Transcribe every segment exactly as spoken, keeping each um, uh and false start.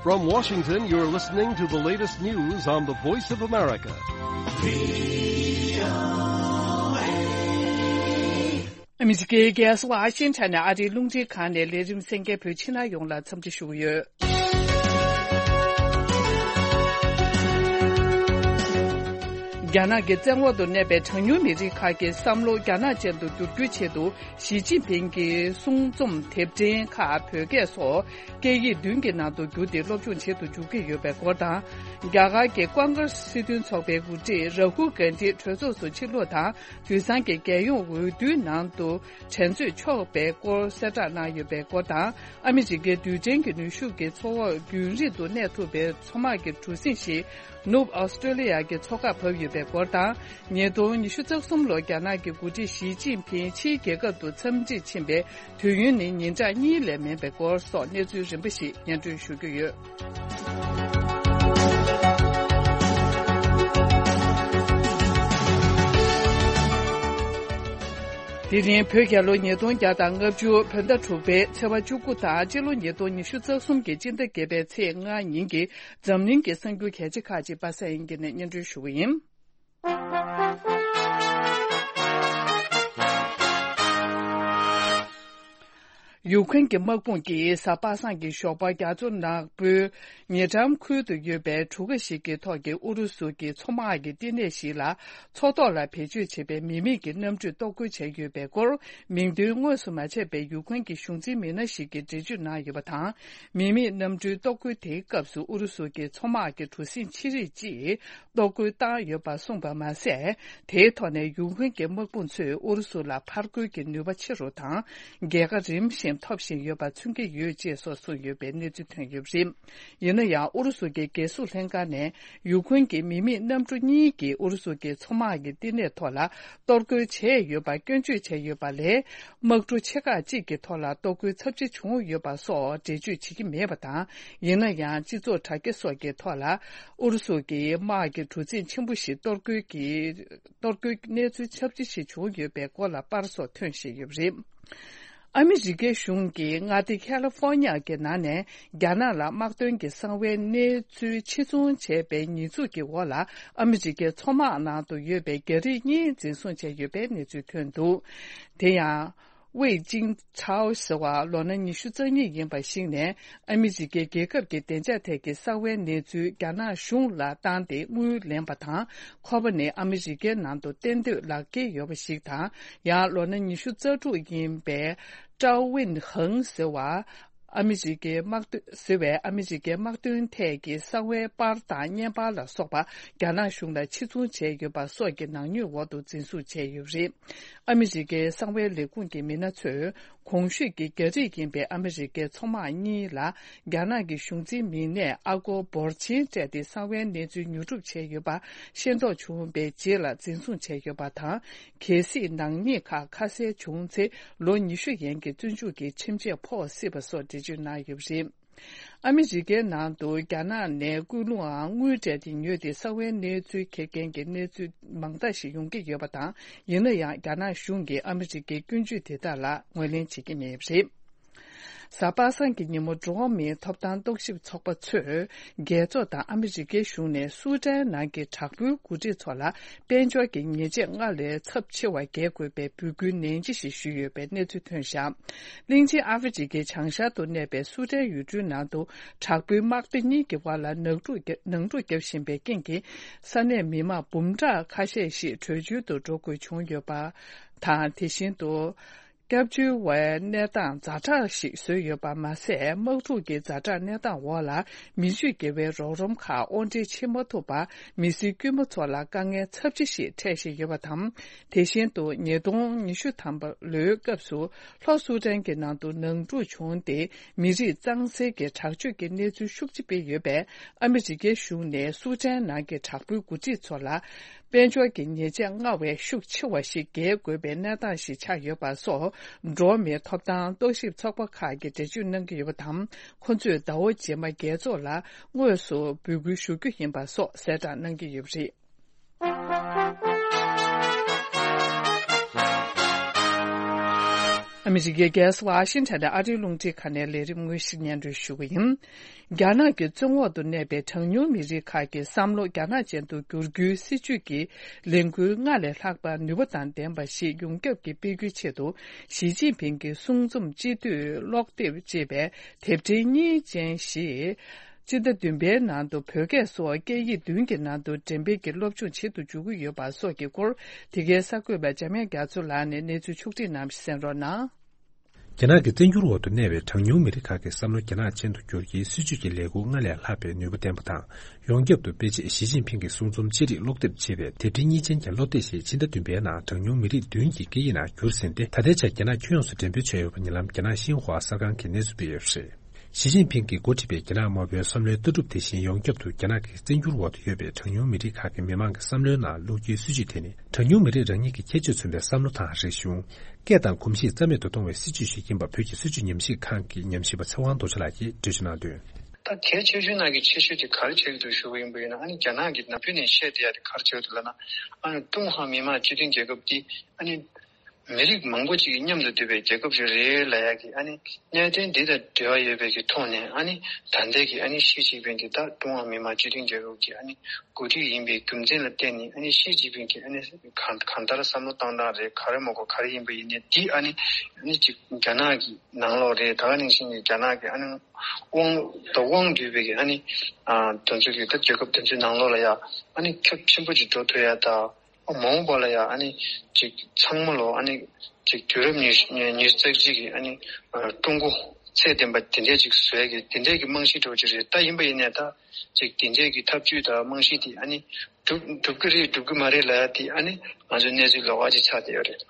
From Washington, you're listening to the latest news on the Voice of America. ཨ་མི་རི་ཀའི་རྒྱལ་ས་ཝ་ཤིང་ཊོན་ནས་ཨ་རིའི་རླུང་འཕྲིན་ཁང་ནས་ལས་རིམ་གསན་མཁན་བོད་ཕྱི་ནང་ཡོངས་ལ་འཚམས་འདྲི་ཞུ་གི་ཡོད། རྒྱ་ནག་གི་བཙན་འོག་ཏུ་གནས་པའི་གྲངས་ཉུང་མི་རིགས་ཁག་གི་བསམ་བློ་རྒྱ་ནག་ཅན་དུ་བསྒྱུར་རྒྱུའི་ཆེད་དུ། ཞི་ཅིན་ཕིང་གི་གསུང་རྩོམ་དེབ་ཕྲེང་ཁག་བོད་སྐད་སོགས་སྐད་ཡིག་བདུན་གྱི་ནང་དུ་བསྒྱུར་ཏེ་སློབ་སྦྱོང་བྱེད་དུ་འཇུག་གི་ཡོད་པའི་སྐོར་དང་། རྒྱ་གར་གྱི་ཀོང་ཀྲེས་སྲིད་དོན་ཚོགས་པའི་འགོ་ཁྲིད་རཱ་ཧུལ་གྷན་དྷི་གྲོས་ཚོགས་སུ་ཕྱིར་ལོག་དང་། དུས་སང་གི་རྒྱལ་ཡོངས་འོས་བསྡུའི་ནང་དུ་དྲན་གསོས་ཆོག་པའི་སྐོར་གསལ་བསྒྲགས་གནང་ཡོད་པའི་སྐོར་དང་། ཨ་མི་རི་ཀའི་རྡུལ་ཕྲན་གྱི་ནུས་ཤུགས་ཀྱི་མཚོ་འོག་རྒྱུན་རིང་དུ་གནས་ཐུབ་པའི་མཚོ་དམག་གི་གྲུ་གཟིངས་ཤིག་ནུབ་ཨོ་སི་ཀྲོ་ལི་ཡ་གི་མཚོ་ཁར་བབས་ཡོད་པའི་སྐོར་དང་། ཉིས་སྟོང་ཉི་ཤུ་རྩ་གསུམ་ལོར་རྒྱ་ནག་གི་འགོ་ཁྲིད་ཞི་ཅིན་ཕིང་ཕྱིའི་རྒྱལ་ཁབ་ཏུ་འཚམས་འདྲིར་ཕྱིན་པའི་དུས་ཡུན་ནི་ཉིན་གྲངས་གཉིས་ལས་མིན་པའི་སྐོར་སོགས་གནས་ཚུལ་རིམ་པ་ཞིག་སྙན་སྒྲོན་ཞུ་རྒྱུ་ཡོད། དེ་རིང་བོད་རྒྱལ་ལོ་ཉིས་སྟོང་བརྒྱ་དང་ལྔ་བཅུ་བོད་ཟླ་དྲུག་པའི་ཚེས་པ་བཅུ་དགུ་དང་སྤྱི་ལོ་ཉིས་སྟོང་ཉི་ཤུ་རྩ་གསུམ་གྱི་སྤྱི་ཟླ་བརྒྱད་པའི་ཚེས་ལྔ་ཉིན་གྱི་འཛམ་གླིང་གི་གསར་འགྱུར་གལ་ཆེ་ཁག་ཅིག་པ་སངས་དབྱངས་སྐྱིད་ནས་སྙན་སྒྲོན་ཞུ་གི་ཡིན། ཡུཀ་རེན་གྱི་དམག་དཔུང་གིས་གཟའ་པ་སངས་ཀྱི་ཞོགས་པ་རྒྱ་མཚོ་ནག་པོའི་ཉེ་འགྲམ་ཁུལ་དུ་ཡོད་པའི་གྲུ་ཁ་ཞིག་གི་ཐོག་གི་ཨུ་རུ་སུ་གྱི་མཚོ་དམག་གི་བསྟི་གནས་ཤིག་ལ་མཚོ་ཐོག་ལ་བེད་སྤྱོད་བྱེད་པའི་མི་མེད་ཀྱི་གནམ་གྲུས་གཏོར་རྒོལ་བྱས་ཡོད་པའི་སྐོར། མིང་དོན་དངོས་སུ་མ་ཆད་པའི་ཡུཀ་རེན་གྱི་གཞུང་འཛིན་མི་སྣ་ཞིག་གིས་འགྲེལ་བརྗོད་གནང་ཡོད་པ་དང་། མི་མེད་གནམ་གྲུའི་གཏོར་རྒོལ་དེའི་སྐབས་སུ་ཨུ་རུ་སུ་གྱི་མཚོ་དམག་གི་གྲུ་གཟིངས་ཆེ་རིགས་ཀྱིས། གཏོར་རྒོལ་བཏང་ཡོད་པ་གསུངས་པ་མ་ཟད། དེའི་ཐོག་ནས་ཡུཀ་རེན་གྱི་དམག་དཔུང་ཚོས་ཨུ་རུ་སུ་ལ་ཕར་རྒོལ་གྱི་ནུས་པ་ཆེ་རུ་དང་། རྒྱལ་ཁ་རིམ་བཞིན་ཐོབ་བཞིན་ཡོད་པ་མཚོན་གྱི་ཡོད་ཅེས་སོགས་གསུངས་ཡོད་པའི་གནས་ཚུལ་ཐོན་ཡོད་པ་རེད། ཡིན་ན་ཡང་ཨུ་རུ་སུ་གྱི་རྒྱལ་སྲུང་ལྷན་ཁང་ནས་ཡུཀ་རེན་གྱི་མི་མེད་གནམ་གྲུ་གཉིས་ཀྱིས་ཨུ་རུ་སུ་གྱི་མཚོ་དམག་གི་བསྟི་གནས་ཐོག་ལ་གཏོར་རྒོལ་བྱས་ཡོད་པ་སྐྱོན་བརྗོད་བྱས་ཡོད་པ་ལས། དམག་གྲུ་ཆེ་ཁག་ཅིག་གི་ཐོག་ལ་གཏོར་རྒོལ་ཚབས་ཆེ་བྱུང་ཡོད་པ་སོགས་འགྲེལ་བརྗོད་བྱེད་ཀྱི་མེད་པ་དང་། ཡིན་ན་ཡང་སྤྱི་ཚོགས་དྲ་རྒྱ་སོགས་ཀྱི་ཐོག་ལ་ཨུ་རུ་སུ་གྱི་དམག་གི་གྲུ་གཟིངས་ཆེན་པོ་ཞིག་གཏོར་རྒོལ་གྱི་གཏོར་རྒོལ་གནས་ཚུལ་ཁྱབ་ཆེ་ཞིག་བྱུང་ཡོད་པའི་སྐོར་ལ་པར་སོགས་ཐོན་བཞིན་ཡོད་པ་རེད། ཨ་མི་རི་ཀའི་གཞུང་གིས་མངའ་སྡེ་ཁ་ལི་ཧྥོ་ཉ་གི་ནང་ནས་རྒྱ་ནག་ལ་དམག་དོན་གྱི་གསང་བའི་གནས་ཚུལ་ཕྱིར་ཚོང་བྱས་པའི་ཉེས་འཛུགས་ཀྱི་འོག་ལ་ཨ་མི་རི་ཀའི་མཚོ་དམག་ནང་དུ་ཡོད་པའི་རྒྱ་རིགས་གཉིས་འཛིན་བཟུང་བྱས་ཡོད་པའི་གནས་ཚུལ་ཐོན་འདུག་དེ་ཡང་། ཝེ་ཅིང་ཁྲའོ་ཟེར་བ་ལོ་ན་ཉི་ཤུ་རྩ་གཉིས་ཡིན་པ་ཞིག་ནས་ཨ་མི་རི་ཀའི་རྒྱལ་ཁབ་ཀྱི་བདེ་འཇགས་ཐད་ཀྱི་གསང་བའི་གནས་ཚུལ་རྒྱ་ནག་གཞུང་ལ་བཏང་སྟེ་དངུལ་ལེན་པ་དང་། ཁོ་པ་ནི་ཨ་མི་རི་ཀའི་ནང་དུ་གཏན་སྡོད་ལག་འཁྱེར་ཡོད་པ་ཞིག་དང་། ཡང་ལོ་ན་ཉི་ཤུ་རྩ་དྲུག་ཡིན་པའི་ཀྲའོ་ཝིན་ཧང་ཟེར་བ། ཨ་མི་རི་ཀའི་དམག་དོན་ཟེར་བའི་ཨ་མི་རི་ཀའི་དམག་དོན་ཐད་ཀྱི་གསང་བའི་པར་དང་བརྙན་པར་ལ་སོགས་པ་རྒྱ་ནག་གཞུང་ལ་ཕྱིར་ཚོང་བྱས་ཡོད་པ་སོགས་ཀྱི་ནག་ཉེས་འོག་ཏུ་འཛིན་བཟུང་བྱས་ཡོད་པ་རེད། ཨ་མི་རི་ཀའི་གསང་བའི་ལས་ཁུངས་ཀྱི་མི་སྣ་ཚོས་གོང་ཞུས་ཀྱི་རྒྱ་རིགས་ཡིན་པའི་ཨ་མི་རི་ཀའི་མཚོ་དམག་གཉིས་ལ་རྒྱ་ནག་གི་གཞུང་འཛིན་མི་སྣས་ཨ་སྒོར་འབོར་ཆེན་སྤྲད་དེ་གསང་བའི་གནས་ཚུལ་ཉོ་སྒྲུབ་བྱས་ཡོད་པ་ཤེས་རྟོགས་བྱུང་བའི་རྗེས་ལ་འཛིན་བཟུང་བྱས་ཡོད་པ་དང་། གལ་སྲིད་ནག་ཉེས་ཁག་ཁ་གསལ་བྱུང་ཚེ་ལོ་ཉི་ཤུ་ཡན་གྱི་བཙོན་འཇུག་གི་ཁྲིམས་ཆད་ཕོག་སྲིད་པ་སོགས་འགྲེལ་བརྗོད་གནང་ཡོད་པ་རེད། ཨ་མི་རི་ཀའི་ནང་དུ་རྒྱ་ནག་ནས་སྐུལ་སློང་ཨང་དངུལ་སྤྲད་དེ་ཉོས་ཏེ་གསང་བའི་གནས་ཚུལ་འཁྱེར་མཁན་གྱི་གནས་ཚུལ་མང་དག་ཞིག་ཡོང་གི་ཡོད་པ་དང་། ཡིན་ན་ཡང་རྒྱ་ནག་གཞུང་གིས་ཨ་མི་རི་ཀའི་སྐྱོན་བརྗོད་དེ་དག་ལ་ངོས་ལེན་བྱེད་ཀྱི་མེད་པ་རེད། གཟའ་པ་སངས་ཀྱི་ཉིན་མོ་འགྲོ་བ་མིའི་ཐོབ་ཐང་རྟོག་ཞིབ་ཚོགས་པ་ཚོས་རྒྱལ་ཚོགས་དང་ཨ་མི་རི་ཀའི་གཞུང་ནས་སུ་ཏན་ནང་གི་དྲག་པོའི་འགོ་ཁྲིད་ཚོ་ལ་དཔལ་འབྱོར་གྱི་ཉེས་ཆད་སྔར་ལས་ཚབས་ཆེ་བ་འགེལ་དགོས་པའི་འབོད་སྐུལ་ནན་ཇི་ཞིག་ཞུས་ཡོད་པའི་གནས་ཚུལ་ཐོན་བཞག་གླིང་ཆེན་ཨ་ཧྥེ་རི་ཀའི་བྱང་ཤར་དུ་གནས་པའི་སུ་ཏན་ཡུལ་གྲུའི་ནང་དུ་དྲག་པོའི་དམག་སྡེ་གཉིས་ཀྱི་བར་ལ་ནག་འཁྲུག་རྒྱ་ནང་འཁྲུག་བརྒྱབ་བཞིན་པའི་རྐྱེན་གྱིས་ས་གནས་མི་མང་འབུམ་ཕྲག་ཁ་ཤས་ཤིག་བྲོས་བྱོལ་དུ་འགྲོ་དགོས་བྱུང་ཡོད་པ་དང་། དེ་བཞིན་དུ། སྐྱབས་བཅོལ་བའི་གནས་སྟངས་ཛ་དྲག་ཞིག་བཟོས་ཡོད་པ་མ་ཟད། དམག་འཁྲུག་གི་ཛ་དྲག་གནས་སྟངས་འོག་ལ་མི་སྤྱོད་དགེ་བའི་རོགས་རམ་ཁག་དབོར་འདྲེན་བྱེད་མ་ཐུབ་པར་མི་སེར་དཀྱུས་མ་ཚོ་ལ་དཀའ་ངལ་ཚབས་ཆེ་ཞིག་འཕྲད་བཞིན་ཡོད་པ་དང་། དེ་བཞིན་དུ་ཉིས་སྟོང་ཉི་ཤུ་ཐམ་པ་ལོའི་སྐབས་སུ་ལྷོ་སུ་ཏན་གྱི་ནང་དུ་ནང་འཁྲུག་བྱུང་སྟེ། མི་རིགས་གཙང་སེལ་གྱི་དྲག་སྤྱོད་ཀྱི་གནས་ཚུལ་ཤུགས་ཆེ་སྤེལ་ཡོད་པས། ཨ་མི་རི་ཀའི་གཞུང་ནས་སུ་ཏན་ནང་གི་དྲག་པོའི་འགོ་ཁྲིད་ཚོ་ལ། དཔལ་འབྱོར་གྱི་ཉེས་ཆད་སྔར་བས་ཤུགས་ཆེ་བ་ཞིག་འགེལ་དགོས་པའི་གནས་སྟངས་ཤིག་ཆགས་ཡོད་པ་སོགས། འགྲོ་བ་མིའི་ཐོབ་ཐང་རྟོག་ཞིབ་ཚོགས་པ་ཁག་གིས་འགྲེལ་བརྗོད་གནང་གི་ཡོད་པ་དང་། ཁོ་ཚོས་ཟླ་བ་རྗེས་མ་རྒྱལ་ཚོགས་ལ་དངོས་སུ་འབོད་སྐུལ་ཞུ་རྒྱུ་ཡིན་པ་སོགས་གསལ་བསྒྲགས་གནང་གི་ཡོད་པ་རེད། ཨ་མི་རི་ཀའི་རྒྱལ་ས་ཝ་ཤིང་ཊོན་ནས་ཨ་རིའི་རླུང་འཕྲིན་ཁང་ནས་ལས་རིམ་དངོས་གཞི་སྙན་སྒྲོན་ཞུ་གི་ཡིན། རྒྱ་ནག་གི་བཙོན་འོག་ཏུ་གནས་པའི་གྲངས་ཉུང་མི་རིགས་ཁག་གི་བསམ་བློ་རྒྱ་ནག་ཅན་དུ་བསྒྱུར་རྒྱུའི་སྲིད་བྱུས་ཀྱི་ལས་འགུལ་སྔར་ལས་ལྷག་པ་ནུས་པ་དང་ལྡན་པ་ཞིག་ཡོངས་ཁྱབ་ཀྱིས་སྤེལ་རྒྱུའི་ཆེད་དུ། ཞི་ཅིན་ཕིང་གི་གསུང་རྩོམ་སྤྱི་འཐུས་ཀློག་དེབ་ཅེས་པའི་དེབ་ཕྲེང་གཉིས་ཅན་ཞིག་སྤྱི་ཟླ་བདུན་པའི་ནང་དུ་བོད་སྐད་སོགས་སྐད་ཡིག་བདུན་གྱི་ནང་དུ་འགྲེམས་སྤེལ་གྱི་སློབ་སྦྱོང་བྱེད་དུ་འཇུག་གི་ཡོད་པ་སོགས་ཀྱི་སྐོར། འདི་གའི་གསར་འགོད་པ་འཇམ་དབྱངས་རྒྱ་མཚོ་ལགས་ནས་གནས་ཚུལ་ཕྱོགས་སྒྲིག་གནང་བ་ཞིག་གསན་རོགས་གནང་། རྒྱ་ནག་གི་བཙན་འགྱུར་འོག་ཏུ་གནས་པའི་གྲངས་ཉུང་མི་རིགས་ཁག་གི་བསམ་བློ་རྒྱ་ནག་ཅན་དུ་བསྒྱུར་རྒྱུའི་སྲིད་བྱུས་ཀྱི་ལས་འགུལ་སྔར་ལས་ལྷག་པའི་ནུས་པ་ལྡན་པ་དང་། ཡོངས་ཁྱབ་ཏུ་སྤེལ་ཆེད་ཞི་ཅིན་ཕིང་གི་གསུང་རྩོམ་ཅི་རིགས་ཀློག་དེབ་ཅེས་པའི་དེབ་ཕྲེང་གཉིས་ཅན་གྱི་སློབ་དེབ་ཞིག་ཕྱི་ཟླ་བདུན་པའི་ནང་གྲངས་ཉུང་མི་རིགས་བདུན་གྱི་སྐད་ཡིག་ནང་བསྒྱུར་ཟིན་ཏེ། ད་ལྟའི་ཆར་རྒྱ་ནག་ཁྱོན་ཡོངས་སུ་འགྲེམས་སྤེལ་བྱས་ཡོད་པ་ཉེ་ལམ་རྒྱ་ནག་ཤིན་ཧྭ་གསར་ཁང་གིས་གནས་ཚུལ་སྤེལ་ཡོད་པ་རེད། ཞི་ཅིན་ཕིང་གིས་འགོ་ཁྲིད་པའི་རྒྱ་ནག་དམར་པོའི་བསམ་བློའི་ལྟ་གྲུབ་དེ་བཞིན་ཡོངས་ཁྱབ་ཏུ་རྒྱ་ནག་གི་བཙན་འགྱུར་འོག་ཏུ་ཡོད་པའི་གྲངས་ཉུང་མི་རིགས་ཁག་གི་མི་མང་གི་བསམ་བློའི་ནང་བླུག་རྒྱུའི་སྲིད་བྱུས་དེ་ནི། གྲངས་ཉུང་མི་རིགས་རང་ཉིད་ཀྱི་ཁྱད་ཆོས་མཚོན་པའི་བསམ་བློ་དང་། རིག་གཞུང་། སྐད་དང་གོམས་གཤིས་རྩ་མེད་དུ་གཏོང་བའི་སྲིད་བྱུས་ཤིག་ཡིན་པ་བོད་ཀྱི་སྲིད་བྱུས་ཉམས་ཞིབ་ཁང་གི་ཉམས་ཞིབ་པ་ཚེ་དབང་རྡོ་རྗེ་ལགས་ཀྱིས་འགྲེལ་བརྗོད་གནང་དོན། ད་གལ་ཆེ་ཤོས་ནང་གི་ཆེ་ཤོས་དེ་ག་རེ་ཆགས་ཀྱི་འདུག་ཞུ་གི་ཡིན་པ་ཡིན་ན། ཨ་ནི་རྒྱ་ནག་གི་ནམ་རྒྱུན་ནས་བཤད་བསྡད་ཡ་དེ་ག་རེ་ཆགས་ཀྱི་འདུག་ལབ་ན། ཨ་ནི་ཀྲུང་ཧྭ་མི་དམངས་སྤྱི་མཐུན་རྒྱལ་ཁབ་དེ་ཨ་ནི་མི་རིགས་མང་པོ་ཅིག་མཉམ་དུ་འདུས་པའི་རྒྱལ་ཁབ་ཅིག་རེད་ལབ་ཡ་གི། ཨ་ནི་གནད་དོན་འདི་དང་འབྲེལ་བ་ཡོད་པའི་གི་ཐོག་ནས། ཨ་ནི་ད་ལྟའི་གི་ཨ་ནི་ཞི་ཅིན་ཕིང་དེ་ད་ཀྲུང་ཧྭ་མི་དམངས་སྤྱི་མཐུན་རྒྱལ་ཁབ་ཀྱི་ཨ་ནི་འགོ་ཁྲིད་ཡིན་པའི་རྒྱུ་མཚན་ལ་བརྟེན་ནས། ཨ་ནི་ཞི་ཅིན་ཕིང་གི་ཨ་ནི་གང་གང་ལྟར་བསམ་བློ་བཏང་སྟངས་རེད། ག་རེ་མ་གོ་ག་རེ་ཡིན་པ་ཡིན་ནའི་འདི་ཨ་ནི་ཨ་ནི་ཅིག་རྒྱ་ནག་གི་ནང་ལོགས་རེད། ད་ག་ནང་བཞིན་གྱི་རྒྱ་ནག་གི་ཨ་ནི་དབང་ད་དབང་བསྡུས་པའི་གི་ཨ་ནི་ཨ་དེ་ཚོ་གི་ད་རྒྱལ་ཁབ་དེ་ཚོའི་ནང་ལོགས་ལ་ཡ་ཨ་ནི་ཁྱབ་ཆེན་པོ་ཅིག་འགྲོ་ཐུབ་ཡ། ད་མ་འོངས་པ་ལ་ཡ་ཨ་ནི་ཅིག་ཚང་མ་ལོ་ཨ་ནི་ཅིག་དུས་རབས་ཉི་ཉི་ཉི་ཤུ་རྩ་གཅིག་གི་ཨ་ནི་ཀྲུང་གོ་ཚད་ལྡན་པ་དེ་འདྲས་ཅིག་བཟོ་ཡ་གི་དེ་འདྲས་ཀྱི་རྨང་གཞི་འདྲ་བོ་ཅིག་རེད། ད་ཡིན་པ་ཡིན་ནའི་ད་ཅིག་དེ་འདྲས་ཀྱི་ཐབས་ཇུས་དང་རྨང་གཞི་དེ་ཨ་ནི་འགྲུབ་འགྲུབ་ཀྱི་རེད་འགྲུབ་ཀྱི་མ་རེད་ལབ་ཡ་དེ་ཨ་ནི་ང་ཚོའི་གནས་ཚུལ་ལོགས་ཀ་ཅིག་ཆགས་བསྡད་ཡོད་རེད།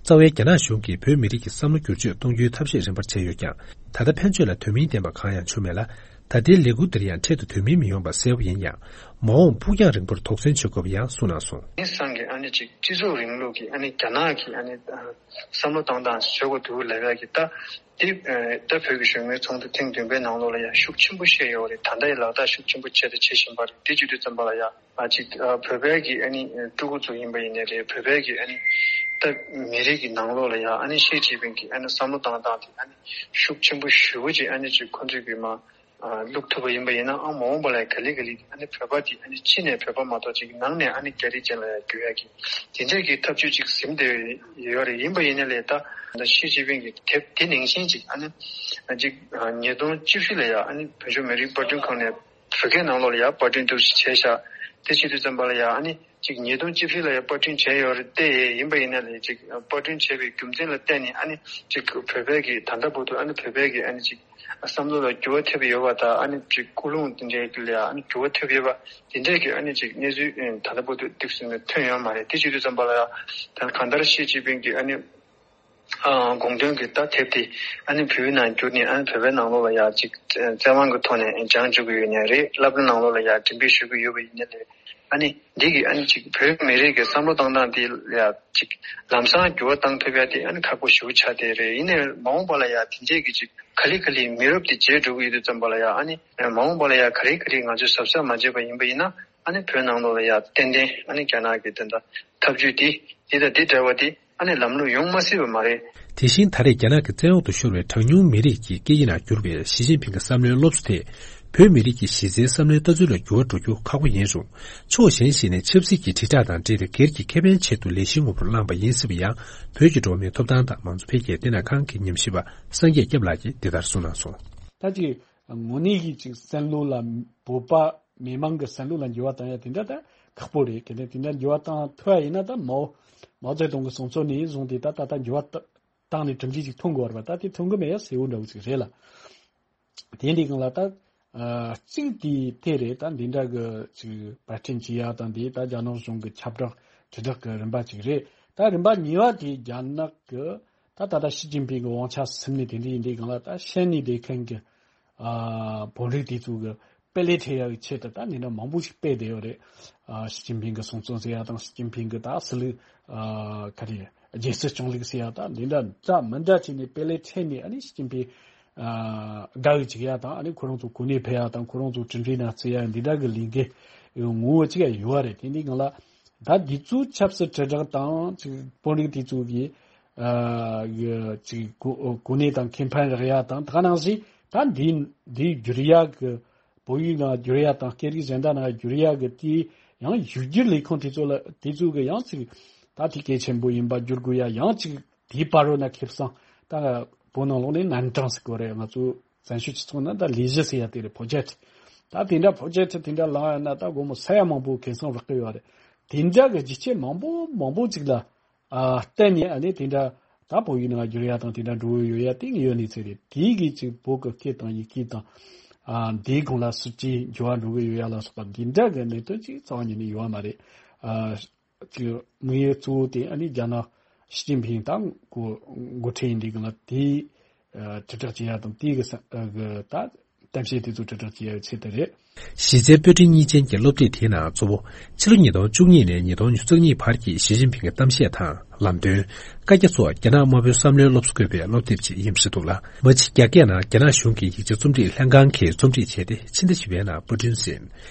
རྩ་བའི་རྒྱ་ནག་གཞུང་གིས་བོད་མི་རིགས་ཀྱི་བསམ་བློ་བསྒྱུར་བཅོས་གཏོང་རྒྱུའི་ཐབས་ཤེས་རིམ་པར་བྱས་ཡོད་ཀྱང་། ད་ལྟ་ཕན་ཆོད་ལ་དོན་སྨིན་ལྡན་པ་གང་ཡང་བྱུང་མེད་ལ། ད་ལྟའི་ལས་འགུལ་འདིར་ཡང་འཕྲལ་དུ་དོན་སྨིན་མི་ཡོང་པ་གསལ་པོ་ཡིན་ཡང་། མ་འོངས་ཕུགས་རྒྱང་རིང་པོར་དོགས་ཟོན་བྱེད་དགོས་པ་ཡང་གསུངས་གནང་སོང་། དེང་སང་གི་ཨ་ནི་ཅིག་སྤྱི་ཚོགས་རིང་ལུགས་ཀྱི་ཨ་ནི་རྒྱ་ནག་གི་ཨ་ནི་བསམ་བློ་བཏང་སྟངས་བཟོ་དགོས་འདུག་ལབ་ཡ་གི། ད་དེ་ད་བོད་ཀྱི་གཞོན་ནུའི་ཚོགས་འདུ་ཐེངས་བདུན་པའི་ནང་ལོགས་ལ་ཡང་ཤུགས་ཆེན་པོ་བཤད་ཡོད་རེད། ད་ལྟ་ཡང་ལག་བསྟར་ཤུགས་ཆེན་པོ་བྱས་དང་བྱེད་བཞིན་པ་རེད། དེ་བྱེད་དུས་ཙམ་པ་ལ་ཡང་ཨ་ཅིག་ཨ་བོད་པའི་གི་ཨ་ནི་ཕྲུ་གུ་ཚོ་ཡིན་པ་ཡིན་ནའི་རེད། བོད་པའི་གི་ཨ་ནི་ད་མི་རིགས་ཀྱི་ནང་ལོགས་ལ་ཡང་ཨ་ནི་ཞི་ཅིན་ཕིང་གི་ཨ་ནི་བསམ་བློ་བཏང་སྟངས་དེ་ཨ་ནི་ཤུགས་ཆེན་པོ་ཞེ་པོ་ཅིག་ཨ་ནི་ཅིག་ཁོང་ཚོས་གི་མ་ཨ་བླུག་ཐུབ་པ་ཡིན་པ་ཡིན་ན། ཨ་མ་འོངས་པ་ལ་ག་ལེ་ག་ལེ་ཨ་ནི་བོད་པ་དེ་ཨ་ནི་ཕྱི་ནས་བོད་པ་མ་གཏོགས་ཅིག་ནང་ནས་ཨ་ནི་རྒྱ་རིགས་ཅན་ལ་ཡང་འགྱུར་ཡ་གི་དེ་འདྲས་ཀྱི་ཐབས་ཇུས་ཅིག་ཟིན་བསྡད་ཡོད་རེད། ཡིན་པ་ཡིན་ན་ལས་ད་ད་ཞི་ཅིན་ཕིང་གི་དེབ་དེ་ནང་བཞིན་ཅིག་ཨ་ནི་ཅིག་ཉིས་སྟོང་བཅུ་བཞི་ལ་ཡང་ཨ་ནི་བོད་ལྗོངས་མི་རིགས་དཔར་སྐྲུན་ཁང་ནས་བོད་སྐད་ནང་ལོགས་ལ་ཡང་པར་སྐྲུན་འདུག་ཅིག་བྱས་ཤག་དེ་བྱེད་དུས་ཙམ་པ་ལ་ཡང་ཨ་ནི་ཅིག་ཉིས་སྟོང་བཅུ་བཞི་ལ་ཡང་པར་སྐྲུན་བྱས་ཡོད་རེད་དེ། ཡིན་པ་ཡིན་ན་ལས་ཅིག་པར་སྐྲུན་བྱས་པའི་རྒྱུ་མཚན་ལ་བརྟེན་ནས་ཨ་ནི་ཅིག་བོད་པའི་གི་ད་ལྟ་བར་དུ་ཨ་ནི་བོད་པའི་གི་ཨ་ནི་ཅིག་བསམ་བློ་ལ་འགྱུར་བ་ཐེབས་ཡོད་པ་དང་། ཨ་ནི་ཅིག་ཀུན་སློང་དེ་འདྲའི་གི་ལ་ཡང་ཨ་ནི་འགྱུར་བ་ཐེབས་ཡོད་པ་དེ་འདྲའི་གི་ཨ་ནི་ཅིག་གནས་ཚུལ་ཨ་ད་ལྟ་བར་དུ་ཏོག་ཙམ་ཐོན་ཡོད་མ་རེད། དེ་བྱེད་དུས་ཙམ་པ་ལ་ཡང་ད་གང་ལྟར་ཞི་ཅིན་ཕིང་གི་ཨ་ནི་ཨ་དགོངས་དོན་གྱི་ད་དེབ་དེ་ཨ་ནི་བོད་ནང་བསྒྱུར་ནས་ཨ་ནི་བོད་པའི་ནང་ལོགས་ལ་ཡང་ཅིག་བཙན་དབང་གི་ཐོག་ནས་སྦྱང་བཅུག་གི་ཡོད་ནའི་རེད། སློབ་གྲྭ་ནང་ལོགས་ལ་ཡང་འགྲེམས་སྤེལ་ཞུ་གི་ཡོད་པ་ཡིན་ནའི་རེད། ཨ་ནི་འདི་གི་ཨ་ནི་ཅིག་བོད་མི་རིགས་ཀྱི་བསམ་བློ་བཏང་སྟངས་དེ་ལ་ཡང་ཅིག་ལམ་སང་འགྱུར་བ་བཏང་ཐུབ་ཡ་དེ་ཨ་ནི་ཁག་པོ་ཞེ་པོ་ཆགས་བསྡད་རེད། ཡིན་ནའི་མ་འོངས་པ་ལ་ཡང་དེ་འདྲས་ཀྱི་ཅིག་ག་ལེ་ག་ལེ་མི་རབས་དེ་བརྗེ་འགྲོ་གི་ཡོད་དུས་ཙམ་པ་ལ་ཡང་ཨ་ནི་མ་འོངས་པ་ལ་ཡང་ག་རེ་ག་རེ་ང་ཚོས་གཟབ་གཟབ་མ་བྱས་པ་ཡིན་པ་ཡིན་ན། ཨ་ནི་བོད་ནང་ལོགས་ལ་ཡང་ཏན་ཏན་ཨ་ནི་རྒྱ་ནག་གི་དེ་འདྲ་ཐབས་ཇུས་དེ་དེ་དང་དེ་འདྲ་བ་དེ་ཨ་ནི་ལམ་ལྷོང་ཡོང་མ་སྲིད་པ་མ་རེད། དེ་བཞིན་ད་རེས་རྒྱ་ནག་གི་བཙན་འོག་ཏུ་ཤོར་བའི་གྲངས་ཉུང་མི་རིགས་ཀྱི་སྐད་ཡིག་ནང་བསྒྱུར་བའི་ཞི་ཅིན་ཕིང་གི་བསམ་བློའི་སློབ་གསོ་དེ། བོད་མི་རིགས་ཀྱི་གཞི་རྩའི་བསམ་བློའི་ལྟ་ཚུལ་ལ་འགྱུར་བ་འགྲོ་རྒྱུ་ཁག་པོ་ཡིན་རུང་། ཕྱོགས་གཞན་ཞིག་ནས་ཆབ་སྲིད་ཀྱི་དྲིལ་བསྒྲགས་དང་འབྲེལ་ཏེ་སྒེར་གྱི་ཁེ་ཕན་ཆེད་དུ་ལས་གཞི་དངོས་པོར་བླངས་པ་ཡིན་སྲིད་པ་ཡང་། བོད་ཀྱི་འགྲོ་བ་མིའི་ཐོབ་ཐང་དང་མང་གཙོ་འཕེལ་རྒྱས་བསྟི་གནས་ཁང་གི་ཉམས་ཞིབ་པ་སངས་རྒྱས་སྐྱབས་ལགས་ཀྱིས་འདི་ལྟར་གསུངས་གནང་སོང་། ད་ཅིག་དངོས་གནས་ཀྱི་ཅིག་བསམ་བློ་ལ་བོད་པ་མི་མང་གི་བསམ་བློ་ལ་འགྱུར་བ་བཏང་ཡ་དེ་འདྲ་ད་ཁག་པོ་རེད། གལ་ཏེ་དེ་འདྲ་འགྱུར་བ་བཏང་ཐུབ་ཡ་ཡིན་ན། ད་མའོ་མའོ་ཙེ་ཏུང་གི་གསུང་ཚུལ་ནས་བཟུང་སྟེ་ད་ད་ལྟ་འགྱུར་བ་བཏང་ནས་གྲུབ་འབྲས་ཅིག་ཐོན་དགོས་པ་རེད་པ། ད་དེ་ཐོན་གི་མེད་ཡ་གསལ་བོ་འདྲ་བོ་ཅིག་རེད་ལ། དེ་འདི་སྒང་ལ་ད་ཨ་གཅིག་དེ་དེ་རེད། ད་འདི་འདྲ་གི་ཅིག་པར་སྐྲུན་བྱེད་ཡ་དང་། དེ་ད་རྒྱ་ནག་གཞུང་གི་ཁྱབ་བསྒྲགས་དྲིལ་བསྒྲགས་ཀྱི་རིམ་པ་ཅིག་རེད། ད་རིམ་པ་གཉིས་པ་དེ་རྒྱ་ནག་གི་ད་ད་ལྟ་ཞི་ཅིན་ཕིང་གི་དབང་ཆ་ཟིན་ནས་དེ་འདྲ་ཡིན་དུས་སྒང་ལ། ད་ཤན་ནས་བསྡད་མཁན་གྱི་ཨ་བོད་རིགས་དེ་ཚོ་གི་དཔེ་ལེགས་འཕྲད་ཡག་གི་ཆེད་དུ་ད་འདི་འདྲ་མང་པོ་ཞིག་སྤེལ་བསྡད་ཡོད་རེད། ཨ་ཞི་ཅིན་ཕིང་གི་གསུང་རྩོམ་ཟེར་ཡ་དང་། ཞི་ཅིན་ཕིང་གི་ད་སྲིད་ལུགས་ཨ་ག་རེ་རྒྱལ་སྲིད་སྐྱོང་ལུགས་ཟེར་ཡ་དང་། འདི་འདྲ་འདྲ་མི་འདྲ་བྱས་ནས་དཔེ་ལེགས་འཕྲད་ནས། ཨ་ནི་ཞི་ཅིན་ཕིང་ཨ་དགའ་བའི་བྱེད་ཡ་དང་། ཨ་ནི་ཁོ་རང་ཚོ་གོ་གནས་འཕེལ་ཡ་དང་། ཁོ་རང་ཚོ་གྲུབ་འབྲས་ནང་བརྩི་ཡ། འདི་འདྲ་གི་ལས་འགུལ་ངོ་བོ་གཅིག་ཡ་ཡོད་རེད། དེ་འདི་སྒང་ལ་ད་འདི་ཚོའི་ཆབ་སྲིད་དྲིལ་བསྒྲགས་དང་ཅིག་དཔོན་རིགས་དེ་ཚོ་གི་ ཨ་གི་ཅིག་གོ་གོ་གནས་དང་ཁེ་ཕན་རག་ཡ་དང་། ད་ག་ནང་བཞིན་ད་འདི་འདི་བསྒྱུར་ཡ་གི་བོད་ཡིག་ནང་བསྒྱུར་ཡ་དང་སྐད་རིགས་གཞན་དག་ནང་བསྒྱུར་ཡ་གི་དེ་ཡང་ཡིག་སྒྱུར་ལས་ཁུངས་དེ་ཚོ་ལ་དེ་ཚོ་གི་ཡང་ཅིག་ད་དེ་གལ་ཆེན་པོ་ཡིན་པ་བསྒྱུར་དགོས་ཡ། ཡང་ཅིག་དེའི་བར་རོ་ན་ཁེ་བཟང་ད་བོད་ནང་ལོགས་ནས་ནན་ཀྲང་ཟེར་གོ་རེད། ང་ཚོ་བཙན་བྱོལ་སྤྱི་ཚོགས་ནང་ད་ལས་གཞི་ཟེར་ཡ་དེ་རེད། པོ་ཇེག་ཊི། ད་དེ་འདྲ་པོ་ཇེག་ཊི་དེ་འདྲ་ལངས་ཡ་ན་ད་སྒོར་མོ་ས་ཡ་མང་པོ་ཁེ་བཟང་རག་གི་ཡོད་རེད། དེ་འདྲ་གི་རྒྱུ་རྐྱེན་མང་པོ་མང་པོ་ཅིག་ལ་ཨ་བརྟེན་ནས་ཨ་ནི་དེ་འདྲ་ད་བོད་ཡིག་ནང་བསྒྱུར་ཡ་དང་དེ་འདྲ་འགྲོ་གི་ཡོད་ཡ་དེ་ཡོད་ནི་ཚེ་རེད། དེའི་གི་ཅིག་བོད་ཀྱི་སྐད་དང་ཡི་གེ་དང་ཨ་འདིའི་གོང་ལ་སྲིད་ཇུས་འགྱུར་བ་འགྲོ་གི་ཡོད་ཡ་ལ་སོགས་པ་འདི་འདྲ་གི་གནད་དོན་ཅིག་རྩ་བ་ཉིད་ནས་ཡོད་མ་རེད། ཨ་ཅིག་དམིགས་ཡུལ་གཙོ་བོ་དེ་ཨ་ནི་རྒྱ་ནག་ཞི་ཅིན་ཕིང་དང་གོ་འགོ་ཁྲིད་ཡིན་དུས་གང་ལ་དེའི་ཨ་དྲིལ་བསྒྲགས་བྱེད་ཡ་དང་དེའི་གི་ས་ཨ་གི་ད་གཏམ་བཤད་དེ་ཚོ་དྲིལ་བསྒྲགས་བྱེད་ཡ་ཡི་ཆེད་དུ་རེད། གཞི་རྩའི་པོད་ཕྲན་གཉིས་ཅན་གྱི་སློབ་ཁྲིད་དེའི་ནང་གཙོ་བོ་ཕྱི་ལོ་ཉིས་སྟོང་བཅུ་གཉིས་ནས་ཉིས་སྟོང་ཉེར་གཉིས་བར་གྱི་ཞི་ཅིན་ཕིང་གི་གཏམ་བཤད་དང་ལམ་སྟོན། བཀའ་རྒྱ་སོགས་རྒྱ་ནག་དམར་པོའི་བསམ་བློའི་སློབ་གསོ་བཀོད་པའི་སློབ་དེབ་ཅིག་ཡིན་པ་ཞིག་འདུག་ལ། མ་གཞི་རྒྱ་སྐད་ནང་རྒྱ་ནག་གཞུང་གི་ཡིག་ཆ་རྩོམ་སྒྲིག་ལྷན་ཁང་གིས་རྩོམ་སྒྲིག་བྱས་ཏེ་ཕྱི་ཟླ་བཞི་པའི་ནང་པར་སྐྲུན་ཟིན།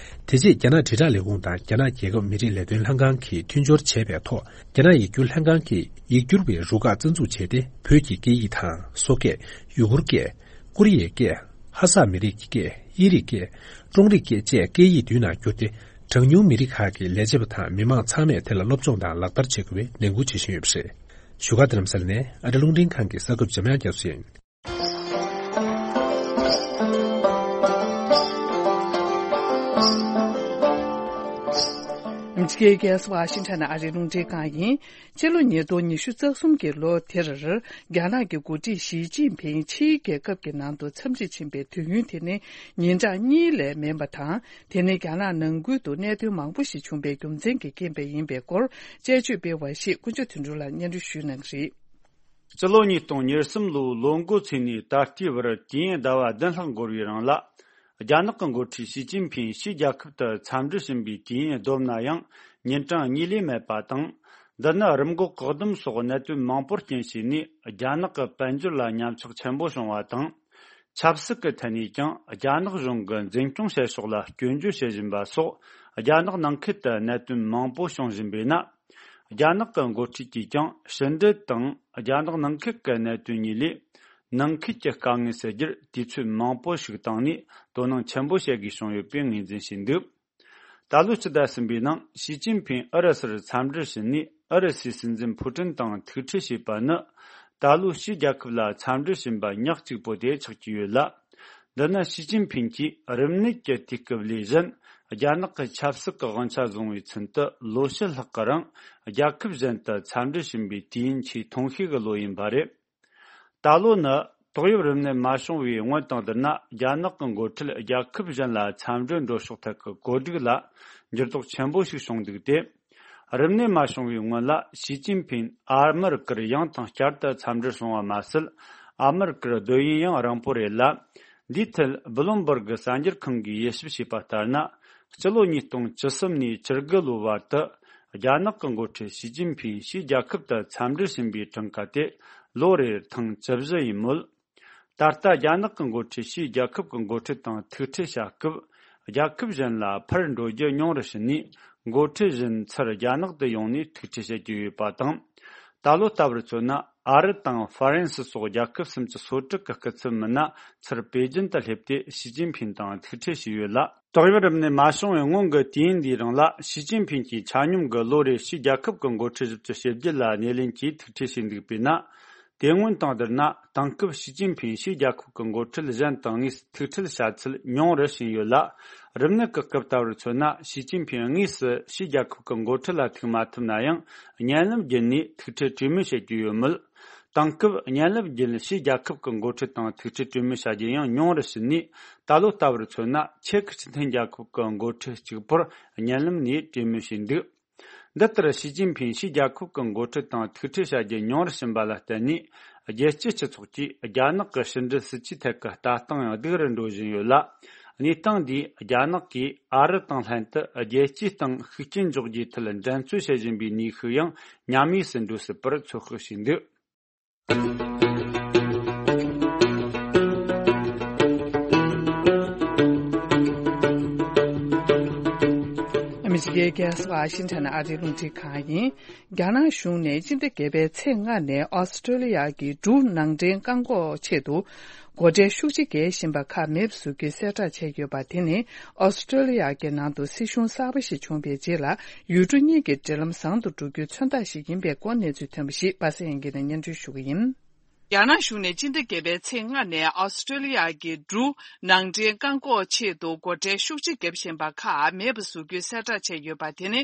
དེ་རྗེས་རྒྱ་ནག་དྲིལ་བསྒྲགས་ལས་ཁུངས་དང་རྒྱ་ནག་རྒྱལ་ཁབ་མི་རིགས་ལས་དོན་ལྷན་ཁང་གིས་མཐུན་སྦྱོར་བྱས་པའི་ཐོག་རྒྱ་ནག་ཡིག་སྒྱུར་ལྷན་ཁང་གིས་ཡིག་སྒྱུར་བའི་རུ་ཁག་རྩ་འཛུགས་བྱས་ཏེ་བོད་ཀྱི་སྐད་ཡིག་དང་སོག་སྐད། ཡུ་གུར་སྐད། ཀོ་རི་ཡའི་སྐད། ཧ་སག་མི་རིགས་ཀྱི་སྐད། དབྱིན་རིགས་སྐད། ཀྲུང་རིགས་སྐད་བཅས་སྐད་ཡིག་བདུན་ནང་བསྒྱུར་ཏེ། གྲངས་ཉུང་མི་རིགས་ཁག་གི་ལས་བྱེད་པ་དང་མི་མང་ཚང་མས་དེ་ལ་སློབ་སྦྱོང་དང་ལག་བསྟར་བྱེད་དགོས་པའི་ནན་སྐུལ་བྱེད་བཞིན་ཡོད་པ་རེད། བཞུགས་སྒར་རྡ་རམ་ས་ལ་ནས་ཨ་རི་རླུང་འཕྲིན་ཁང་གི་གསར་འགོད་པ་འཇམ་དབྱངས་རྒྱ་མཚོ་ཡིན། ཨ་མི་རི་ཀའི་རྒྱལ་ས་ཝ་ཤིང་ཊོན་ཨ་རིའི་རླུང་འཕྲིན་ཁང་ཡིན། ཕྱི་ལོ་ཉིས་སྟོང་ཉི་ཤུ་རྩ་གསུམ་གྱི་ལོ་དེར། རྒྱ་ནག་གི་འགོ་ཁྲིད་ཞི་ཅིན་ཕིང་ཕྱིའི་རྒྱལ་ཁབ་ཀྱི་ནང་དུ་འཚམས་འདྲིར་ཕྱིན་པའི་དུས་ཡུན་དེ་ནི་ཉིན་གྲངས་གཉིས་ལས་མིན་པ་དང་། དེ་ནི་རྒྱ་ནག་ནང་ཁུལ་དུ་གནད་དོན་མང་པོ་ཞིག་བྱུང་པའི་རྒྱུ་མཚན་གྱི་རྐྱེན་པས་ཡིན་པའི་སྐོར། དཔྱད་བརྗོད་སྤེལ་བ་ཞིག་དཀོན་མཆོག་དོན་གྲུབ་ལགས་སྙན་སྒྲོན་ཞུ་གནང་གི་རེད། སྤྱི་ལོ་ཉིས་སྟོང་ཉེར་གསུམ་ལོའི་ལོ་འགོ་ཚུན་ནས་ད་ལྟའི་བར་དུས་ཡུན་ཟླ་བ་བདུན་ལྷག་འགོར་བའི་རིང་ལ། རྒྱ་ནག་གི་འགོ་ཁྲིད་ཞི་ཅིན་ཕིང་ཕྱིའི་རྒྱལ་ཁབ་ཏུ་འཚམས་འདྲིར་ཕྱིན་པའི་དུས་ཡུན་བསྡོམས་ན་ཡང་ཉིན་གྲངས་གཉིས་ལས་མེད་པ་དང་། འདི་ནི་རིམས་འགོག་བཀག་སྡོམ་སོགས་གནད་དོན་མང་པོར་རྐྱེན་བྱས་ནས་རྒྱ་ནག་གི་དཔལ་འབྱོར་ལ་ཉམས་ཆག་ཆེན་པོ་བྱུང་བ་དང་། ཆབ་སྲིད་ཀྱི་ཐད་ནས་ཀྱང་རྒྱ་ནག་གཞུང་གི་འཛིན་སྐྱོང་བྱེད་ཕྱོགས་ལ་སྐྱོན་བརྗོད་བྱེད་བཞིན་པ་སོགས་རྒྱ་ནག་ནང་ཁུལ་དུ་གནད་དོན་མང་པོ་བྱུང་བཞིན་པས་ན། རྒྱ་ནག་གི་འགོ་ཁྲིད་ཀྱིས་ཀྱང་ཕྱི་འབྲེལ་དང་རྒྱ་ནག་ནང་ཁུལ་གྱི་གནད་དོན་གཉིས་ལས། ནང་ཁུལ་གྱི་དཀའ་ངལ་སེལ་རྒྱུར་དུས་ཚོད་མང་པོ་ཞིག་བཏང་ནས་དོ་སྣང་ཆེན་པོ་བྱེད་དགོས་བྱུང་ཡོད་པའི་ངོས་འཛིན་བྱས་འདུག་ད་ལོའི་སྤྱི་ཟླ་གསུམ་པའི་ནང་ཞི་ཅིན་ཕིང་ཨུ་རུ་སུར་འཚམས་འདྲིར་ཕྱིན་ནས་ཨུ་རུ་སུའི་སྲིད་འཛིན་ཕུ་ཀྲིན་དང་ཐུག་འཕྲད་བྱས་པ་ནི། ད་ལོའི་ཕྱིའི་རྒྱལ་ཁབ་ལ་འཚམས་འདྲིར་ཕྱིན་པ་ཉག་གཅིག་པོ་དེ་ཆགས་ཀྱི་ཡོད་ལ། འདི་ནི་ཞི་ཅིན་ཕིང་གིས་རིམས་ནད་ཀྱི་དུས་སྐབས་ལས་གཞན། རྒྱ་ནག་གི་ཆབ་སྲིད་ཀྱི་དབང་ཆ་བཟུང་བའི་ཚུན་དུ་ལོ་ཕྱེད་ལྷག་གི་རིང་། རྒྱལ་ཁབ་གཞན་དུ་འཚམས་འདྲིར་ཕྱིན་པའི་དུས་ཡུན་ཆེས་ཐུང་ཤོས་ཀྱི་ལོ་ཡིན་པ་རེད། ད་ལོ་ནི་ཏོག་དབྱིབས་རིམས་ནད་མ་བྱུང་བའི་སྔོན་དང་བསྡུར་ན། རྒྱ་ནག་གི་འགོ་ཁྲིད་རྒྱལ་ཁབ་གཞན་ལ་འཚམས་འདྲིར་འགྲོ་ཕྱོགས་ཐད་ཀྱི་བཀོད་སྒྲིག་ལ་འགྱུར་ལྡོག་ཆེན་པོ་ཞིག་བྱུང་འདུག་སྟེ། རིམས་ནད་མ་བྱུང་བའི་སྔོན་ལ་ཞི་ཅིན་ཕིང་ཨ་མི་རི་ཀར་ཡང་དང་བསྐྱར་དུ་འཚམས་འདྲིར་སོང་བ་མ་ཟད། ཨ་མི་རི་ཀར་སྡོད་ཡུན་ཡང་རིང་པོ་རེད་ལ། འདིའི་ཐད་བྷི་ལུམ་བྷར་གི་གསར་འགྱུར་ཁང་གིས་དབྱེ་ཞིབ་བྱས་པ་ལྟར་ན། སྤྱི་ལོ་ཉིས་སྟོང་བཅུ་གསུམ་ནས་བཅུ་དགུ་ལོའི་བར་དུ། རྒྱ་ནག་གི་འགོ་ཁྲིད་ཞི་ཅིན་ཕིང་ཕྱིའི་རྒྱལ་ཁབ་ཏུ་འཚམས་འདྲིར་ཕྱིན་པའི་གྲངས་ཀ་དེ་ལོ་རེར་ཐེངས་བཅུ་བཞི་ཡིན་མོད། ད་ལྟ་རྒྱ་ནག་གི་འགོ་ཁྲིད་ཕྱིའི་རྒྱལ་ཁབ་ཀྱི་འགོ་ཁྲིད་དང་ཐུག་འཕྲད་བྱ་སྐབས། རྒྱལ་ཁབ་གཞན་ལ་ཕར་འགྲོ་རྒྱུ་ཉུང་རུ་ཕྱིན་ནས། འགོ་ཁྲིད་གཞན་ཚུར་རྒྱ་ནག་ཏུ་ཡོང་ནས་ཐུག་འཕྲད་བྱེད་ཀྱི་ཡོད་པ་དང་། ད་ལོ་ལྟ་བུར་མཚོན་ན། ཨ་རི་དང་ཧྥ་རན་སི་སོགས་རྒྱལ་ཁབ་སུམ་ཅུ་སོ་དྲུག་གི་སྐུ་ཚབ་མི་སྣ་ཚུར་པེ་ཅིན་དུ་སླེབས་ཏེ་ཞི་ཅིན་ཕིང་དང་ཐུག་འཕྲད་བྱས་ཡོད་ལ། ཏོག་དབྱིབས་རིམས་ནད་མ་བྱུང་བའི་སྔོན་གྱི་དུས་ཡུན་འདིའི་རིང་ལ་ཞི་ཅིན་ཕིང་གིས་ཆ་སྙོམས་ཀྱི་ལོ་རེར་ཕྱིའི་རྒྱལ་ཁབ་ཀྱི་འགོ་ཁྲིད་བཞི་བཅུ་ཞེ་བརྒྱད་ལ་སྣེ་ལེན་གྱིས་ཐུག་འཕྲད་བྱས་འདུག་པས་ན། དེ་སྔོན་དང་བསྡུར་ན་དེང་སྐབས་ཞི་ཅིན་ཕིང་ཕྱིའི་རྒྱལ་ཁབ་ཀྱི་འགོ་ཁྲིད་གཞན་དང་དངོས་སུ་ཐུག་འཕྲད་བྱ་ཚུལ་ཉུང་རུ་ཕྱིན་ཡོད་ལ། རིམས་ནད་ཀྱི་སྐབས་ལྟ་བུར་མཚོན་ན་ཞི་ཅིན་ཕིང་དངོས་སུ་ཕྱིའི་རྒྱལ་ཁབ་ཀྱི་འགོ་ཁྲིད་ལ་ཐུག་མ་ཐུབ་ན་ཡང་བརྙན་ལམ་བརྒྱུད་ནས་ཐུག་འཕྲད་གྲོས་མོལ་བྱེད་ཀྱི་ཡོད་མོད། དེང་སྐབས་བརྙན་ལམ་བརྒྱུད་ཕྱིའི་རྒྱལ་ཁབ་ཀྱི་འགོ་ཁྲིད་དང་ཐུག་འཕྲད་གྲོས་མོལ་བྱ་རྒྱུ་ཡང་ཉུང་རུ་ཕྱིན་ནས། ད་ལོ་ལྟ་བུར་མཚོན་ན་ཆེ་ཁུ་ཆི་ཐན་རྒྱལ་ཁབ་ཀྱི་འགོ་ཁྲིད་གཅིག་པུར་བརྙན་ལམ་ནས་གྲོས་མོལ་བྱས་འདུག་འདི་ལྟར་ཞི་ཅིན་ཕིང་ཕྱིའི་རྒྱལ་ཁབ་ཀྱི་འགོ་ཁྲིད་དང་ཐུག་འཕྲད་བྱ་རྒྱུ་ཉུང་རུ་ཕྱིན་པ་ལ་བརྟེན་ནས། རྒྱལ་སྤྱིའི་སྤྱི་ཚོགས་ཀྱིས་རྒྱ་ནག་གི་ཕྱི་འབྲེལ་སྲིད་ཇུས་ཐད་ཀྱི་ལྟ་སྟངས་ཡང་སྡུག་རུ་འགྲོ་བཞིན་ཡོད་ལ། གནས་སྟངས་འདིས་རྒྱ་ནག་གིས་ཨ་རི་དང་ལྷན་དུ་རྒྱལ་སྤྱིའི་སྟེང་ཤུགས་རྐྱེན་འཇོག་རྒྱུའི་ཐད་འགྲན་རྩོད་བྱེད་བཞིན་པའི་ནུས་ཤུགས་ཡང་ཉམས་དམས་སུ་འགྲོ་སྲིད་པར་ཚོད་དཔག་བྱས་འདུག་ཨ་ ཕྱི་རྒྱལ་རྒྱལ་ས་ཝ་ཤིང་ཊོན་ཨ་རིའི་རླུང་འཕྲིན་ཁང་ཡིན། རྒྱ་ནག་གཞུང་ནས་སྤྱི་ཟླ་བརྒྱད་པའི་ཚེས་ལྔ་ནས་ཨོ་སི་ཀྲོ་ལི་ཡ་གི་འབྲུ་ནང་འདྲེན་བཀག་འགོག་ཆེད་དུ་སྒོ་ཁྲལ་ཤུགས་ཆེ་འགེལ་བཞིན་པ་ཁག་མེད་པ་བཟོ་རྒྱུའི་གསལ་བསྒྲགས་བྱས་ཡོད་པ་དེ་ནི་ཨོ་སི་ཀྲོ་ལི་ཡ་གི་ནང་དུ་སྲིད་གཞུང་གསར་པ་ཞིག་བྱུང་བའི་རྗེས་ལ་ཡུལ་གྲུ་གཉིས་ཀྱི་འབྲེལ་ལམ་བཟང་དུ་འགྲོ་རྒྱུའི་མཚོན་རྟགས་ཤིག་ཡིན་པའི་སྐོར་གནས་ཚུལ་ཐོན་པ་ཞིག་པ་སངས་སྐྱིད་ནས་སྙན་སྒྲོན་ཞུ་གི་ཡིན། རྒྱ་ནག་གཞུང་ནས་སྤྱི་ཟླ་བརྒྱད་པའི་ཚེས་ལྔ་ནས་ཨོ་སི་ཀྲོ་ལི་ཡ་གི་འབྲུ་ནང་འདྲེན་བཀག་འགོག་ཆེད་དུ་སྒོ་ཁྲལ་ཤུགས་ཆེ་བརྒྱབ་བཞིན་པ་ཁག་མེད་པ་བཟོ་རྒྱུའི་གསལ་བསྒྲགས་བྱས་ཡོད་པ་དེ་ནི་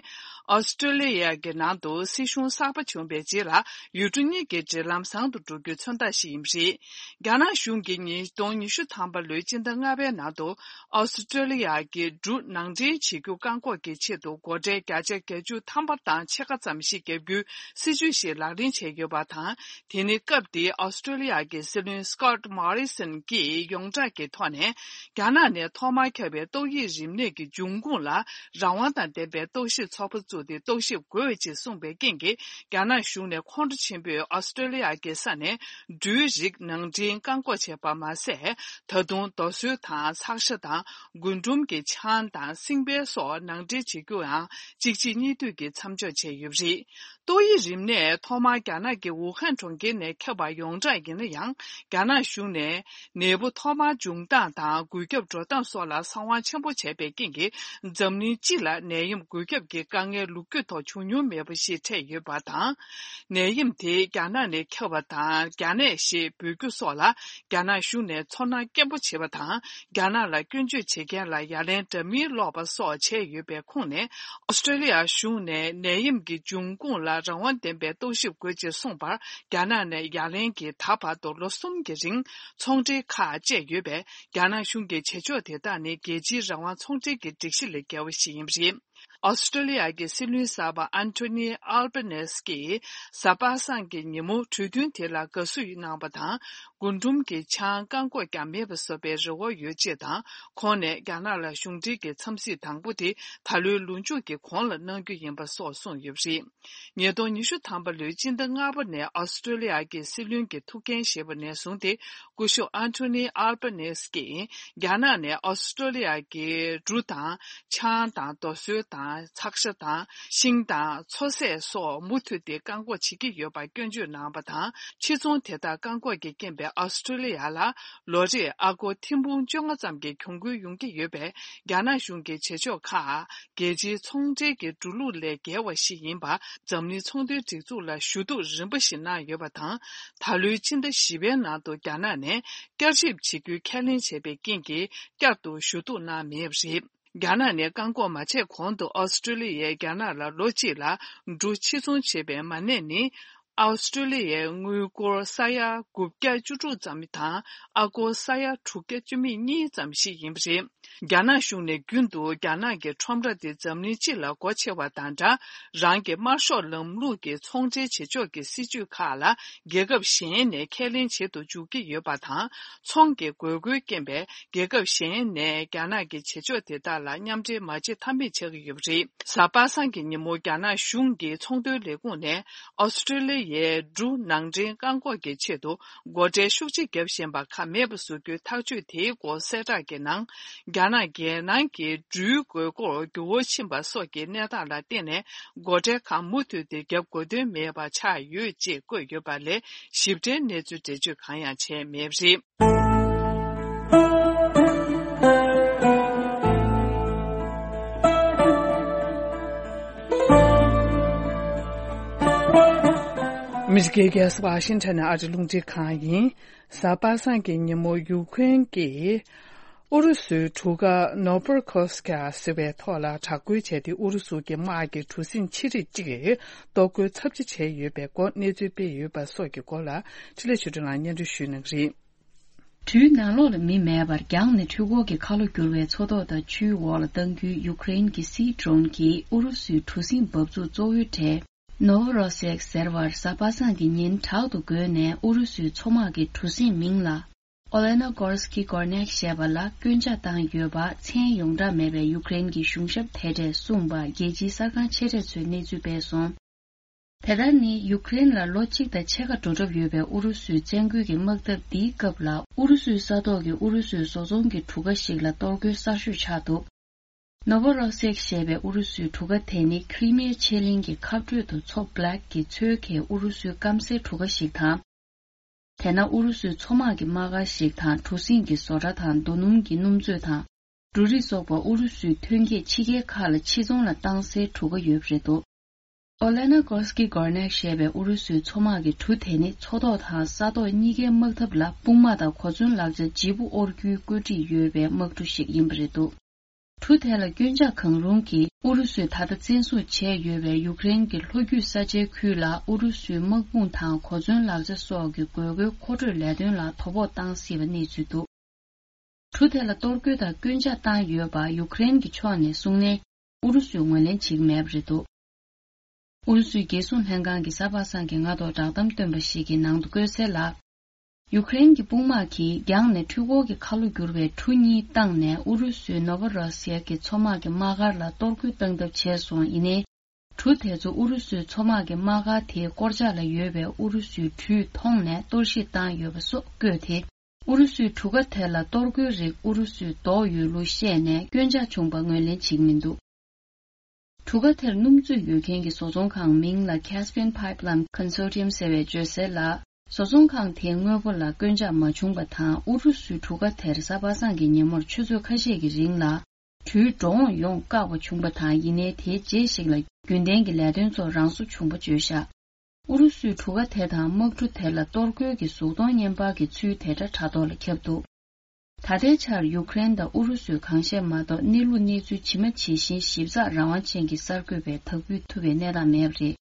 ཨོ་སི་ཀྲོ་ལི་ཡ་གི་ནང་དུ་སྲིད་གཞུང་གསར་པ་བྱུང་བའི་རྗེས་ལ་ཡུལ་གྲུ་གཉིས་ཀྱི་འབྲེལ་ལམ་བཟང་དུ་འགྲོ་རྒྱུའི་མཚོན་རྟགས་ཤིག་ཡིན་པ་རེད། རྒྱ་ནག་གཞུང་གིས་ཉིས་སྟོང་ཉི་ཤུ་ཐམ་པ་ལོའི་སྤྱི་ཟླ་ལྔ་པའི་ནང་དུ་ཨོ་སི་ཀྲོ་ལི་ཡ་གི་འབྲུ་ནང་འདྲེན་བྱེད་རྒྱུ་བཀག་འགོག་གི་ཆེད་དུ་སྒོ་ཁྲལ་བརྒྱ་ཆ་བརྒྱད་ཅུ་ཐམ་པ་དང་ཕྱེད་ཀ་ཙམ་ཞིག་བརྒྱབ་རྒྱུའི་སྲིད་ཇུས་ཤིག་ལག་ལེན་བྱས་ཡོད་པ་དང་། དེ་ནི་སྐབས་དེའི་ཨོ་སི་ཀྲོ་ལི་ཡ་གི་སྲིད་བློན་སི་ཀོ་ཊི་མོ་རི་སོན་གྱིས་ཡོངས་གྲགས་ཀྱི་ཐོག་ནས་རྒྱ་ནག་ནས་ཐོག་མར་ཁྱབ་པའི་ཏོག་དབྱིབས་རིམས་ནད་ཀྱི་འབྱུང་ཁུངས་ལ་རང་དབང་དང་ལྡན་པའི་རྟོག་ཞིབ་ཚོགས་པ་བཙུགས་ཏེ་རྟོག་ཞིབ་དགོས་ཅེས་གསུངས་པའི་རྐྱེན་གྱིས། རྒྱ་ནག་གཞུང་ནས་ཁོང་ཁྲོ་ཆེན་པོས་ཨོ་སི་ཀྲོ་ལི་ཡ་གི་ས་ནས་འབྲུའི་རིགས་ནང་འདྲེན་བཀག་འགོག་བྱས་པ་མ་ཟད། ད་དུང་རྡོ་སོལ་དང་ཚགས་ཤ་དང་། རྒུན་འབྲུམ་གྱི་ཆང་དང་སྲིང་བལ་སོགས་ནང་འདྲེན་བྱེད་རྒྱུའང་གཅིག་རྗེས་གཉིས་མཐུད་ཀྱིས་མཚམས་འཇོག་བྱས་ཡོད་པ་རེད། ཏོག་དབྱིབས་རིམས་ནད་ཐོག་མར་རྒྱ་ནག་གི་ཝུ་ཧན་གྲོང་ཁྱེར་ནས་ཁྱབ་པ་ཡོངས་གྲགས་ཡིན་ན་ཡང་། རྒྱ་ནག་གཞུང་ནས་ནད་འབུ་ཐོག་མར་འབྱུང་སྟངས་དང་འགོས་ཁྱབ་འགྲོ་སྟངས་སོགས་ལ་གསང་བ་ཆེན་པོ་བྱས་པའི་རྐྱེན་གྱིས། འཛམ་གླིང་སྤྱི་ལ་ནད་ཡམས་འགོས་ཁྱབ་ཀྱི་དཀའ་ངལ་ལོ་རྒྱུས་ཐོག་བྱུང་མྱོང་མེད་པ་ཞིག་འཕྲད་ཡོད་པ་དང་། ནད་ཡམས་དེ་རྒྱ་ནག་ནས་ཁྱབ་པ་དང་རྒྱ་ནད་ཞེས་འབོད་རྒྱུ་སོགས་ལ་རྒྱ་ནག་གཞུང་ནས་ཚོར་སྣང་སྐྱེན་པོ་བྱེད་པ་དང་། རྒྱ་ནག་ལ་སྐྱོན་བརྗོད་བྱེད་མཁན་ལ་ཡ་ལན་འདྲ་མིན་སློག་པ་སོགས་བྱས་ཡོད་པའི་ཁོངས་ནས། ཨོ་སི་ཀྲོ་ལི་ཡ་གཞུང་ནས་ནད་ཡམས་ཀྱི་འབྱུང་ཁུངས་ལ་རང་དབང་ལྡན་པའི་རྟོག་ཞིབ་དགོས་ཅེས་གསུངས་པར། རྒྱ་ནག་ནས་ཡ་ལན་གྱིས་ད་བར་དུ་ལོ་གསུམ་གྱི་རིང་ཚོང་འབྲེལ་ཁག་བཅད་ཡོད་པས། རྒྱ་ནག་གཞུང་གི་བྱེད་ཕྱོགས་དེ་དག་ནི་རྒྱལ་སྤྱིའི་རང་དབང་ཚོང་འབྲེལ་གྱི་སྒྲིག་གཞི་ལས་འགལ་བ་ཞིག་ཡིན་པ་རེད། ཨོ་སི་ཀྲོ་ལི་ཡ་གི་སྲིད་བློན་གསར་པ་ཨན་ཐོ་ནི་ཨལ་བྷ་ནེ་སི་ཀྱིས་གཟའ་པ་སངས་ཀྱི་ཉིན་མོ་གྲོས་མཐུན་དེ་ལ་དགའ་བསུ་གནང་བ་དང་། རྒུན་འབྲུམ་གྱི་ཆང་བཀག་འགོག་ཀྱང་མེད་པ་བཟོ་བའི་རེ་བ་ཡོད་ཅེས་དང་། ཁོང་ནས་རྒྱ་ནག་ལ་གཞུང་འབྲེལ་གྱི་འཚམས་གཟིགས་དང་པོ་དེ་ད་ལོའི་ལོ་མཇུག་གི་གོང་ལ་གནང་རྒྱུ་ཡིན་པ་སོགས་གསུངས་ཡོད་པ་རེད། ཉིས་སྟོང་ཉི་ཤུ་ཐམ་པ་ལོའི་སྤྱི་ཟླ་ལྔ་པ་ནས་ཨོ་སི་ཀྲོ་ལི་ཡ་གི་སྲིད་བློན་གྱི་ཐུགས་འགན་བཞེས་པ་ནས་བཟུང་སྟེ། སྐུ་ཞབས་ཨན་ཐོ་ནི་ཨལ་བྷ་ནེ་སི་ཀྱིས་རྒྱ་ནག་ནས་ཨོ་སི་ཀྲོ་ལི་ཡ་གི་འབྲུ་དང་། ཆང་དང་། རྡོ་སོལ་དང་། ཚགས་ཤ་དང་། ཤིང་དང་། མཚོ་ཟས་སོགས་མུ་མཐུད་དེ་བཀག་འགོག་བྱེད་ཀྱི་ཡོད་པར་སྐྱོན་བརྗོད་གནང་བ་དང་། ཕྱིར་ཚོང་དེ་དག་བཀག་འགོག་གི་རྐྱེན་པས་ཨོ་སི་ཀྲོ་ལི་ཡ་ལ་ལོ་རེར་ཨ་སྒོར་ཐེར་འབུམ་བཅོ་ལྔ་ཙམ་གྱི་གྱོང་གུན་ཡོང་གི་ཡོད་པས། རྒྱ་ནག་གཞུང་གི་བྱེད་ཕྱོགས་ཁག་རྒྱལ་སྤྱིའི་ཚོང་འབྲེལ་གྱི་འགྲོ་ལུགས་ལས་འགལ་བ་ཞིག་ཡིན་པ། འཛམ་གླིང་ཚོང་དོན་སྒྲིག་འཛུགས་ལ་ཞུ་གཏུག་རིམ་པ་ཞིག་གནང་ཡོད་པ་དང་། ད་ལོའི་ཕྱི་ཟླ་བཞི་པའི་ནང་དུ་རྒྱ་ནག་ནས་བསྐྱར་ཞིབ་བྱེད་རྒྱུའི་ཁས་ལེན་བྱས་པའི་རྐྱེན་གྱིས། བསྐྱར་དུ་ཞུ་གཏུག་གནང་མེད་པ་རེད། རྒྱ་ནག་ནས་བཀག་འགོག་མ་བྱས་གོང་དུ་ཨོ་སི་ཀྲོ་ལི་ཡས་རྒྱ་ནག་ལ་ལོ་གཅིག་ལ་འབྲུ་ཕྱིར་ཚོང་བྱེད་པའི་མ་གནས་ནི། ཨོ་སི་ཀྲོ་ལི་ཡའི་དངུལ་སྒོར་ས་ཡ་དགུ་བརྒྱ་བཅུ་དྲུག་ཙམ་དང་། ཨ་སྒོར་ས་ཡ་དྲུག་བརྒྱ་བཅུ་མེད་གཉིས་ཙམ་ཞིག་ཡིན་པ་རེད། རྒྱ་ནག་གཞུང་ནས་རྒྱུན་དུ་རྒྱ་ནག་གི་ཁྲོམ་ར་དེ་འཛམ་གླིང་སྤྱི་ལ་སྒོ་ཕྱེ་བ་དང་འདྲ། རང་གི་དམར་ཤོག་ལམ་ལུགས་ཀྱི་ཚོང་འབྲེལ་བྱེད་ཕྱོགས་ཀྱི་སྲིད་ཇུས་ཁག་ལ་རྒྱལ་ཁབ་གཞན་ནས་ཁས་ལེན་བྱེད་དུ་འཇུག་གི་ཡོད་པ་དང་། ཚོང་གི་དགོས་མཁོའི་རྐྱེན་པས། རྒྱལ་ཁབ་གཞན་ནས་རྒྱ་ནག་གི་བྱེད་ཕྱོགས་དེ་དག་ལ་མཉམ་འབྲེལ་མ་བྱེད་ཐབས་མེད་ཆགས་ཀྱི་ཡོད་པ་རེད། གཟའ་པ་སངས་ཀྱི་ཉིན་མོ་རྒྱ་ནག་གཞུང་གི་ཚོང་དོན་ལས་ཁུངས་ནས་ཨོ་སི་ཀྲོ་ལི་ཡའི་འབྲུ་ནང་འདྲེན་བཀག་འགོག་གི་ཆེད་དུ་སྒོ་ཁྲལ་ཤུགས་ཆེ་བརྒྱབ་བཞིན་པ་ཁག་མེད་པ་བཟོ་རྒྱུའི་ཐག་གཅོད་དེའི་སྐོར་གསལ་བསྒྲགས་ཀྱི་ནང་། རྒྱ་ནག་རྒྱལ་ནང་གི་འབྲུའི་དགོས་མཁོར་འགྱུར་བ་ཕྱིན་པ་སོགས་ཀྱི་གནས་སྟངས་ལ་བརྟེན་ནས་སྒོ་ཁྲལ་ཁག་མུ་མཐུད་དེ་བརྒྱབ་དགོས་དོན་མེད་པ་ཆགས་ཡོད་ཅེས་བཀོད་ཡོད་པ་ལས་ཞིབ་ཕྲའི་གནས་ཚུལ་འགྲེལ་བརྗོད་གང་ཡང་བྱས་མེད་པ་རེད། མི་རིགས་རྒྱལ་ས་ཝ་ཤིང་ཊོན་ནས་ཨ་རི་རླུང་འཕྲིན་ཁང་ཡིན། གཟའ་པ་སངས་ཀྱི་ཉིན་མོ་ཡུ་ཁུ་རེན་གྱིས་ཨུ་རུ་སུའི་གྲུ་ཁ་ནོ་བར་ཁོ་སི་ཀ་ཟེར་བའི་ཐོག་ལ་དྲག་རྒོལ་བྱས་ཏེ། ཨུ་རུ་སུ་གྱི་དམག་གི་གྲུ་གཟིངས་ཆེ་རིགས་གཅིག་གཏོར་རྒོལ་ཚབས་ཆེ་བྱས་ཡོད་པའི་སྐོར་གནས་ཚུལ་སྤེལ་ཡོད་པ་སོགས་ཀྱི་སྐོར་ལ་འཕྲིན་ལས་ཆོས་སྒྲོན་ལགས་སྙན་སྒྲོན་ཞུ་གནང་གི་རེད། གྲུའི་ནང་ལོགས་ལ་མི་མེད་པར་རྒྱང་ནས་འཕྲུལ་འཁོར་གྱི་ཁ་ལོ་བསྒྱུར་བའི་མཚོ་ཐོག་དང་ཆུའི་འོག་ལ་བཏང་རྒྱུའི་ཡུ་ཀེ་རེན་གྱི་སི་ཌི་རོ་ན་གྱིས་ཨུ་རུ་སུའི་གྲུ་གཟིངས་འབབ་ཚུགས་གཙོ་བོའི་གྲས་ནོ་ཝོ་རོ་སེག་ཟེར་བར་གཟའ་པ་སངས་ཀྱི་ཉིན་དྲག་ཏུ་རྒོལ་ནས། ཨུ་རུ་སུའི་མཚོ་དམག་གི་གྲུ་གཟིངས་མིང་ལ་ཨོ་ལེ་ན་གོར་སི་ཀི་གོར་ནེག་ཞེས་པ་ལ་སྐྱོན་ཆ་བཏང་ཡོད་པ། མཚན་ཡོངས་གྲགས་མེད་པའི་ཡུ་ཀེ་རེན་གྱི་གཞུང་ཞབས་དེ་གྲས་གསུངས་པ་རྒྱལ་སྤྱིའི་གསར་ཁང་ཆེ་གྲས་ཚོས་གནས་ཚུལ་སྤེལ་སོང་། དེ་ལྟར་ནི་ཡུ་ཀེ་རེན་ལ་ལོ་གཅིག་དང་ཕྱེད་ཀ་འགྲོ་གྲབས་ཡོད་པའི་ཨུ་རུ་སུའི་བཙན་རྒོལ་གྱི་དམག་འཐབ་འདིའི་སྐབས་ལ། ཨུ་རུ་སུའི་ས་ཐོག་གི་ཨུ་རུ་སུའི་བཟོ་ཚོང་གི་གྲུ་ཁ་ཞིག་ལ་གཏོར་རྒོལ་གསར་ཤོས་ཆགས་འདུག་ནོ་ཝོ་རོ་སི་ཡེག་ཞེས་པའི་ཨུ་རུ་སུའི་གྲུ་ཁ་དེ་ནི་ཁི་རི་མི་ཡ་ཆེ་གླིང་གི་ཁ་སྤྲོད་དུ་མཚོ་Black གི་མཚོའི་ཁའི་ཨུ་རུ་སུའི་སྐམ་སའི་གྲུ་ཁ་ཞིག་དང་། དེ་ན་ཨུ་རུ་སུའི་མཚོ་དམག་གི་དམག་སྒར་ཞིག་དང་གྲུ་གཟིངས་ཀྱི་བཟོ་གྲྭ་དང་རྡོ་སྣུམ་གྱི་སྣུམ་མཛོད་དང་འབྲུ་རིགས་སོགས་པ་ཨུ་རུ་སུའི་ཐོན་སྐྱེད་ཕྱི་རྒྱལ་ཁག་ལ་ཕྱིར་ཚོང་ལ་བཏང་སའི་གྲུ་ཁ་ཡོད་པ་རེད་འདུག་ཨོ་ལེ་ན་གོ་སི་ཀི་གོར་ནེག་ཞེས་པའི་ཨུ་རུ་སུའི་མཚོ་དམག་གི་གྲུ་དེ་ནི་མཚོ་ཐོག་དང་ས་ཐོག་གཉིས་ཀའི་དམག་འཐབ་ལ་དཔུང་དམག་དང་གོ་མཚོན་ལག་ཆ་ལྗིད་པོ་དབོར་རྒྱུའི་བཀོད་སྒྲིག་ཡོད་པའི་དམག་གྲུ་ཞིག་ཡིན་པ་རེད་འདུག་གྲུ་དེ་ལ་སྐྱོན་ཆ་གང་རུང་གིས་ཨུ་རུ་སུས་ད་ལྟ་བཙན་བཟུང་བྱས་ཡོད་པའི་ཡུཀ་རེན་གྱི་ལྷོ་རྒྱུད་ས་ཆའི་ཁུལ་ལ་ཨུ་རུ་སུའི་དམག་དཔུང་དང་གོ་མཚོན་ལག་ཆ་སོགས་ཀྱི་དགོས་མཁོའི་མཁོ་སྤྲོད་ལས་དོན་ལ་དོ་ཕོག་བཏང་སྲིད་པ་གནས་ཚུལ་འདུག་གྲུ་དེ་ལ་གཏོར་རྒོལ་དང་སྐྱོན་ཆ་བཏང་ཡོད་པ་ཡུཀ་རེན་གྱི་ཕྱོགས་ནས་གསུངས་ནའི་ཨུ་རུ་སུས་ངོས་ལེན་བྱེད་ཀྱི་མེད་པ་རེད་འདུག་ཨུ་རུ་སུའི་རྒྱལ་སྲུང་ལྷན་ཁང་གི་གཟའ་པ་སངས་ཀྱི་སྔ་དྲོ་བསྒྲགས་གཏམ་བཏོན་པ་ཞིག་གི་ནང་དུ་བཀོད་གསལ་ལ། ཡུཀ་རེན་གྱི་དཔུང་དམག་གིས་རྒྱང་ནས་འཕྲུལ་འཁོར་གྱི་ཁ་ལོ་བསྒྱུར་བའི་གྲུ་གཉིས་བཏང་ནས་ཨུ་རུ་སུའི་ནོ་ཝོ་རོ་སི་ཡ་གི་མཚོ་དམག་གི་དམག་སྒར་ལ་གཏོར་རྒོལ་བཏང་ཐབས་བྱས་སོང་། ཡིན་ནའི། གྲུ་དེ་ཚོ་ཨུ་རུ་སུའི་མཚོ་དམག་གི་དམག་སྒར་དེའི་སྐོར་ཆག་ལ་ཡོད་པའི་ཨུ་རུ་སུའི་གྲུས་མཐོང་ནས་གཏོར་བཤིག་བཏང་ཡོད་པ་སོགས་བཀོད་དེ། ཨུ་རུ་སུའི་གྲུ་ཁ་དེ་ལ་གཏོར་རྒོལ་རིགས་ཨུ་རུ་སུས་བཟློག་ཡོད་ལུགས་བཤད་ནས་སྐྱོན་ཆ་བྱུང་པ་ངོས་ལེན་བྱེད་ཀྱི་མི་འདུག་གྲུ་ཁ་དེར་སྣུམ་མཛོད་ཡོད་མཁན་གྱི་བཟོ་ཚོང་ཁང་མིང་ལ་Caspian Pipeline Consortium ཟེར་བས་བརྗོད་གསལ་ལ། བཟོ་ཚོང་ཁང་དེའི་དངོས་པོ་ལ་སྐྱོན་ཆག་མ་བྱུང་པ་དང་ཨུ་རུ་སུའི་གྲུ་ཁ་དེར་གཟའ་པ་སངས་ཀྱི་ཉིན་མོར་ཆུ་ཚོད་ཁ་ཤས་ཀྱི་རིང་ལ་གྲུའི་འགྲོ་འོང་ཡོང་བཀག་པ་བྱུང་པ་དང་། ཡིན་ནའི་དེའི་རྗེས་ཤིག་ལ་རྒྱུན་ལྡན་གྱི་ལས་དོན་ཚོ་རང་སོ་བྱུང་པ་བརྗོད་བཞག་ཨུ་རུ་སུའི་གྲུ་ཁ་དེ་དང་དམག་གྲུ་དེ་ལ་གཏོར་རྒོལ་གྱི་གཟུགས་མཐོང་བརྙན་པར་གྱི་ཚུལ་དེ་འདྲ་དྲ་ཐོག་ལ་ཁྱབ་འདུག་ད་ལྟའི་ཆར་ཡུཀ་རེན་དང་ཨུ་རུ་སུས་གང་བཤད་མ་གཏོགས་གནས་ལུགས་གནས་ཚུལ་ཇི་མ་ཇི་བཞིན་ཞིབ་ཚགས་རང་དབང་ཅན་གྱི་གསར་འགོད་པས་དག་འབུལ་ཐུབ་པའི་གནས་སྟངས་མེད་པ་རེད།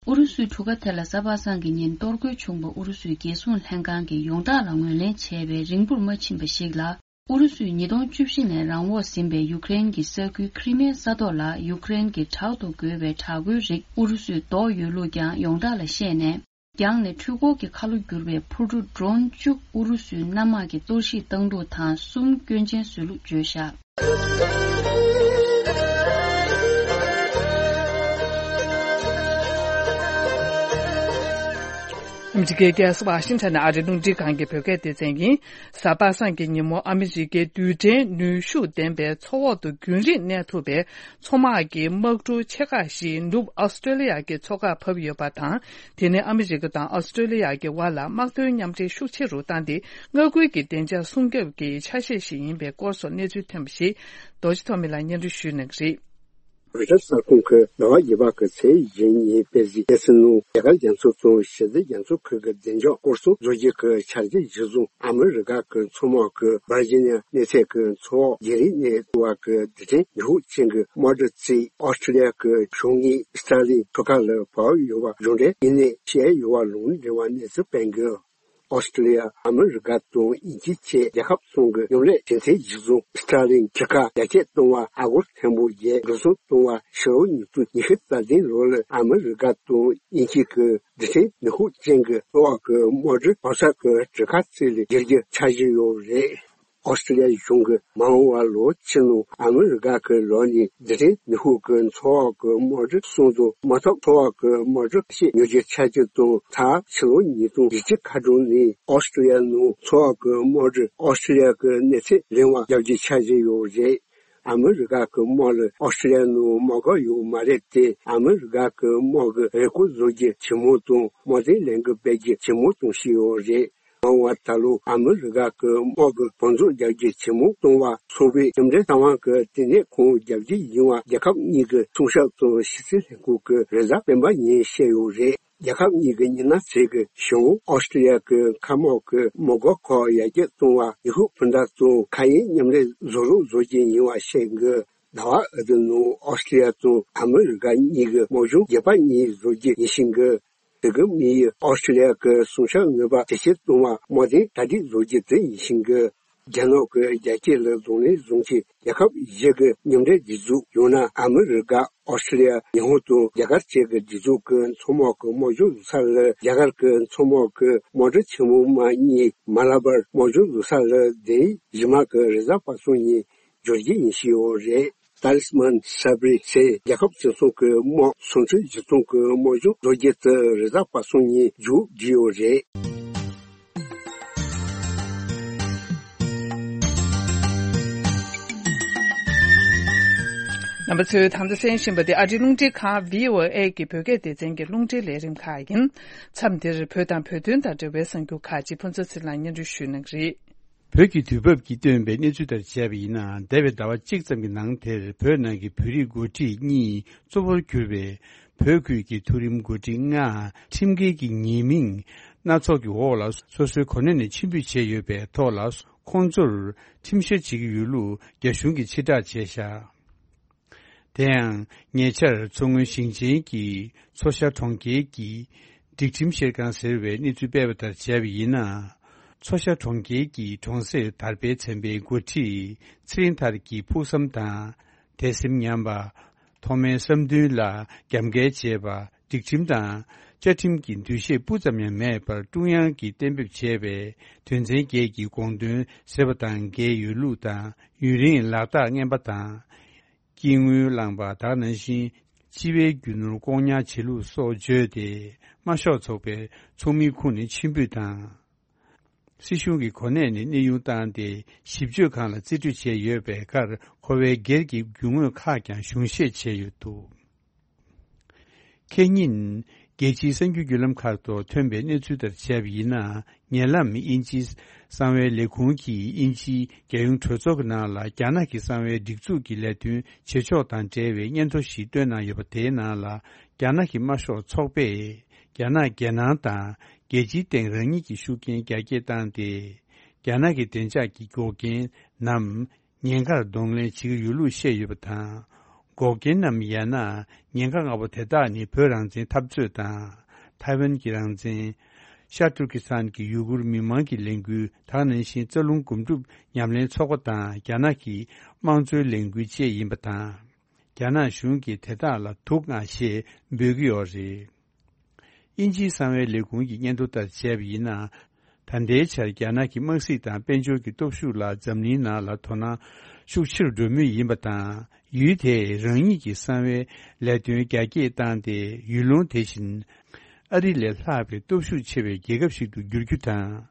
ཨུ་རུ་སུའི་གྲུ་ཁ་དེ་ལ་གཟའ་པ་སངས་ཀྱི་ཉིན་གཏོར་རྒོལ་བྱུང་པ་ཨུ་རུ་སུའི་རྒྱལ་སྲུང་ལྷན་ཁང་གིས་ཡོངས་གྲགས་ལ་ངོས་ལེན་བྱས་པའི་རིང་པོར་མ་ཕྱིན་པ་ཞིག་ལ། ཨུ་རུ་སུས་ཉིས་སྟོང་བཅུ་བཞི་ནས་རང་འོག་ཟིན་པའི་ཡུཀ་རེན་གྱི་ས་ཁུལ་ཁི་རི་མི་ཡ་ས་ཐོག་ལ་ཡུཀ་རེན་གྱི་དྲག་ཏུ་རྒོལ་བའི་དྲག་རྒོལ་རིགས་ཨུ་རུ་སུས་བཟློག་ཡོད་ལུགས་ཀྱང་ཡོངས་གྲགས་ལ་བཤད་ནས། རྒྱང་ནས་འཕྲུལ་འཁོར་གྱི་ཁ་ལོ་བསྒྱུར་བའི་འཕུར་གྲུ་Drone་བཅུ་ཨུ་རུ་སུའི་གནམ་དམག་གིས་གཏོར་བཤིག་བཏང་ལུགས་དང་གསུམ་སྐྱོན་ཅན་བཟོས་ལུགས་བརྗོད་བཞག་ཨ་མི་རི་ཀའི་རྒྱལ་ས་ཝ་ཤིང་ཊོན་ནས་ཨ་རིའི་རླུང་འཕྲིན་ཁང་གི་བོད་སྐད་སྡེ་ཚན་ཡིན། གཟའ་པ་སངས་ཀྱི་ཉིན་མོ་ཨ་མི་རི་ཀའི་རྡུལ་ཕྲན་ནུས་ཤུགས་ལྡན་པའི་མཚོ་འོག་ཏུ་རྒྱུན་རིང་གནས་ཐུབ་པའི་མཚོ་དམག་གི་དམག་གྲུ་ཆེ་ཁག་ཞིག་ནུབ་ཨོ་སི་ཀྲོ་ལི་ཡ་གི་མཚོ་ཁར་བབས་ཡོད་པ་དང་། དེ་ནི་ཨ་མི་རི་ཀ་དང་ཨོ་སི་ཀྲོ་ལི་ཡ་གི་དབར་ལ་དམག་དོན་མཉམ་འབྲེལ་ཤུགས་ཆེ་རུ་བཏང་སྟེ། མངའ་ཁུལ་གྱི་བདེ་འཇགས་སྲུང་སྐྱོབ་ཀྱི་ཆ་ཤས་ཤིག་ཡིན་པའི་སྐོར་སོགས་གནས་ཚུལ་ཐོན་པ་ཞིག་རྡོ་རྗེ་ཐོགས་མེད་ལགས་སྙན་སྒྲོན་ཞུ་གནང་གི་རེད། རོའི་ཊར་གསར་ཁང་གིས་ཟླ་བ་བརྒྱད་པ་གི་ཚེས་བཞི་ཉིན་སྤེལ་གཟིགས་གནང་སའི་ནང་རྒྱ་གར་རྒྱ་མཚོ་དང་ཞི་བདེ་རྒྱ་མཚོ་ཁུལ་གྱི་བདེ་འཇགས་སྐོར་སྲུང་བཟོ་རྒྱུ་གི་འཆར་གཞི་གཞིར་བཟུང་ཨ་མི་རི་ཀ་གི་མཚོ་དམག་གིས་ཝར་ཇི་ནི་ཡ་གནས་ཚད་ཀྱི་མཚོ་འོག་རྒྱུན་རིང་གནས་ཐུབ་པ་གི་རྡུལ་ཕྲན་ནུས་ཤུགས་ཅན་གྱི་དམག་གྲུ་གཅིག་ཨོ་སི་ཀྲོ་ལི་ཡ་གི་གཞུང་གཉེར་སི་ཏྲ་ལིང་གྲུ་ཁ་ལ་བབས་ཡོད་པ་གཞུང་འབྲེལ་ཡིན་ནའི་བཤད་ཡོད་པ་ལུང་འདྲེན་པ་གནས་ཚུལ་སྤེལ་གྱི། ཨོ་སི་ཀྲོ་ལི་ཡ་ཨ་མི་རི་ཀ་དང་དབྱིན་ཇི་བཅས་རྒྱལ་ཁབ་གསུམ་གྱི་མཉམ་ལས་གྲོས་མཐུན་གཞིར་བཟུང་སི་ཏྲ་ལིང་གྲུ་ཁ་རྒྱ་སྐྱེད་གཏོང་བ་ཨ་སྒོར་ཐེར་འབུམ་བརྒྱད་འགྲོ་སོང་གཏོང་བ་ཕྱི་ལོ་ཉིས་སྟོང་ཉི་ཤུ་རྩ་བདུན་ལོ་ལ་ཨ་མི་རི་ཀ་དང་དབྱིན་ཇི་གི་རྡུལ་ཕྲན་ནུས་ཤུགས་ཅན་གྱི་མཚོ་འོག་གི་དམག་གྲུ་བབས་ས་གི་གྲུ་ཁ་གཅིག་ལ་བསྒྱུར་རྒྱུའི་འཆར་གཞི་ཡོད་རེད། ཨོ་སི་ཀྲོ་ལི་ཡ་གཞུང་གིས་མ་འོངས་པར་ལོ་ཕྱེད་ནང་ཨ་མི་རི་ཀ་གི་ལོ་ནས་རྡུལ་ཕྲན་ནུས་ཤུགས་ཀྱི་མཚོ་འོག་གི་དམག་གྲུ་གསུམ་དང་མ་ཐོག་མཚོ་འོག་གི་དམག་གྲུ་བཞི་ཉོ་རྒྱུའི་འཆར་གཞི་དང་མཐར་ཕྱི་ལོ་ཉིས་སྟོང་བཞི་བཅུ་ཁ་གྲངས་ནས་ཨོ་སི་ཀྲོ་ལི་ཡ་ནང་མཚོ་འོག་གི་དམག་གྲུ་ཨོ་སི་ཀྲོ་ལི་ཡ་གི་གནས་ཚད་ལེན་པར་རྒྱག་རྒྱུའི་འཆར་གཞི་ཡོད་རེད། ཨ་མི་རི་ཀ་གི་དམག་ལ་ཨོ་སི་ཀྲོ་ལི་ཡ་ནང་དམག་སྒར་ཡོད་མ་རེད་དེ། ཨ་མི་རི་ཀ་གི་དམག་གི་རེས་སྐོར་བཟོ་རྒྱུ་ཇེ་མང་དང་དམག་དོན་ལས་འགུལ་སྤེལ་རྒྱུ་ཇེ་མང་གཏོང་བཞིན་ཡོད་རེད། མ་འོངས་པར་ད་ལོ་ཨ་མི་རི་ཀ་གི་དམག་གི་བང་མཛོད་རྒྱག་རྒྱུ་ཇེ་མང་གཏོང་བར་ཚོགས་པའི་མཉམ་འབྲེལ་རྩ་དབང་གི་ལྟེ་གནས་ཁང་རྒྱག་རྒྱུ་ཡིན་པ་རྒྱལ་ཁབ་གཉིས་ཀྱི་མཚོན་ཆ་དང་ཕྱི་སྲིད་ལྷན་ཁང་གི་རེས་གཟའ་སྤེན་པ་ཉིན་བཤད་ཡོད་རེད། རྒྱལ་ཁབ་གཉིས་ཀྱི་མི་སྣ་ཚོས་ཀྱི་གཞུང་ཨོ་སི་ཀྲི་ཡ་གི་མཁའ་དམག་གི་མི་སྒར་ཁག་ཡར་རྒྱས་གཏོང་བར་ཡུལ་ཤུལ་སྤུན་ཟླ་དང་མཁའ་དབྱིངས་མཉམ་ལས་བཟོ་རོགས་བཟོ་རྒྱུ་ཡིན་པ་བཤད་ཀྱི། ཟླ་བ་འདིའི་ནང་ཨོ་སི་ཀྲི་ཡ་དང་ཨ་མི་རི་ཀ་གཉིས་ཀྱི་དམག་སྦྱོང་རྒྱས་པ་གཉིས་བཟོ་རྒྱུ་ཡིན་ཤིང་གི། དེ་གི་དམིགས་ཡུལ་ཨོ་སི་ཀྲི་ཡ་གི་མཚོན་ཆ་ནུས་པ་ཇེ་ཆེར་གཏོང་བར་དམག་དོན་གྲ་སྒྲིག་བཟོ་རྒྱུ་དེ་ཡིན་ཤིང་གི། རྒྱ་ནག་གི་རྒྱལ་སྤྱི་ལ་གདོང་ལེན་བཟུང་ཆེད་རྒྱལ་ཁབ་བཞི་གི་མཉམ་འབྲེལ་སྒྲིག་འཛུགས་ཡང་ན་ཨ་མི་རི་ཀ་ཨོ་སི་ཀྲི་ཡ་ཉི་ཧོང་དང་རྒྱ་གར་བཅས་ཀྱི་སྒྲིག་འཛུགས་ཀྱི་མཚོ་དམག་གི་དམག་སྦྱོང་བཟོ་ས་ལ་རྒྱ་གར་གྱི་མཚོ་དམག་གི་དམག་གྲུ་ཆེན་མོ་མ་གཉིས་མ་ལ་པར་དམག་སྦྱོང་བཟོ་ས་ལ་འདི་ཡི་གཞི་མ་གི་རེས་གཟའ་པ་སངས་ཉིན་འབྱོར་རྒྱུ་ཡིན་ཞུས་ཡོད་རེད། ཏཱ་ལི་སི་མཱན་ས་བྲིས་ཚེ་རྒྱལ་ཁབ་སྤྱི་ཚོགས་ཀྱི་དམག་སུམ་ཁྲི་བཞི་སྟོང་གི་དམག་སྦྱོང་བཟོ་རྒྱུ་དེ་རེས་གཟའ་པ་སངས་ཉིན་མཇུག་བསྒྲིལ་ཡོད་རེད། རྣམ་པ་ཚོས་ད་ལྟ་གསན་བཞིན་པ་དེ་ཨ་རིའི་རླུང་འཕྲིན་ཁང་བྷི་ཨོ་ཨེ་གི་བོད་སྐད་སྡེ་ཚན་གྱི་རླུང་འཕྲིན་ལས་རིམ་ཁག་ཡིན། མཚམས་འདིར་བོད་དང་བོད་དོན་དང་འབྲེལ་བའི་གསར་འགྱུར་ཁག་ཅིག་ཕུན་ཚོགས་ཚེ་རིང་ལགས་སྙན་སྒྲོན་ཞུ་གནང་གི་རེད། བོད་ཀྱི་དུས་བབ་ཀྱིས་བཏོན་པའི་གནས་ཚུལ་ལྟར་བྱས་པ་ཡིན་ན། འདས་པའི་ཟླ་བ་གཅིག་ཙམ་གྱི་ནང་དེར་བོད་ནང་གི་བོད་རིགས་འགོ་ཁྲིད་གཉིས་གཙོ་བོར་གྱུར་པའི་བོད་ཁུལ་གྱི་མཐོ་རིམ་འགོ་ཁྲིད་ལྔ་ཁྲིམས་འགལ་གྱི་ཉེས་མིང་སྣ་ཚོགས་ཀྱི་འོག་ལ་སོ་སོའི་གོ་གནས་ནས་ཕྱིར་འབུད་བྱས་ཡོད་པའི་ཐོག་ལ། ཁོང་ཚོར་ཁྲིམས་བཤེར་བྱེད་ཀྱི་ཡོད་ལུགས་རྒྱ་གཞུང་གིས་ཕྱིར་བསྒྲགས་བྱས་བཞག་དེ་ཡང་ཉེ་ཆར་མཚོ་སྔོན་ཞིང་ཆེན་གྱི་མཚོ་ཤར་གྲོང་ཁྱེར་གྱི་སྒྲིག་ཁྲིམས་བཤེར་ཁང་ཟེར་བས་གནས་ཚུལ་སྤེལ་བ་ལྟར་བྱས་པ་ཡིན་ན། མཚོ་ཤར་གྲོང་ཁྱེར་གྱི་གྲོང་གསེབ་དར་སྤེལ་ཚན་པའི་འགོ་ཁྲིད་ཚེ་རིང་ཐར་གྱིས་ཕུགས་བསམ་དང་དད་སེམས་ཉམས་པ། ཐོག་མའི་བསམ་འདུན་ལ་རྒྱབ་འགལ་བྱས་པ། སྒྲིག་ཁྲིམས་དང་བཅའ་ཁྲིམས་ཀྱི་འདུ་ཤེས་སྤུ་ཙམ་ཡང་མེད་པར་ཀྲུང་དབྱང་གིས་གཏན་འབེབས་བྱས་པའི་དོན་ཚན་བརྒྱད་ཀྱི་དགོངས་དོན་ཟེར་བ་དང་འགལ་ཡོད་ལུགས་དང་། ཡུན་རིང་ལག་རྟགས་རྔན་པ་དང་། དཀྱིལ་དངུལ་བླངས་པ་དག་ནང་བཞིན་སྤྱི་པའི་རྒྱུ་ནོར་བཀོག་ཉར་བྱེད་ལུགས་སོགས་བརྗོད་དེ། དམར་ཤོག་ཚོགས་པའི་ཚོགས་མིའི་ཁོངས་ནས་ཕྱིར་འབུད་དང་། སྲིད་གཞུང་གི་གོ་གནས་ནས་གནས་དབྱུང་བཏང་སྟེ། ཞིབ་དཔྱོད་ཁང་ལ་རྩིས་སྤྲོད་བྱས་ཡོད་པའི་ཁར། ཁོ་བོའི་སྒེར་གྱི་རྒྱུ་དངོས་ཁག་ཀྱང་གཞུང་བཞེས་བྱས་ཡོད་འདུག་ཁེ་ཉིན། རྒྱལ་སྤྱིའི་གསར་འགྱུར་བརྒྱུད་ལམ་ཁག་ཏུ་ཐོན་པའི་གནས་ཚུལ་ལྟར་བྱས་པ་ཡིན་ན། ཉེ་ལམ་དབྱིན་ཇིའི་གསང་བའི་ལས་ཁུངས་ཀྱིས་དབྱིན་ཇིའི་རྒྱལ་ཡོངས་གྲོས་ཚོགས་ཀྱི་ནང་ལ་རྒྱ་ནག་གི་གསང་བའི་སྒྲིག་འཛུགས་ཀྱི་ལས་དོན་བྱེད་ཕྱོགས་དང་འབྲེལ་བའི་སྙན་ཐོ་ཞིག་བཏོན་གནང་ཡོད་པ། དེའི་ནང་ལ་རྒྱ་ནག་གི་དམར་ཤོག་ཚོགས་པས་རྒྱ་ནག་རྒྱལ་ནང་དང་རྒྱལ་སྤྱིའི་སྟེང་རང་ཉིད་ཀྱི་ཤུགས་རྐྱེན་རྒྱ་སྐྱེད་བཏང་སྟེ། རྒྱ་ནག་གི་བདེ་འཇགས་ཀྱི་འགོག་རྐྱེན་ནམ། ཉེན་ཁར་གདོང་ལེན་བྱེད་ཀྱི་ཡོད་ལུགས་བཤད་ཡོད་པ་དང་། འགོག་རྐྱེན་ནམ། ཡང་ན་ཉེན་ཁ་ལྔ་པོ་དེ་དག་ནི་བོད་རང་བཙན་འཐབ་རྩོད་དང་། ཐའེ་ཝན་གྱི་རང་བཙན། ཤར་ཏུར་ཀི་སི་ཐན་གྱི་ཡུ་གུར་མི་མང་གི་ལས་འགུལ། དེ་ནང་བཞིན་རྩ་རླུང་སྒོམ་སྒྲུབ་ཉམས་ལེན་ཚོགས་པ་དང་རྒྱ་ནག་གི་དམངས་གཙོའི་ལས་འགུལ་བཅས་ཡིན་པ་དང་། རྒྱ་ནག་གཞུང་གིས་དེ་དག་ལ་དུག་མངགས་ཞེས་འབོད་ཀྱི་ཡོད་རེད། དབྱིན་ཇིའི་གསང་བའི་ལས་ཁུངས་ཀྱི་སྙན་ཐོ་ལྟར་བྱས་པ་ཡིན་ན། ད་ལྟའི་ཆར་རྒྱ་ནག་གི་དམག་སྲིད་དང་དཔལ་འབྱོར་གྱི་སྟོབས་ཤུགས་ལ་འཛམ་གླིང་ནང་ལ་དོ་སྣང་ཤུགས་ཆེ་རུ་འགྲོ་མུས་ཡིན་པ་དང་། ཡུལ་དེས་རང་ཉིད་ཀྱི་གསང་བའི་ལས་དོན་རྒྱ་སྐྱེད་བཏང་སྟེ། ཡུལ་ལུང་དེ་བཞིན་ཨ་རི་ལས་ལྷག་པའི་སྟོབས་ཤུགས་ཆེ་བའི་རྒྱལ་ཁབ་ཞིག་ཏུ་འགྱུར་རྒྱུ་དང་།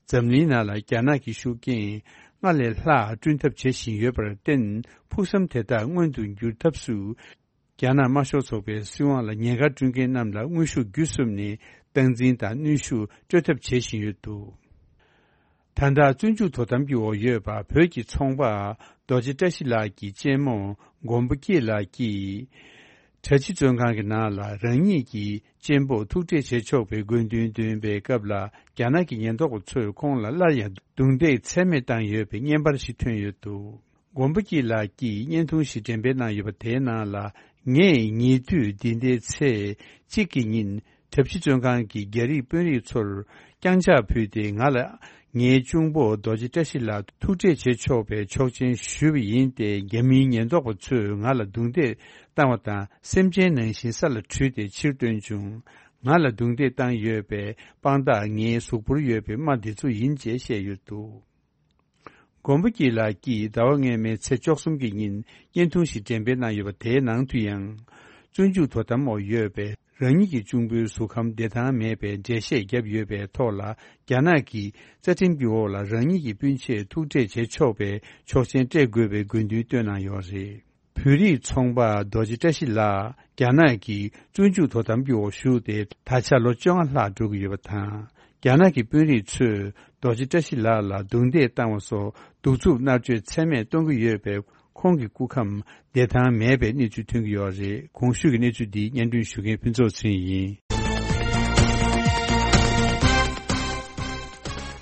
འཛམ་གླིང་ནང་ལ་རྒྱ་ནག་གི་ཤུགས་རྐྱེན་སྔར་ལས་ལྷག་བསྐྲུན་ཐབས་བྱེད་བཞིན་ཡོད་པར་བརྟེན། ཕུགས་བསམ་དེ་དག་མངོན་དུ་འགྱུར་ཐབས་སུ། རྒྱ་ནག་དམར་ཤོག་ཚོགས་པའི་སྲིད་དབང་ལ་ཉེན་ཁ་བསྐྲུན་མཁན་རྣམས་ལ་དངོས་ཤུགས་བརྒྱུད་གསུམ་ནས་སྟངས་འཛིན་དང་གནོན་ཤུགས་སྤྲོད་ཐབས་བྱེད་བཞིན་ཡོད་འདུག་ད་ལྟ་བཙོན་འཇུག་དོ་དམ་གྱི་འོག་ཡོད་པ་བོད་ཀྱི་ཚོང་པ་རྡོ་རྗེ་བཀྲ་ཤིས་ལགས་ཀྱི་གཅེན་མོ་མགོན་པོ་སྐྱིད་ལགས་ཀྱིས། གྲྭ་སྤྱི་བཙོན་ཁང་གི་ནང་ལ་རང་ཉིད་ཀྱི་གཅེན་པོ་ཐུག་འཕྲད་བྱེད་ཆོག་པའི་དགོས་འདུན་འདོན་པའི་སྐབས་ལ། རྒྱ་ནག་གི་ཉེན་རྟོག་པ་ཚོས་ཁོང་ལ་སླར་ཡང་རྡུང་རྡེག་ཚད་མེད་བཏང་ཡོད་པའི་བརྙན་པར་ཞིག་ཐོན་ཡོད་འདུག་མགོན་པོ་སྐྱིད་ལགས་ཀྱིས་བརྙན་ཐུང་ཞིག་འགྲེམས་སྤེལ་གནང་ཡོད་པ་དེའི་ནང་ལ། ངས་ཉེ་དུས་འདི་ཟླའི་ཚེས་གཅིག་གི་ཉིན་གྲྭ་སྤྱི་བཙོན་ཁང་གི་རྒྱ་རིགས་དཔོན་རིགས་ཚོར་རྐྱང་ཕྱག་ཕུལ་ཏེ། ང་ལ་ངའི་གཅུང་པོ་རྡོ་རྗེ་བཀྲ་ཤིས་ལགས་ཐུག་འཕྲད་བྱེད་ཆོག་པའི་ཆོག་མཆན་ཞུས་པ་ཡིན་ཏེ། རྒྱ་མིའི་ཉེན་རྟོག་པ་ཚོས་ང་ལ་རྡུང་རྡེག་བཏང་བ་དང་། སེམས་ཅན་ནང་བཞིན་ས་ལ་དྲུད་དེ་ཕྱིར་བཏོན་བྱུང་། ང་ལ་རྡུང་རྡེག་བཏང་ཡོད་པའི་དཔང་རྟགས་ངའི་གཟུགས་པོར་ཡོད་པའི་རྨ་འདི་ཚོ་ཡིན་ཅེས་བཤད་ཡོད་འདུག་མགོན་པོ་སྐྱིད་ལགས་ཀྱིས་ཟླ་བ་སྔོན་མའི་ཚེས་བཅུ་གསུམ་གྱི་ཉིན་བརྙན་ཐུང་ཞིག་འགྲེམས་སྤེལ་གནང་ཡོད་པ། དེའི་ནང་དུ་ཡང་། བཙོན་འཇུག་དོ་དམ་འོག་ཡོད་པའི་རང་ཉིད་ཀྱི་གཅུང་པོའི་གཟུགས་ཁམས་བདེ་ཐང་མེད་པའི་འགྲེལ་བཤད་བརྒྱབ་ཡོད་པའི་ཐོག་ལ། རྒྱ་ནག་གི་རྩ་ཁྲིམས་ཀྱི་འོག་ལ་རང་ཉིད་ཀྱི་སྤུན་མཆེད་ཐུག་འཕྲད་བྱེད་ཆོག་པའི་ཆོག་མཆན་སྤྲད་དགོས་པའི་དགོས་འདུན་བཏོན་གནང་ཡོད་རེད། བོད་རིགས་ཚོང་པ་རྡོ་རྗེ་བཀྲ་ཤིས་ལགས་རྒྱ་ནག་གི་བཙོན་འཇུག་དོ་དམ་གྱི་འོག་ཞུགས་ཏེ། ད་ཆ་ལོ་བཅོ་ལྔ་ལྷག་འགྲོ་གི་ཡོད་པ་དང་། རྒྱ་ནག་གི་དཔོན་རིགས་ཚོས་རྡོ་རྗེ་བཀྲ་ཤིས་ལགས་ལ་རྡུང་རྡེག་བཏང་བ་སོགས་གདུག་རྩུབ་མནར་གཅོད་ཚད་མེད་གཏོང་གི་ཡོད་པས། ཁོང་གི་སྐུ་ཁམས་བདེ་ཐང་མེད་པའི་གནས་ཚུལ་ཐོན་གྱི་ཡོད་རེད། གོང་ཞུས་ཀྱི་གནས་ཚུལ་འདི་སྙན་སྒྲོན་ཞུ་མཁན་ཕུན་ཚོགས་ཚེ་རིང་ཡིན།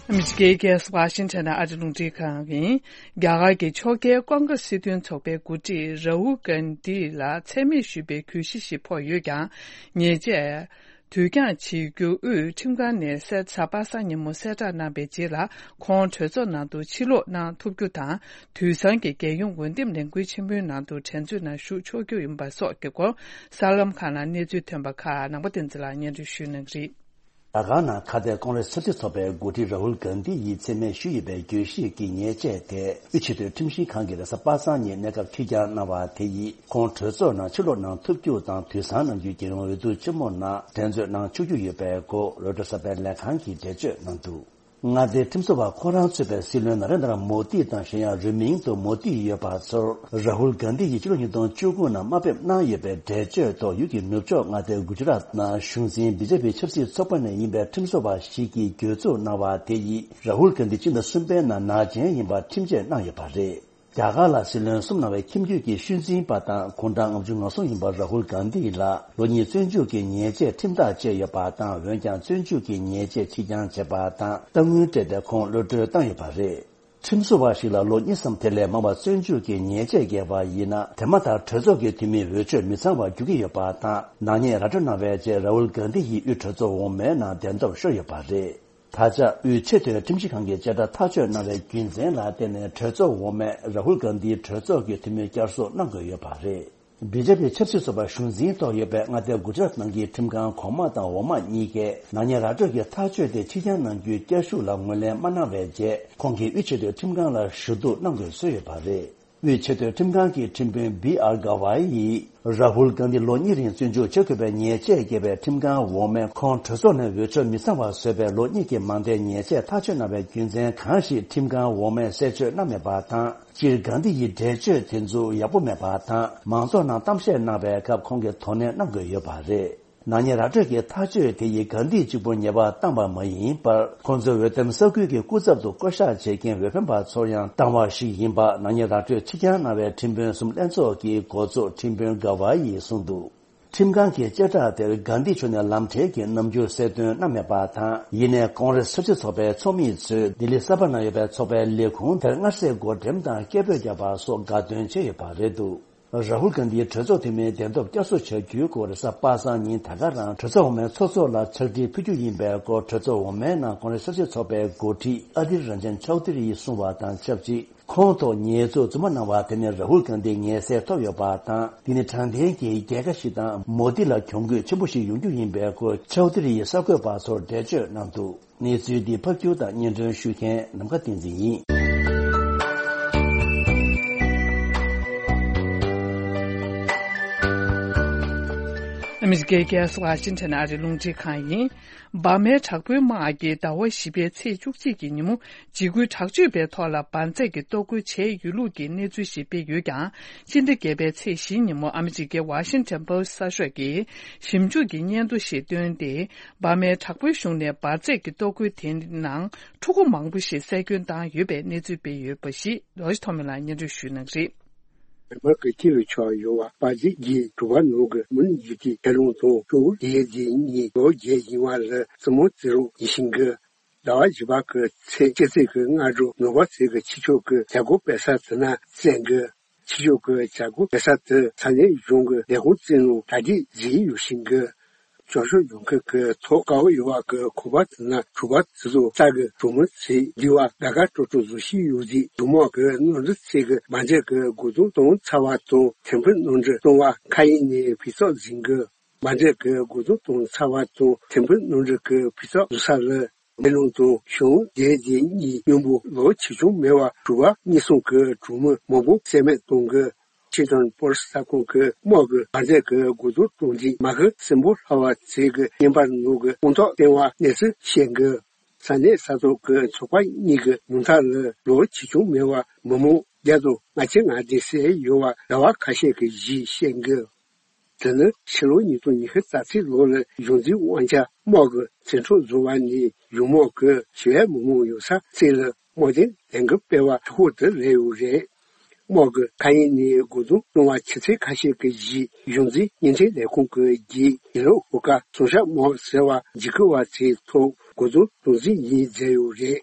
ཨ་མི་རི་ཀའི་རྒྱལ་ས་ཝ་ཤིང་ཊོན་ནང་ཨ་རི་རླུང་འཕྲིན་ཁང་ཡིན། རྒྱ་གར་གྱི་ཕྱོགས་འགལ་ཀོང་ཀྲེས་སྲིད་དོན་ཚོགས་པའི་འགོ་ཁྲིད་ར་ཧུལ་གྷན་དྷི་ལ་མཚན་སྨད་ཞུས་པའི་གྱོད་གཞི་ཞིག་ཕོག་ཡོད་ཀྱང་། ཉེས་ཆད་དུས་འགྱངས་བྱེད་རྒྱུ་དབུས་ཁྲིམས་ཁང་ནས་གཟའ་པ་སངས་ཉིན་མོ་གསལ་བསྒྲགས་གནང་པའི་རྗེས་ལ། ཁོང་གྲོས་ཚོགས་ནང་དུ་ཕྱིར་ལོག་གནང་ཐུབ་རྒྱུ་དང་། དུས་སང་གི་རྒྱལ་ཡོངས་འོས་འདེམས་ལས་འགུལ་ཆེན་མོའི་ནང་དུ་འགྲན་རྩོད་ནང་ཞུགས་ཆོག་རྒྱུ་ཡིན་པ་སོགས་ཀྱི་སྐོར། གསར་ལམ་ཁག་ནང་གནས་ཚུལ་ཐོན་པ་ཁག་ནང་པ་བསྟན་འཛིན་ལགས་སྙན་སྒྲོན་ཞུ་གནང་གི་རེད། རྒྱ་གར་ནང་ཁ་གཏད་ཀོང་རེས་སྲིད་དོན་ཚོགས་པའི་འགོ་ཁྲིད་ར་ཧུལ་གྷན་དྷི་ཡིས་མཚན་སྨད་ཞུས་ཡོད་པའི་གྱོད་གཞི་གི་ཉེས་ཆད་དེ། དབུས་ཆེས་མཐོའི་ཁྲིམས་ཞིབ་ཁང་གིས་རེས་གཟའ་པ་སངས་ཉིན་གནས་སྐབས་ཕྱིར་འགྱངས་གནང་བ་དེ་ཡིས། ཁོང་གྲོས་ཚོགས་ནང་ཕྱིར་ལོག་གནང་ཐུབ་རྒྱུ་དང་། དུས་སང་ནམ་རྒྱུན་རྒྱལ་ཡོངས་འོས་བསྡུ་ཆེན་མོ་ནང་འགྲན་རྩོད་གནང་ཆོག་རྒྱུ་ཡོད་པའི་སྐོར་རོའི་ཊར་གསར་པའི་ལས་ཁང་གིས་འགྲེལ་བརྗོད་གནང་འདུག་མངའ་སྡེའི་ཁྲིམས་བཟོ་བ་ཁོ་རང་གཙོས་པའི་སྲིད་བློན་ན་རེན་དྲ་མོ་དི་དང་གཞན་ཡང་རིང་མིན་དུ་མོ་དི་ཡོད་པ་ཚོར་རཱ་ཧུལ་གྷན་དྷི་ཡིས་ཕྱི་ལོ་ཉིས་སྟོང་བཅུ་དགུ་ནང་དམའ་འབེབས་གནང་ཡོད་པའི་འགྲེལ་བརྗོད་ཐོག་ཡུལ་གྱི་ནུབ་ཕྱོགས་མངའ་སྡེ་གུ་ཇི་རཱཏ་ནང་གཞུང་འཛིན་བི་ཇེ་པི་ཆབ་སྲིད་ཚོགས་པ་ནས་ཡིན་པའི་ཁྲིམས་བཟོ་བ་ཞིག་གིས་གྱོད་འཛུགས་གནང་བ་དེ་ཡིས་རཱ་ཧུལ་གྷན་དྷི་ཕྱི་ཟླ་གསུམ་པའི་ནང་ནག་ཅན་ཡིན་པར་ཁྲིམས་ཆད་གནང་ཡོད་པ་རེད། རྒྱ་གར་ལ་སྲིད་བློན་གསུམ་གནང་བའི་ཁྱིམ་རྒྱུད་ཀྱི་ཤུལ་འཛིན་པ་དང་གུང་ཁྲན་ལྔ་བཅུ་ང་གསུམ་ཡིན་པ་རཱ་ཧུལ་གྷན་དྷི་ལ་ལོ་གཉིས་བཙོན་འཇུག་གི་ཉེས་ཆད་ཁྲིམས་ཐག་བཅད་ཡོད་པ་དང་། འོན་ཀྱང་བཙོན་འཇུག་གི་ཉེས་ཆད་ཕྱིར་འགྱངས་བྱས་པ་དང་། གཏའ་དངུལ་སྤྲད་དེ་ཁོང་གློད་གྲོལ་བཏང་ཡོད་པ་རེད། ཁྲིམས་བཟོ་བ་ཞིག་ལ་ལོ་གཉིས་སམ་དེ་ལས་མང་བ་བཙོན་འཇུག་གི་ཉེས་ཆད་བཀལ་བ་ཡིན་ན། དེ་མ་ཐག་གྲོས་ཚོགས་ཀྱི་འཐུས་མིའི་འོས་ཆོས་མི་ཚང་བར་འགྱུར་གྱི་ཡོད་པ་དང་། ནག་ཉེས་ར་སྤྲོད་གནང་བའི་རྗེས་རཱ་ཧུལ་གྷན་དྷི་ཡིས་དབུས་གྲོས་ཚོགས་འོག་མའི་ནང་གདན་ཐོབ་ཤོར་ཡོད་པ་རེད། ད་ཆ་དབུས་ཆེས་མཐོའི་ཁྲིམས་ཞིབ་ཁང་གིས་བཅད་ཁྲ་ཐག་གཅོད་གནང་བའི་རྒྱུ་མཚན་ལ་བརྟེན་ནས་གྲོས་ཚོགས་འོག་མས་རཱ་ཧུལ་གྷན་དྷིའི་གྲོས་ཚོགས་ཀྱི་འཐུས་མིའི་བསྐྱར་གསོ་གནང་དགོས་ཡོད་པ་རེད། བི་ཇེ་པི་ཆབ་སྲིད་ཚོགས་པ་གཞུང་འཛིན་ཐོག་ཡོད་པའི་མངའ་སྡེ་གུ་ཇི་རཱཏ་ནང་གི་ཁྲིམས་ཁང་གོང་མ་དང་འོག་མ་གཉིས་ཀས་ནག་ཉེས་ར་སྤྲོད་ཀྱི་ཐག་གཅོད་དེ་ཕྱིར་འགྱངས་གནང་རྒྱུའི་བསྐྱར་ཞུ་ལ་ངོས་ལེན་མ་གནང་བའི་རྗེས། ཁོང་གིས་དབུས་ཆེས་མཐོའི་ཁྲིམས་ཁང་ལ་ཞུ་གཏུག་གནང་དགོས་བཟོས་ཡོད་པ་རེད། དབུས་ཆེས་མཐོའི་ཁྲིམས་ཁང་གི་ཁྲིམས་དཔོན་བི་ཨར་ག་ཝའི་ཡིས། རཱ་ཧུལ་གྷན་དྷི་ལོ་གཉིས་རིང་བཙོན་འཇུག་བྱེད་དགོས་པའི་ཉེས་ཆད་བཀལ་བའི་ཁྲིམས་ཁང་འོག་མས་ཁོང་གྲོས་ཚོགས་ནས་འོས་ཆོས་མི་ཚང་བ་བཟོས་པའི་ལོ་གཉིས་ཀྱི་མང་མཐའི་ཉེས་ཆད་ཐག་གཅོད་གནང་བའི་རྒྱུ་མཚན་གང་ཞིག་ཁྲིམས་ཁང་འོག་མས་གསལ་བརྗོད་གནང་མེད་པ་དང་། སྤྱིར་གྷན་དྷི་ཡི་འགྲེལ་བརྗོད་དེ་ཚོ་ཡག་པོ་མེད་པ་དང་། མང་ཚོགས་ནང་གཏམ་བཤད་གནང་བའི་སྐབས་ཁོང་གིས་དོ་ནན་གནང་དགོས་ཡོད་པ་རེད། ནག་ཉེས་ར་སྤྲོད་ཀྱི་ཐག་གཅོད་དེ་ཡིས་གྷན་དྷི་གཅིག་པུར་ཉེས་པ་བཏང་བ་མ་ཡིན་པར། ཁོང་ཚོའི་འོས་འདེམས་ས་ཁུལ་གྱི་སྐུ་ཚབ་ཏུ་བསྐོ་གཞག་བྱེད་མཁན་འོས་འཕེན་པ་ཚོར་ཡང་བཏང་བ་ཞིག་ཡིན་པ་ནག་ཉེས་ར་སྤྲོད་ཕྱིར་འགྱངས་གནང་བའི་ཁྲིམས་དཔོན་གསུམ་ལྷན་ཚོགས་ཀྱི་འགོ་གཙོ་ཁྲིམས་དཔོན་གྷ་ཝ་ཡིས་གསུངས་འདུག་ཁྲིམས་ཁང་གི་བཅད་ཁྲ་དེར་གྷན་དྷི་མཆོག་ནས་ལམ་འཕྲལ་གྱི་རྣམ་འགྱུར་གསལ་སྟོན་གནང་མེད་པ་དང་། ཡིན་ནའི་ཀོང་རེས་ཆབ་སྲིད་ཚོགས་པའི་ཚོགས་མི་ཚོས་ལྡི་ལི་གསར་པ་ནང་ཡོད་པའི་ཚོགས་པའི་ལས་ཁུངས་དེར་མངར་ཟས་བགོ་འགྲེམས་དང་སྐད་འབོད་བརྒྱབ་པ་སོགས་དགའ་སྟོན་བྱས་ཡོད་པ་རེད་འདུག་རཱ་ཧུལ་གྷན་དྷིའི་གྲོས་ཚོགས་འཐུས་མིའི་གདན་ཐོབ་བསྐྱར་གསོ་བྱ་རྒྱུའི་སྐོར་རེས་གཟའ་པ་སངས་ཉིན་ད་ག་རང་གྲོས་ཚོགས་འོག་མའི་ཚོགས་གཙོ་ལ་ཕྱག་བྲིས་ཕུལ་རྒྱུ་ཡིན་པའི་སྐོར། གྲོས་ཚོགས་འོག་མའི་ནང་ཀོང་རེས་ཆབ་སྲིད་ཚོགས་པའི་འགོ་ཁྲིད་ཨ་དྷིར་རན་ཇན་ཆའོ་དྷི་རི་ཡིས་གསུངས་པ་དང་ཆབས་ཅིག་ཁོང་ཐོག་ཉེས་འཛུགས་རྫུན་མ་གནང་བ་དེ་ནི་རཱ་ཧུལ་གྷན་དྷི་ངལ་སེལ་ཐོབ་ཡོད་པ་དང་། འདི་ནི་དྲང་བདེན་གྱི་རྒྱལ་ཁ་ཞིག་དང་། མོ་དྷི་ལ་གྱོང་གུད་ཆེན་པོ་ཞིག་ཡོང་རྒྱུ་ཡིན་པའི་སྐོར་ཆའོ་དྷི་རི་ཡིས་གསར་འགོད་པ་ཚོར་འགྲེལ་བརྗོད་གནང་འདུག་གནས་ཚུལ་འདི་ཕབ་སྒྱུར་དང་སྙན་སྒྲོན་ཞུ་མཁན་ནམ་མཁའ་བསྟན་འཛིན་ཡིན། ཨ་མི་རི་ཀའི་རྒྱལ་ས་ཝ་ཤིང་ཊོན་ཨ་རིའི་རླུང་འཕྲིན་ཁང་ཡིན། འབར་མའི་དྲག་པོའི་དམག་གིས་ཟླ་བ་བཞི་པའི་ཚེས་བཅུ་གཅིག་གི་ཉིན་མོ། འཇིགས་སྐུལ་དྲག་སྤྱོད་པའི་ཐོག་ལ་འབར་རྫས་ཀྱི་གཏོར་རྒོལ་བྱས་ཡོད་ལུགས་ཀྱི་གནས་ཚུལ་ཞིག་སྤེལ་ཡོད་ཀྱང་། ཕྱི་ཟླ་བརྒྱད་པའི་ཚེས་བཞིའི་ཉིན་མོ་ཨ་མི་རི་ཀའི་ཝ་ཤིང་ཊོན་པོ་སི་གསར་ཤོག་གིས་ཞིབ་འཇུག་གི་སྙན་ཐོ་ཞིག་བཏོན་ཏེ། འབར་མའི་དྲག་པོའི་གཞུང་ནས་འབར་རྫས་ཀྱི་གཏོར་རྒོལ་དེའི་ནང་ཕྲུ་གུ་མང་པོ་ཞིག་བསད་སྐྱོན་བཏང་ཡོད་པའི་གནས་ཚུལ་སྤེལ་ཡོད་པ་ཞིག་རོ་ཇི་ཐོ་མི་ལགས་སྙན་སྒྲོན་ཞུ་གནང་གི་རེད། མི་མང་གི་སྐྱིད་ལ་ཆགས་ཡོད་པ་པ་ཇི་གི་གྲུ་པ་ནང་གི་མུན་ཡུལ་གྱི་ཁྱེད་རང་དང་ཁྱོད་རྒྱལ་གྱི་གཉིས་ལོ་རྒྱལ་ཡིན་བ་ལ་བཙུན་མོ་བརྩི་རོགས་ཡིན་ཤིང་གི། ཟླ་བ་བཞི་པ་གི་ཚེས་གཅིག་ཚེས་ཀྱི་སྔ་དྲོ་ནོར་བ་ཚེས་ཀྱི་ཕྱི་ཕྱོགས་ཀྱི་བྱ་སྒོ་སྤེལ་ས་དེ་ན་བཙན་གི། ཕྱི་ཕྱོགས་ཀྱི་བྱ་སྒོ་སྤེལ་ས་དེ་ས་གནས་གཞུང་གི་ལས་ཁུངས་བཙན་ལུང་གྲ་སྒྲིག་བྱེད་ཡོད་ཤིང་གི། སྐྱོ་ཤོས་ཡོང་མཁན་གྱི་ཐོག་དཀའ་བ་ཡོད་པ་གི་ཁོ་པ་དེ་ན་གྲུ་པ་དེ་ཚོ་རྩ་གི་གྲུ་མོ་ཚེས་འདི་བ་དགའ་དགའ་སྤྲོ་སྤྲོ་བཟོ་བཞིན་ཡོད་དུས་གྲུ་མོ་གི་ནོར་འཛིན་ཚེས་ཀྱི་མ་འཇལ་གི་དགོས་དོན་གཏོང་ཚར་བ་དང་ཐེམ་ཕུ་ནོར་འཛིན་གཏོང་བ་མཁའ་དབྱིངས་ནས་ཕུད་ཚོགས་འཛིན་གི། མ་འདྲེས་ཀྱི་དགོས་འདུན་དང་ཚ་བ་དང་ཐེམ་ཕུ་ནོར་འཛིན་གྱི་ཕུད་ཚོགས་བཟོ་ས་ལ། མེ་ལོང་དང་ཞང་རྒྱལ་རྗེ་གཉིས་མཉམ་པོ་ལོ་ཆེ་ཆུང་མེད་པར་གྲུ་པ་གཉིས་གསུམ་གྱི་གྲོགས་མོ་མང་པོ་བསད་རྨས་གཏོང་གི། ཝ་ཤིང་ཊོན་པོ་སི་གསར་ཁང་གི་དམག་གི་མ་འདྲེས་ཀྱི་དགོས་འདུན་གཏོང་རྒྱུའི་མ་ཧི་སྲིན་པོ་ལྷ་བ་ཚེ་གི་བརྙན་པར་ནང་གི་དཔང་རྟགས་བསྟན་པ་གནས་ཚུལ་བཤད་གི། ས་གནས་ས་ཐོག་གི་ཚོགས་པ་གཉིས་ཀྱི་ཉུང་མཐའ་ལ་ལོ་ཆེ་ཆུང་མེད་པར་མི་མང་བརྒྱ་དང་ལྔ་བཅུ་ང་བདུན་བསད་ཡོད་པ་ཟླ་བ་ཁ་ཤས་ཀྱི་གཞས་བཤད་གི། དེ་ནི་ཕྱི་ལོ་ཉིས་སྟོང་ཉི་ཤུ་རྩ་གཅིག་ལོ་ལ་གཞུང་འཛིན་དབང་ཆ་དམག་གི་བཙན་འཕྲོག་བཟོ་བ་ནས་གཞུང་དམག་གི་ཞི་བའི་མི་མང་ཡོད་ས་བཙལ་ལ་དམག་དོན་ལས་འགུལ་སྤེལ་བ་གྲུ་ཁོག་ཏུ་སླེབས་ཡོད་རེད། དམག་གི་མཁའ་དབྱིངས་ནས་དགོས་འདུན་གཏོང་བ་ཆུ་ཚོད་ཁ་ཤས་ཀྱི་རྗེས་གཞུང་འཛིན་བརྙན་འཕྲིན་ལས་ཁུངས་ཀྱི་རྒྱས་ཡིན་ལུགས་ཧོ་ཀ་སུང་ཤ་མོ་ཟེར་བ་འཇིགས་སྐུལ་བ་ཚོའི་ཐོག་དགོས་འདུན་གཏོང་རྩིས་ཡིན་མཛད་ཡོད་རེད།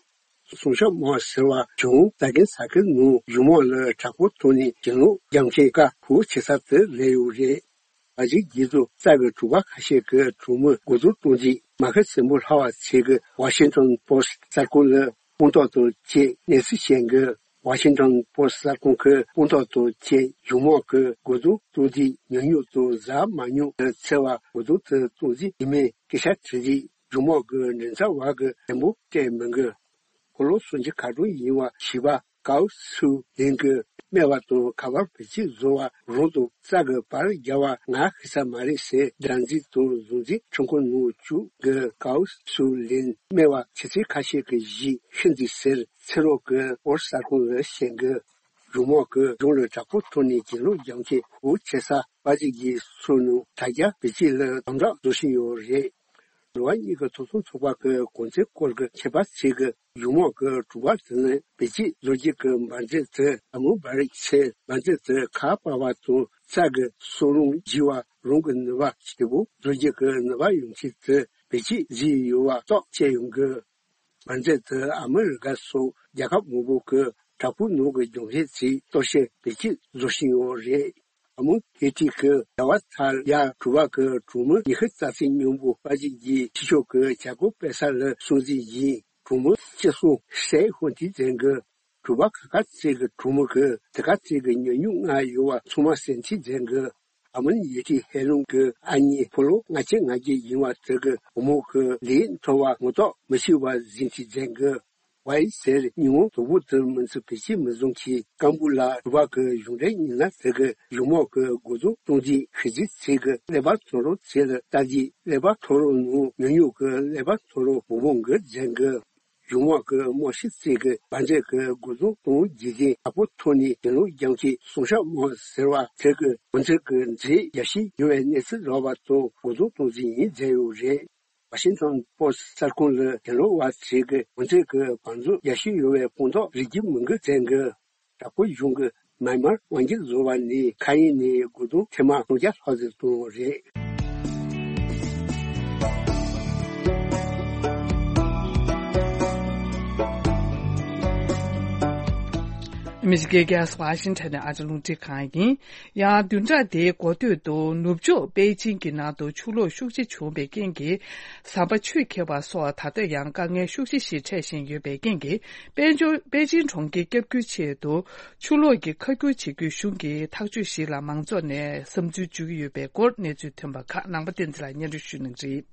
སུང་ཤ་མོ་ཟེར་བ་གཞུང་རྩ་འགེངས་ས་ཁུལ་ནང་གཞུང་དམག་ལ་དྲག་པོ་ཐོག་ནས་གྱེན་ལོག་རྒྱབ་མཁན་ཀ་ཕུ་ཆེ་ས་དེ་སླེབས་ཡོད་རེད། ཨ་ཇི་རྒྱལ་ཚོགས་རྩ་གི་གྲུ་པ་ཁ་ཤས་ཀྱི་གྲོགས་མོས་དགོས་འདུན་གཏོང་རྗེས་མ་ཧི་སྲིན་པོ་ལྷ་བ་ཚེ་གི་ཝ་ཤིང་ཊོན་པོ་སི་གསར་ཁང་ལ་དཔང་རྟགས་དང་བཅས་གནས་ཚུལ་བཤད་གི། ཝ་ཤིང་ཊོན་པོ་སི་གསར་ཁང་གི་དཔང་རྟགས་དང་བཅས་གཞུང་དམག་གི་དགོས་འདུན་གཏོང་རྗེས་ཉུང་ཉུང་དང་གཟབ་མ་ཉུང་དུ་འཚེ་བ་དགོས་འདུན་དུ་གཏོང་རྩིས་ཡིན་མིན་སྐད་ཆ་དྲིས་རྗེས་གཞུང་དམག་གི་མགྲིན་ཚབ་པ་གིས་དྲན་པོ་སྤྲད་མི་འགི། ཁོ་ལོ་སུམ་ཅུ་ཁ་གྲངས་ཡིན་པ་བྱིས་པ་ཀའོ་སུའུ་ལིན་གྱིས་ སྨྲས་པ་དང་། ག་པར་བེད་སྤྱོད་བཟོ་བ་རང་དང་རྩྭ་གི་བར་རྒྱབ་པ་ང་ཤེས་ས་མ་རེད་ཟེར། སྒྲ་འཛིན་དང་གཟུགས་འཛིན་ཁྲིམས་ཁང་ནང་བཅུག་གི་ཀའོ་སུ་ལིན་སྨྲས་པ་ཁྱེད་ཚོས་ཁ་ཤས་ཀྱིས་ཞིག་ཤི་འདུག་ཟེར། ཚེ་རོགས་ཀྱིས་ཨོར་གསར་ཁང་ལ་བཤད་གི། གཞུང་མང་གི་གཞུང་ལ་དྲག་པོ་ཐོག་ནས་གྱེན་ལོག་རྒྱག་མཁན་འུ་ཆེ་ས་པ་ཅིག་གིས་སོ་ནང་དྲ་རྒྱ་བེད་སྤྱོད་ལ་དམ་དྲག་བཟོ་བཞིན་ཡོད་རེད། འགྲོ་བ་མིའི་ཐོབ་ཐང་ཚོགས་པ་གི་གོང་ཚད་སྐོར་གྱི་ཆད་པ་བཅད་གི། གཞུང་མང་གི་དྲུག་པ་དེ་ནི་བེད་སྤྱོད་བཟོ་རྒྱུ་གི་འབར་མཛད་དེ་ཨ་མོ་འབར་ཆེ། འབར་མཛད་དེ་ཁ་པར་བ་དང་རྩྭ་གི་སོ་རུང་བརྗེ་བ་རང་གི་ནུས་པ་ཞེ་པོ་བཟོ་རྒྱུ་གི་ནུས་པ་ཡོང་ཆེད་དུ་བེད་སྤྱོད་བཟོས་ཡོད་པ་རྟོགས་བྱས་ཡོང་གི། འབར་མཛད་དེ་ཨ་མི་རི་ཀ་སོགས་རྒྱལ་ཁབ་མང་པོ་གི་དྲག་པོའི་ནང་གི་སྦྱོང་བྱེད་ཚོས་གཏོར་བཤིག་བེད་སྤྱོད་བཟོ་བཞིན་ཡོད་རེད། ཨ་མོ་ཧེ་ཏི་གི་རྒྱལ་བ་ཐ་ཡ་དྲུག་པ་གི་གྲོང་མི་ཉི་ཤུ་རྩ་གཅིག་སྙོམས་པོ་པ་ཅིག་གིས་ཕྱི་ཕྱོགས་ཀྱི་བྱ་སྒོ་སྤེལ་ས་ལ་སྲུང་བརྩི་ཡིན། གྲོང་མི་སྤྱི་གསུམ་སྲས་ཧོན་ཏི་ཙན་གྱི་དྲུག་པ་ཁ་ཁ་ཙེ་གི་གྲོང་མི་གི་དེ་ཁ་ཙེ་གི་ཉོ་ཉུང་ང་ཡོད་པ་ཚང་མ་སེམས་ཁྲལ་ཙན་གྱི། ཨ་མོན་ཡེ་ཏི་ཧེ་ལུང་གི་ཨ་མྱེས་ཕོ་ལོ་ལྔ་བཅུ་ང་བརྒྱད་ཡིན་པ་དེ་གི་བུ་མོ་གི་ལས་མཐོ་བ་ངོ་ཐོག་མི་ཤེས་པ་ཟིན་ཏི་ཙན་གྱི། ཝའི་ཟེར་ཉིན་མོ་དོ་པོ་དུ་མི་ཚུ་བེད་སྤྱོད་མི་བཟུང་གི། ཀམ་པུ་ལ་དྲུག་པ་གི་གཞུང་འབྲེལ་ཉིན་ལ་དེ་གི་གཞུང་མང་གི་རྒོལ་རྡུང་གཏོང་རྒྱུའི་ཤི་རྫི་ཚིག་གི་ཀླད་པ་ཐོ་རོ་ཚེ་ལ་ལྟ་རྒྱུའི་ཀླད་པ་ཐོ་རོ་ནང་ཉུང་ཉུང་གི་ཀླད་པ་ཐོ་རོ་བུ་བོང་གི་ཙན་གི། གཞུང་མང་གི་རྨོ་ཞི་ཚིག་གི་བ་འདྲེ་གི་རྒོལ་རྡུང་གཏོང་རྒྱུ་གི་ཨ་པོ་ཐོ་ནི་གི་ལོ་རྒྱང་གི་སོང་ཤ་མོ་ཟེར་བ་དེ་གི་བུ་འཚེ་གི་མཛེས་རྒྱ་ཤི་ཡོད་པའི་གནས་ཚུལ་རོགས་པ་དང་རྒོལ་རྡུང་གཏོང་རྒྱུ་ཡིན་མཛད་ཡོད་རེད། ཝ་ཤིང་ཊོན་པོ་སི་གསར་ཁང་ལ་གྱེན་ལོག་བ་ཚིག་གི་འོན་ཚིག་གི་བང་མཛོད་རྒྱ་ཤུལ་ཡོད་པའི་སྤུངས་ཐོག་རིགས་རྒྱུད་མི་འགུལ་ཚན་གྱི་དྲག་པོ་གཞུང་གི་མཱི་མར་དབང་སྒྱུར་བཟོ་བ་ནས་ཁ་ཡིན་ནས་དགུ་སྟོང་ཐེངས་མ་སུམ་བརྒྱ་ལྷག་ཙམ་བཏང་བ་རེད། ཨ་མི་རི་ཀའི་རྒྱལ་ས་ཝ་ཤིང་ཊོན་ནས་ཨ་ཅག་ལུང་བསྟན་ཁང་ཡིན། ཡང་བདུན་ཕྲག་འདིའི་འགོ་སྟོད་དུ་ནུབ་ཕྱོགས་པེ་ཅིང་གི་ནང་དུ་ཆུ་ལོག་ཤུགས་ཆེ་བྱུང་བའི་རྐྱེན་གྱིས་ཟམ་པ་ཆུས་ཁེབས་པ་སོགས་ད་ལྟ་ཡང་དཀའ་ངལ་ཤུགས་ཆེ་ཞིག་འཕྲད་བཞིན་ཡོད་པའི་རྐྱེན་གྱིས་དཔལ་འབྱོར་པེ་ཅིང་གྲོང་ཁྱེར་བསྐྱབ་རྒྱུའི་ཆེད་དུ་ཆུ་ལོག་གི་ཁ་སྒྱུར་བྱེད་རྒྱུའི་གཞུང་གི་ཐག་གཅོད་ཞིག་ལ་མང་ཚོགས་ནས་བསམ་ཚུལ་བརྗོད་ཀྱི་ཡོད་པའི་སྐོར་གནས་ཚུལ་ཐོན་པ་ཁག་ནང་པ་བསྟན་འཛིན་ལགས་སྙན་སྒྲོན་ཞུ་གནང་གི་རེད།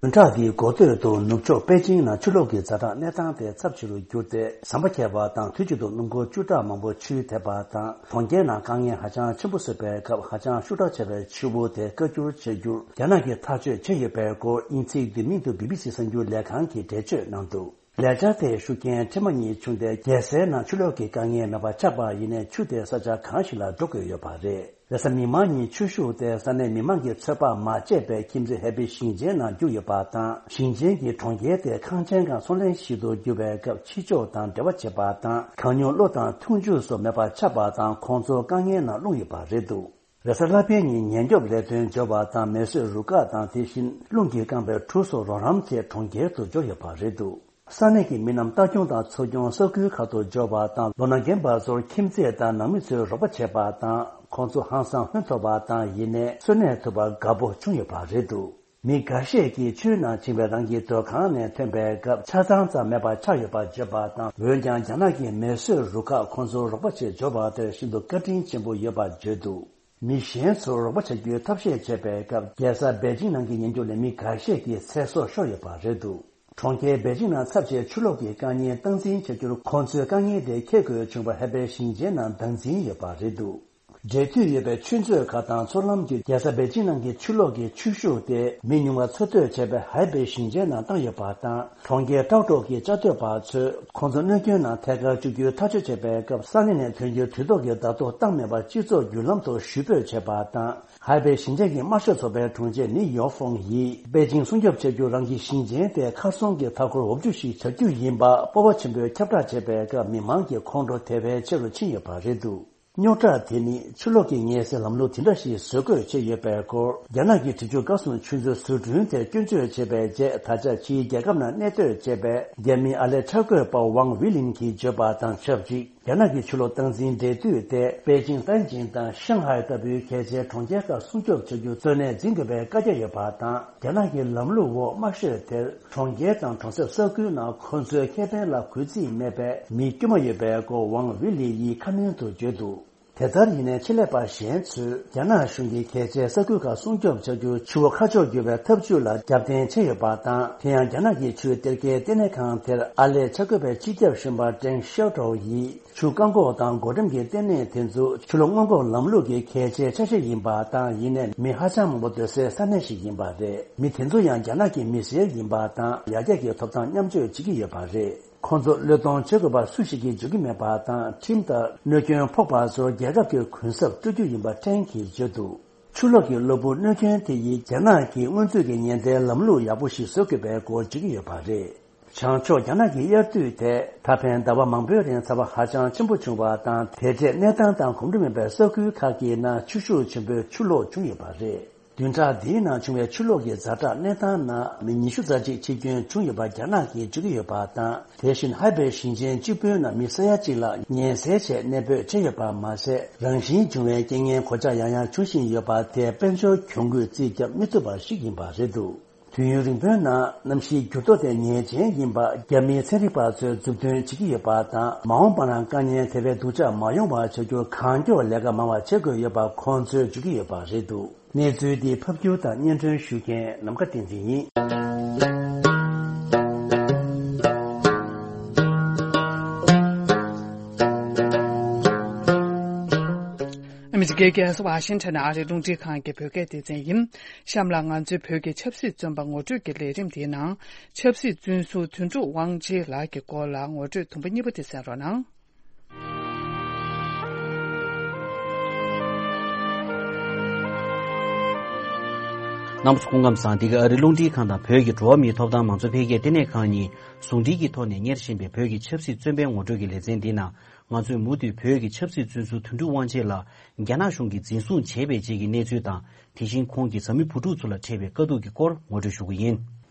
བདུན་ཕྲག་འདིའི་འགོ་སྟོད་དུ་ནུབ་ཕྱོགས་པེ་ཅིང་ནང་ཆུ་ལོག་གི་ཛ་དྲག་གནས་སྟངས་དེ་ཚབས་ཆེ་རུ་གྱུར་ཏེ་ཟམ་པ་ཁྱེར་བ་དང་དུས་གཅིག་ཏུ་སྣུམ་འཁོར་བཅུ་ཕྲག་མང་པོ་ཆུས་དེད་པ་དང་གྲོང་ཁྱེར་ནང་དཀའ་ངལ་ཧ་ཅང་ཆེན་པོ་བཟོས་པའི་སྐབས་ཧ་ཅང་ཤུགས་དྲག་ཆེ་བའི་ཆུ་བོ་དེ་བཀག་སྒྱུར་བྱེད་རྒྱུར་རྒྱ་ནག་གིས་ཐག་གཅོད་བྱས་ཡོད་པའི་སྐོར་དབྱིན་ཚིག་བསྡུས་མིང་དུ་བི་བི་སི་གསར་འགྱུར་ལས་ཁང་གིས་འགྲེལ་བརྗོད་གནང་འདུག་ལས་འཆར་དེའི་ཤུགས་རྐྱེན་ཕྲན་བུ་ཉིད་བྱུང་སྟེ་རྒྱལ་སའི་ནང་ཆུ་ལོག་གི་དཀའ་ངལ་མེད་པ་ཆགས་པ་ཡིན་ནའི་ཆུ་དེ་ས་ཆ་གང་ཞིག་ལ་འགྲོ་དགོས་ཡོད་པ་རེད། རེས་གཟའ་མིག་དམར་ཉིན་ཆུ་ཤུགས་དེ་ས་གནས་མི་མང་གིས་ཚོད་དཔག་མ་བྱས་པའི་ཁྱིམ་མཚེས་ཧའེ་པེ་ཞིང་ཆེན་ནང་རྒྱུག་ཡོད་པ་དང་། ཞིང་ཆེན་གྱི་གྲོང་ཁྱེར་དེ་ཁང་ཆེན་གང་ཚོང་ལེན་ཞིག་ཏུ་གྱུར་པའི་སྐབས་ཕྱི་ཕྱོགས་དང་འབྲེལ་བ་བྱེད་པ་དང་གང་མྱུར་གློ་དང་འཐུང་ཆུ་སོགས་མེད་པ་ཆགས་པ་དང་ཁོང་ཚོ་དཀའ་ངལ་ནང་ལྷུང་ཡོད་པ་རེད་འདུག་རེས་གཟའ་ལྷག་པའི་ཉིན་ཉེན་སྐྱོབ་ལས་དོན་འབྱོར་བ་དང་མེ་གསོད་རུ་ཁག་དང་དེ་བཞིན་རླུང་གིས་བཀང་བའི་གྲུ་སོགས་རོགས་རམ་ཆེད་གྲོང་ཁྱེར་དུ་འབྱོར་ཡོད་པ་རེད་འདུག་ས་གནས་ཀྱི་མི་རྣམས་ལྟ་སྐྱོང་དང་འཚོ་སྐྱོང་ས་ཁུལ་ཁག་ཏུ་འབྱོར་བ་དང་ལོ་ན་རྒན་པ་ཚོར་ཁྱིམ་མཚེས་དང་ནང་མི་ཚོས་རོགས་པ་བྱས་པ་དང་ཁོང་ཚོ་ཧང་སང་ལྷོད་ཐུབ་པ་དང་ཡིན་ནའི་གསོན་གནས་ཐུབ་པར་དགའ་པོ་བྱུང་ཡོད་པ་རེད་འདུག་མི་འགའ་ཤས་ཀྱིས་ཆུའི་ནང་ཕྱིན་པའི་རང་གི་སྡོད་ཁང་ནས་ཐོན་པའི་སྐབས་ཆ་ཚང་ཙམ་མེད་པ་ཆགས་ཡོད་པ་བརྗོད་པ་དང་འོན་ཀྱང་རྒྱ་ནག་གི་མེ་གསོད་རུ་ཁག་ཁོང་ཚོར་རོགས་པ་ཆེད་འབྱོར་བ་དེར་ཤིན་ཏུ་བཀའ་དྲིན་ཆེན་པོ་ཡོད་པར་བརྗོད་འདུག་མི་གཞན་ཚོར་རོགས་པ་བྱ་རྒྱུའི་ཐབས་ཤེས་བྱས་པའི་སྐབས་རྒྱལ་ས་པེ་ཅིང་ནང་གི་ཉེན་སྐྱོབ་ལས་མི་འགའ་ཤས་ཀྱི་ཚེ་སྲོག་ཤོར་ཡོད་པ་རེད་འདུག་གྲོང་ཁྱེར་པེ་ཅིང་ནང་ཚབས་ཆེའི་ཆུ་ལོག་གི་དཀའ་ངལ་སྟངས་འཛིན་བྱ་རྒྱུར་ཁོང་ཚོས་དཀའ་ངལ་དེ་འཁྱེར་དགོས་བྱུང་བ་ཧའེ་པེ་ཞིང་ཆེན་ནང་བདག་འཛིན་ཡོད་པ་རེད་འདུག་འབྲེལ་མཐུད་ཡོད་པའི་ཆུ་མཛོད་ཁག་དང་མཚོ་ལམ་བརྒྱུད་རྒྱལ་ས་པེ་ཅིང་ནང་གི་ཆུ་ལོག་གི་ཆུ་ཤུགས་དེ་མི་ཉུང་བ་འཚོ་སྡོད་བྱེད་པའི་ཧའེ་པེ་ཞིང་ཆེན་ནང་བཏང་ཡོད་པ་དང་གྲོང་ཁྱེར་ཀྲའོ་ཀྲོའུ་གི་བཅའ་སྡོད་པ་ཚོས་ཁོང་ཚོ་གནོད་སྐྱོན་ནང་ཐད་ཀར་བཅུག་རྒྱུའི་ཐག་གཅོད་བྱས་པའི་སྐབས་ས་གནས་ནས་ཐོན་རྒྱུའི་དུས་ཐོག་གི་བརྡ་ཐོ་བཏང་མེད་པར་སྤྱི་ཚོགས་བརྒྱུད་ལམ་ཐོག་ཞུ་འབོད་བྱས་པ་དང་། ཧའེ་པེ་ཞིང་ཆེན་གྱི་དམར་ཤོག་ཚོགས་པའི་དྲུང་ཆེ་ནི་ཡོ་ཧྥོང་ཡིས་པེ་ཅིང་སྲུང་སྐྱོབ་བྱ་རྒྱུ་རང་གི་ཞིང་ཆེན་དེ་ཁ་སྲུང་གི་མཐའ་འཁོར་འོབ་རྒྱུ་ཞིག་བྱ་རྒྱུ་ཡིན་པ་སྤོབས་པ་ཆེན་པོས་ཁྱབ་བསྒྲགས་བྱས་པའི་སྐབས་མི་མང་གི་ཁོང་ཁྲོ་དེ་བས་ཆེ་རུ་ཕྱིན་ཡོད་པ་རེད་འདུག་རྙོག་དྲ་དེ་ནི་ཆུ་ལོག་གི་ངལ་སེལ་ལམ་ལུགས་དེ་འདྲ་ཞིག་བཟོ་དགོས་ཆེད་ཡོད་པའི་སྐོར་རྒྱ་ནག་གི་དྲི་ཆུ་དགའ་གསུམ་ཆུ་མཛོད་བཟོ་སྐྲུན་དེ་སྐྱོན་བརྗོད་བྱས་པའི་རྗེས་ད་ཆ་ཕྱིའི་རྒྱལ་ཁབ་ནང་གནས་སྡོད་བྱས་པའི་རྒྱ་མིའི་ཨར་ལས་འཆར་འགོད་པ་ཝང་ཝི་ལིན་གྱིས་བརྗོད་པ་དང་ཆབས་ཅིག་རྒྱ་ནག་གི་ཆུ་ལོག་སྟངས་འཛིན་འབྲེལ་མཐུད་དེ་པེ་ཅིང་ཏན་ཅིང་དང་ཤང་ཧའེ་ལྟ་བུའི་གལ་ཆེའི་གྲོང་ཁྱེར་ཁག་སྲུང་སྐྱོབ་བྱ་རྒྱུ་གཙོ་གནད་འཛིན་དགོས་པའི་བཀའ་རྒྱ་ཡོད་པ་དང་རྒྱ་ནག་གི་ལམ་ལུགས་འོག་དམར་ཤོག་དེར་གྲོང་ཁྱེར་དང་གྲོང་གསེབ་ས་ཁུལ་ནང་ཁོ་ཚོའི་ཁེ་ཕན་ལ་གུས་བརྩི་མེད་པའི་མི་དཀྱུས་མ་ཡོད་པའི་སྐོར་ཝང་ཝི་ལི་ཡིས་ཁ་སྣོན་དུ་བརྗོད་འདུག་དེ་ལྟར་ཡིན་ནའི་ཆེད་ལས་པ་གཞན་ཚོས་རྒྱ་ནག་གཞུང་གིས་གལ་ཆེའི་ས་ཁུལ་ཁག་སྲུང་སྐྱོབ་བྱ་རྒྱུར་ཆུ་བོ་ཁ་ཕྱོགས་བསྒྱུར་བའི་ཐབས་ཇུས་ལ་རྒྱབ་རྟེན་བྱས་ཡོད་པ་དང་། དེ་ཡང་རྒྱ་ནག་གི་ཆུའི་གཏེར་ཁའི་ལྟེ་གནས་ཁང་དེར་ཨར་ལས་འཆར་འགོད་པའི་སྤྱི་ཁྱབ་གཞོན་པ་ཀྲེང་ཤའོ་ཀྲའོ་ཡིས། ཆུ་བཀག་འགོག་དང་འགོག་སྒྲོལ་གྱི་ལྟེ་གནས་དེ་ཚོ་ཆུ་ལོག་སྔོན་འགོག་ལམ་ལུགས་ཀྱི་གལ་ཆེའི་ཆ་ཤས་ཡིན་པ་དང་། ཡིན་ནའི་མི་ཧ་ཅང་མང་པོ་སྡོད་སའི་ས་གནས་ཤིག་ཡིན་པ་རེད། མི་དེ་ཚོ་ཡང་རྒྱ་ནག་གི་མི་སེར་ཡིན་པ་དང་། ཡར་རྒྱས་ཀྱི་ཐོབ་ཐང་མཉམ་སྤྱོད་བྱེད་ཀྱི་ཡོད་པ་རེད། ཁོང་ཚོ་བློས་གཏོང་བྱེད་དགོས་པ་སུ་ཞིག་གིས་བརྗོད་ཀྱི་མེད་པ་དང་། ཁྲིམས་ལྟར་གནོད་སྐྱོན་ཕོག་པ་ཚོར་རྒྱལ་ཁབ་ཀྱི་གུན་གསབ་སྤྲོད་རྒྱུ་ཡིན་པ་ཀྲེང་གིས་བརྗོད་འདུག་ཆུ་ལོག་གི་གློ་བུར་གནོད་སྐྱོན་དེ་ཡིས་རྒྱ་ནག་གིས་སྔོན་ཚུད་ཀྱི་ཉེན་བརྡའི་ལམ་ལུགས་ཡག་པོ་ཞིག་བཟོ་དགོས་པའི་སྐོར་བརྗོད་ཀྱི་ཡོད་པ་རེད། བྱང་ཕྱོགས་རྒྱ་ནག་གི་དབྱར་དུས་དེ་ད་ཕན་ཟླ་བ་མང་པོའི་རིང་ཚ་བ་ཧ་ཅང་ཆེན་པོ་བྱུང་བ་དང་། དེ་འདྲའི་གནས་སྟངས་དང་གོམ་འགྲོ་མེད་པའི་ས་ཁུལ་ཁག་གི་ནང་ཆུ་ཤུགས་ཆེན་པོའི་ཆུ་ལོག་བྱུང་ཡོད་པ་རེད། བདུན་ཕྲག་འདིའི་ནང་བྱུང་བའི་ཆུ་ལོག་གི་ཛ་དྲག་གནས་སྟངས་ནང་མི་ཉི་ཤུ་རྩ་གཅིག་འཆི་སྐྱོན་བྱུང་ཡོད་པ་རྒྱ་ནག་གིས་བརྗོད་ཀྱི་ཡོད་པ་དང་། དེ་བཞིན་ཧའེ་པེ་ཞིང་ཆེན་གཅིག་པུའི་ནང་མི་ས་ཡ་གཅིག་ལ་ཉེན་སེལ་ཆེད་གནས་སྤོས་བྱས་ཡོད་པ་མ་ཟད། རང་བཞིན་བྱུང་བའི་རྐྱེན་ངན་གོད་ཆག་ཡང་ཡང་འབྱུང་བཞིན་ཡོད་པ་དེ་དཔལ་འབྱོར་གྱོང་གུན་རྩིས་རྒྱག་མི་ཐུབ་པ་ཞིག་ཡིན་པ་རེད་འདུག་དུས་ཡུན་རིང་པོའི་ནང་གནམ་གཤིས་འགྱུར་ལྡོག་དེ་ཉེན་ཅན་ཡིན་པ་རྒྱ་མིའི་ཚན་རིག་པ་ཚོས་མཛུབ་སྟོན་བྱེད་ཀྱི་ཡོད་པ་དང་། མ་འོངས་པ་ནང་དཀའ་ངལ་དེ་བས་སྡུག་ཅག་མ་ཡོང་བ་བྱ་རྒྱུར་གང་མགྱོགས་ལས་ཀ་མང་བ་བྱེད་དགོས་ཡོད་པ་ཁོང་ཚོས་བརྗོད་ཀྱི་ཡོད་པ་རེད་འདུག་གནས་ཚུལ་འདི་ཕབ་སྒྱུར་དང་སྙན་སྒྲོན་ཞུ་མཁན་ནམ་མཁའ་བསྟན་འཛིན་ཡིན། ཨ་མི་རི་ཀའི་རྒྱལ་ས་ཝ་ཤིང་ཊོན་ཨ་རིའི་རླུང་འཕྲིན་ཁང་གི་བོད་སྐད་སྡེ་ཚན་ཡིན། གཤམ་ལ་ང་ཚོའི་བོད་ཀྱི་ཆབ་སྲིད་བཙོན་པ་ངོ་སྤྲོད་ཀྱི་ལས་རིམ་འདིའི་ནང་། ཆབ་སྲིད་བཙོན་ཟུར་དོན་གྲུབ་དབང་ཆེན་ལགས་ཀྱི་སྐོར་ལ་ངོ་སྤྲོད་དུམ་བུ་གཉིས་པ་དེ་གསན་རོགས་གནང་། རྣམ་པ་ཚོ་སྐུ་ཁམས་བཟང་། འདི་ག་ཨ་རིའི་རླུང་འཕྲིན་ཁང་དང་བོད་ཀྱི་འགྲོ་བ་མིའི་ཐོབ་ཐང་མང་གཙོ་འཕེལ་རྒྱས་ལྟེ་གནས་ཁང་གཉིས་ཟུང་འབྲེལ་གྱི་ཐོག་ནས་གཉེར་བཞིན་པའི་བོད་ཀྱི་ཆབ་སྲིད་བཙོན་པའི་ངོ་སྤྲོད་ཀྱི་ལེ་ཚན་འདིའི་ནང་། ང་ཚོས་མུ་མཐུད་བོད་ཀྱི་ཆབ་སྲིད་བཙོན་ཟུར་དོན་གྲུབ་དབང་ཆེན་ལགས་རྒྱ་ནག་གཞུང་གིས་འཛིན་བཟུང་བྱས་པའི་རྗེས་ཀྱི་གནས་ཚུལ་དང་། དེ་བཞིན་ཁོང་གི་བཟའ་མི་བུ་ཕྲུག་ཚོ་ལ་འཕྲད་པའི་དཀའ་སྡུག་གི་སྐོར་ངོ་སྤྲོད་ཞུ་གི་ཡིན།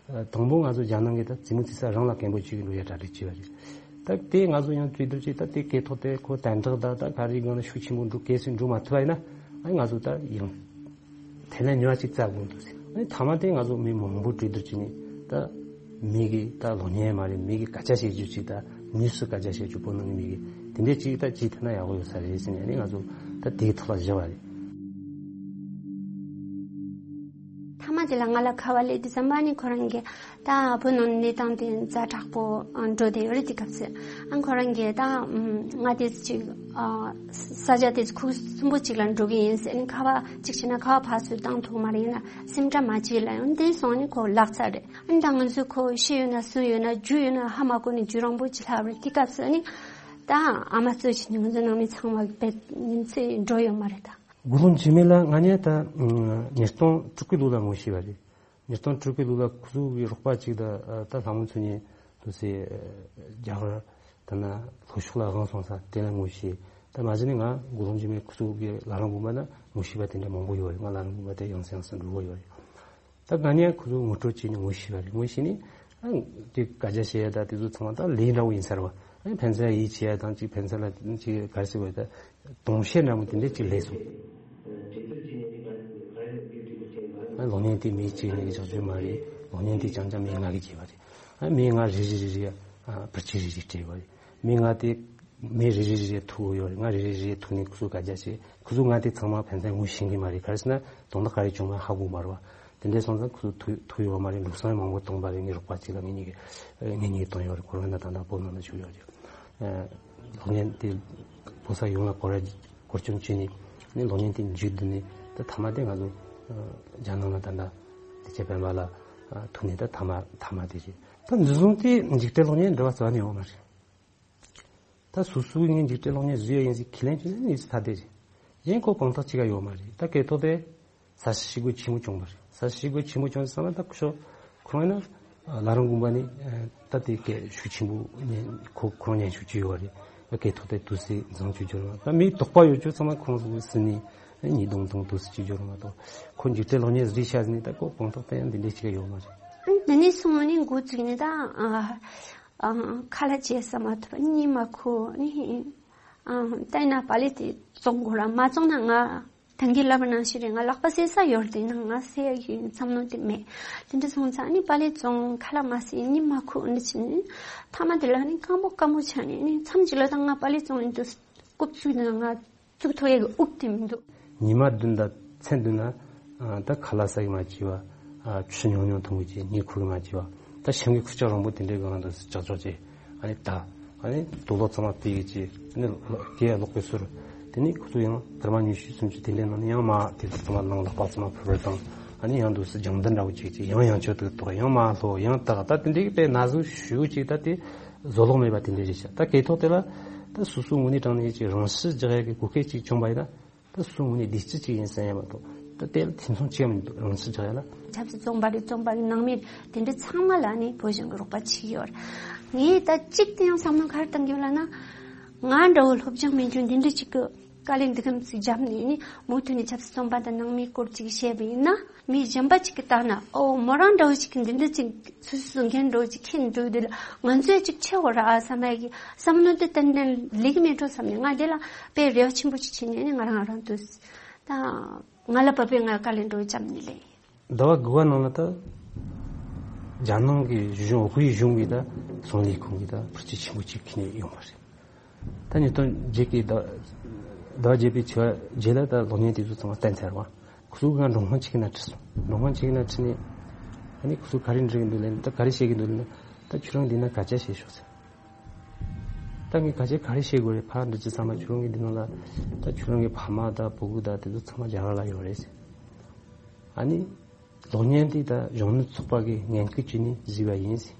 དང་པོ་ང་ཚོ་རྒྱ་ནང་གི་ད་རྩེད་མོ་རྩེ་ས་རང་ལ་རྒན་པོ་གཅིག་གི་འགྲོ་ཡ་གྲ་སྒྲིག་བྱས་པ་རེད། ད་དེ་ང་ཚོ་ཡང་བཅོས་བསྒྱུར་བྱས། ད་དེ་སྐད་ཐོག་དེ་ཁོ་དན་ཏག་ད་ད་ག་རེ་སྒང་ལ་ཤུགས་ཆེན་པོ་འགྲོ་གལ་སྲིད་འགྲོ་མ་ཐུབ་པ་ཡིན་ན། ཨ་ང་ཚོ་ད་ཡང་དེ་ལས་ཉོ་བ་གཅིག་བཙལ་དགོས་འདུག་ཟེར། ཨ་ནི་མཐའ་མ་དེ་ང་ཚོ་མི་མང་པོ་གྲོས་བསྡུར་བྱས་ནས། ད་མི་གི་ད་ལོ་ཉན་མ་རེད། མི་གི་སྐད་ཆ་བཤད་རྒྱུ་ཅིག་ད་དངོས་སུ་སྐད་ཆ་བཤད་རྒྱུ་བོད་ནང་གི་མི་གི་དེ་འདྲས་ཅིག་ད་ཅིག་ཐུབ་ན་ཡག་པོ་ཡོད་ས་རེད་ཟེར་ནས། ཨ་ནི་ང་ཚོ་ད་དེའི་ཐོག་ལ་བཞག་པ་རེད། མཐའ་མ་དེ་ལ་ང་ལ་ཁ་པར་སླེབས་དུས་ཙམ་པ་ནི་ཁོ་རང་གིས་ད་བོད་ནང་གནས་སྟངས་དེ་ཛ་དྲག་པོ་འགྲོ་བསྡད་ཡོད་རེད། དེ་སྐབས་སུ་ཨ་ཁོ་རང་གིས་ད་ང་དེ་ཅིག་ས་ཆ་དེ་ཁུག་གསུམ་པོ་ཅིག་ལ་འགྲོ་གི་ཡིན་ཟེར་ནས། ཁ་པར་ཅིག་བྱས་ན་ཁ་པར་ཕར་ཚུར་བཏང་ཐུབ་མ་རེད། ཡིན་ན་སིམ་འདྲ་མ་བྱེད་ལ་ཡང་དེ་སོང་ནས་ཁོ་ལག་ཚར་རེད། ཨ་ནི་ད་ང་ཚོས་ཁོ་ཤི་ཡོད་ན་གསོན་ཡོད་ན་རྒྱུ་ཡོད་ན་ཧ་མ་གོ་ནས་རྒྱུ་རང་པོ་ཅིག་ལྷག་རེད། དེ་སྐབས་སུ་ཨ་ནི་ད་ཨ་མ་གཙོ་བྱས་ནས་ང་ཚོ་ནང་མི་ཚང་མ་བེད་ཉིན་ཚེ་འགྲོ་ཡོད་མ་རེད་ད། དགུང་ལོ་འཇིགས་མེད་ལགས་ང་གཉིས་ད་ཉིས་སྟོང་དྲུག་གི་ལོ་ལ་ངོ་ཤེས་པ་རེད། ཉིས་སྟོང་དྲུག་གི་ལོ་ལ་ཁོ་ཚོ་གི་རོགས་པ་གཅིག་དང་ད་ལྷ་མོ་མཚོ་གཉིས་དུ་སེ་རྒྱ་གར་ད་ན་ལྷོ་ཕྱོགས་ལ་དབང་སོང་ས་དེ་ལ་ངོ་ཤེས། ད་མ་གཞི་ནས་ང་དགུང་ལོ་འཇིགས་མེད་ཁོ་ཚོ་གི་བླ་བྲང་དགོན་པ་ན་ངོ་ཤེས་པ་དེ་འདྲ་མང་པོ་ཡོད་རེད། ང་བླ་བྲང་དགོན་པ་དེ་ཡང་སེ་ཡང་སེ་འགྲོ་གི་ཡོད་རེད། ད་ང་གཉིས་ཁོ་ཚོ་ངོ་སྤྲོད་བྱས་ནས་ངོ་ཤེས་པ་རེད། ངོ་ཤེས་ནས་ཨ་དེ་སྐད་ཆ་བཤད་ཡ་ད་དེ་ཚོ་ཚང་མ་ད་ལས་འདྲ་བོ་ཡིན་ས་རེད་བ། ཨ་ཕན་ཚུན་ཡིད་ཆེས་ཡ་དང་ཅིག་ཕན་ཚུན་ལ་ཅིག་ག་རེ་ཟེར་བ་ད་གདོང་བཤད་འདྲ་མོ་དེ་འདྲ་ཅིག་སླེབས་སོང་། ཨ་ལོ་ཉན་དེ་མི་གཅིག་ནས་ཀྱི་ཆགས་ཆོད་མ་རེད། ལོ་ཉན་དེ་རྐྱང་རྐྱང་མི་ང་གི་བྱས་པ་རེད། ཨ་མི་ང་རེ་རེ་རེ་རེ་ཨ་བར་ཆད་རེ་རེ་སྤྲད་པ་རེད། མི་ང་དེ་མི་རེ་རེ་རེ་རེ་ཐུག་ཡོད་རེད། ང་རེ་རེ་རེ་རེ་ཐུག་ནས་ཁོ་ཚོ་སྐད་ཆ་བཤད། ཁོ་ཚོ་ང་དེ་ཚང་མ་ཕན་ཚུན་ངོ་ཤེས་ཀྱི་མ་རེད། ག་རེ་ཟེར་ན་དོན་དག་ག་རེ་བྱུང་མ་ཧ་གོ་མ་རེད་བ། དེ་འདྲའི་སོང་ཙང་ཁོ་ཚོ་ཐུག་ཐུག་ཡོད་མ་རེད། ལུགས་སྲོལ་མང་པོ་གཏོང་པ་རེད། ངའི་རོགས་པ་གཅིག་ལ་ངེད་གཉིས་ཀྱི་ངེད་གཉིས་གཏོང་ཡོད་རེད། ཁོ་རང་ན་ད་ལྟ་བོད་ནང་ལ་བཞུགས་ཡོད་རེད། ཨ་ལོ་ཉན་དེ་ཕོ་གསར་ཡོངས་ལ་སྐོར་ར་སྐོར་སྐྱོད་བྱས་ནས་ནི་ལོ་ཉན་དེ་མཇུག་བསྡུ་ནས་ད་མཐའ་མ་དེ་ང་ཚོ་ཨ་རྒྱ་ནང་ལ་ད་ལྟ་དེ་ཆེ་སྤེན་པ་ལ་ཨ་ཐུག་ནས་ད་མཐའ་མ་མཐའ་མ་དེ་རེད། ད་འཛིན་བཟུང་དེ་འཇིགས་བྲལ་གློག་བརྙན་འབྲེལ་བ་རྩ་བ་ནས་ཡོད་མ་རེད། ད་སོ་སོའི་ངས་འཇིགས་བྲལ་གློག་བརྙན་བཟོས་ཡ་ཡིན་ཟེར་ཁས་ལེན་བྱས་ན་ནི་ཚ་དེ་རེད། གཞན་ཁོ་དཔང་རྟགས་ཅི་ག་ཡོད་མ་རེད། ད་སྐད་ཐོག་དེ་ས་ཞིག་ཤི་སྒོ་ཆེན་པོ་བྱུང་བ་རེད། ས་ཞིག་ཤི་སྒོ་ཆེན་པོ་བྱུང་ཟེར་ཙམ་ལ་ད་ཁོ་ཁོ་རང་ཡིན་ན་བླ་བྲང་དགོན་པ་ནི་ད་དེ་སྐད་ཤུགས་ཆེན་པོ་ཉན་ཁོ་ཁོ་རང་ཉན་ཤུགས་ཅིག་ཡོད་བ་རེད། སྐད་ཐོག་དེ་དུས་སེ་བཟང་ཅིག་འབྱོར་བ། ད་མི་དོགས་པ་ཡོད་ཅོག་ཚང་མ་ཁོང་ཚོ་སི་ནི་ཉིས་སྟོང་དང་དུས་སེ་ཅིག་འབྱོར་བ་དང་ཁོ་འཇིགས་བྲལ་གློག་བརྙན་བཟོས་ཤག་ཟེར་ནི་ད་ཁོ་དཔང་རྟགས་དེ་ཡང་འདི་འདྲས་ཅིག་ཡོད་མ་རེད། འདི་ནས་སོང་ནས་འགོ་བཙུགས་ནས་ད། ཨ། ཁ་ལག་བྱེད་ས་མ་ཐུབ་པ་གཉིད་མ་ཁུག་ནི། ཨ། ལྟས་ན་པ་ལི་དེ་བཙོང་དགོས་ར་མ་བཙོང་ན་ང་ད་གིན་ལབ་པ་ནང་བཞིན་རེད། ང་ལག་པ་བསད་ས་ཡོད་རེད། ན་ང་བསད་ཡ་གི་བསམ་བློ་དེ་མེད། དེ་འདྲ་སོང་ཙང་ནི་པ་ལི་བཙོང་ཁ་ལག་མ་བསད་གཉིད་མ་ཁུག་ནི་བྱས་ནི། མཐའ་མ་དེ་ལ་ནི་སྐམ་པོ་སྐམ་པོ་ཆགས་ནི་ནི་མཚམས་ཅིག་ལ་ད་ང་པ་ལི་བཙོང་ནི་འདུག་རྐུབ་བཙུགས་ནི་ང་ ཚུགས་ཐུབ་ཡ་གི་དབུགས་དེ་མི་འདུག་ཉི་མ་བདུན་དང་མཚན་བདུན་ན་ཨ་ད་ཁ་ལག་ཟ་གི་མ་བྱས་པ། ཨ་ཆུ་ཉུང་ཉུང་འཐུང་གི་བྱས། མྱི་ཁུར་གི་མ་བྱས་པ། ད་ཞིང་གི་ཁུར་ཆ་རིང་པོ་དེ་འདྲའི་སྒང་ལ་འདུག་ཅག་ཅག་བྱས། ཨ་ནི་ད་ཨ་ནི་དུག་ལོག་ཚང་མ་ཕུད་གི་བྱས། ཨ་ནི་སྐེ་ཡ་ལོག་གི་གསུར། དེ་ནི་ཁོ་ཚོ་ཡང་སྐར་མ་ཉི་ཤུ་སུམ་ཅུ་དེ་འདྲའི་ནང་ནས་ཡང་མར་དེ་ཚོ་ཚང་མ་ནང་ལག་པ་ཚང་མ་ཕུར་བུར་བཏང་། ཨ་ནི་ཡང་འདུག་སེ་རྒྱང་ལྡན་འདྲ་བོ་ཅིག་བྱས། ཡང་ཡང་ཆོད་དུ་གཏོགས། ཡང་མར་ལྷོ། ཡང་ད་ད་དེ་འདྲའི་པའི་ན་ཟུག་ཞུ་ཅིག་ད་དེ་བཟོ་ལོག་མེད་པ་དེ་འདྲའི་རེད་ཤག་ད་སྐེ་ཐོག་དེ་ལ་ད་སོ་སོའི་ངོས་ནས་དྲངས་ནས་ཅིག་རང་ཤི་རྒྱག་ཡ་གི་གོ་སྐབས་ཅིག་བྱུང་བ་ཡིན་ན། ད་སོ་སོའི་ངོས་ནས་བདེ་སྐྱིད་ཅིག་ཡིན་ཟེར་ཡ་མ་གཏོགས། ད་དེ་ལ་ཐེ་ཚོམ་ཅི་ཡང་མི་འདུག་རང་ཤི་རྒྱག་ཡ་ལ། ཆབ་སྲིད་བཙོན་པ་རེད། བཙོན་པ་གི་ནང་མི་དེ་འདྲ་ཚང་མ་ལ་ནི་བོད་གཞུང་གི་རོགས་པ་བྱེད་ཀྱི་ཡོད་རེད། ངས་ད་གཅིག་དེ་ཡང་བསམ་བློ་ག་རེ་བཏང་གི་ཡོད་ལབ་ན། ང་འདྲ་བོ་སློབ་སྦྱོང་མེད་མཁན་འདི་འདྲ་ཅིག་གི་དཀའ་ལས་འདི་གམ་ཅིག་བརྒྱབ་ནས་ནི་མུ་མཐུད་ནས་ཆབ་སྲིད་བཙོན་པ་དང་ནང་མིའི་སྐོར་ཅིག་བཤད་པ་ཡིན་ན། མི་གཞན་པ་ཅིག་གིས་བལྟས་ན། ཨོ་མོ་རང་འདྲ་བོ་ཅིག་གིས་འདི་འདྲ་ཅིག་སོ་སོའི་འགན་འདྲ་བོ་ཅིག་འཁྱེར་འགྲོ་དུས་ལ་ང་ཚོས་ཅིག་ཆེ་བོ་ར་ཨ་བསམ་ཡ་གི་བསམ་བློ་དེ་ཏན་ཏན་སླེབས་ཀྱི་མེད་འགྲོ་བསམ་ནས། ང་དེ་ལ་དཔེ་རེ་བ་ཆེན་པོ་ཅིག་བྱས་ནས་ནི་ང་རང་རང་དུ་ད་ང་ལ་བབས་པའི་ང་དཀའ་ལས་འགྲོ་བྱམས་ནས་ལས། ཟླ་བ་དགུ་པ་ནང་ལ་ད་རྒྱ་ནག་གི་གཞུང་། དབུས་གཞུང་གིས་ད་ཚོང་ལས་ཁང་གིས་ད་ཕར་ཆེ་ཆེན་པོ་ཅིག་ཁྱེར་ནས་ཡོང་བ་རེད། ད་ཉིས་སྟོང་བརྒྱད་ཀྱི་ཟླ་ཟླ་བ་བརྒྱད་པའི་ཚེས་པ་བརྒྱད་ལ་ད་གློག་བརྙན་དེ་ཚོ་ཚང་མ་བསྟན་ཚར་བ། ཁོ་ཚོ་གིས་ང་མགྲོན་ཁང་ཆེ་གི་ནང་ཁྲིད་སོང་། མགྲོན་ཁང་ཆེ་གི་ནང་ཁྲིད་ནས། ཨ་ནི་ཁོ་ཚོ་ག་རེ་འདྲི་གི་འདུག་ལབ་ན། ད་ག་རེ་བཤད་ཀྱི་འདུག་ལབ་ན། ད་ཁྱོད་རང་འདི་ན་སྐད་ཆ་བཤད་ཤོག་ཟེར། ད་ངས་སྐད་ཆ་ག་རེ་བཤད་དགོས་རེད། ཕར་འདྲི་ཅི་ཚང་མ་ཁྱོད་རང་གི་འདི་ནང་ལ། ད་ཁྱོད་རང་གི་ཕ་མ་དང་བུ་གུ་དང་དེ་ཚོ་ཚང་མ་རྒྱ་གར་ལ་ཡོད་རེད་ཟེར། ཨ་ནི། གློག་བརྙན་འདི་ད་གཞོན་ནུ་ཚོགས་པ་གིས་ངན་སྐུལ་བྱས་ནས་བཟོས་པ་ཡིན་ཟེར།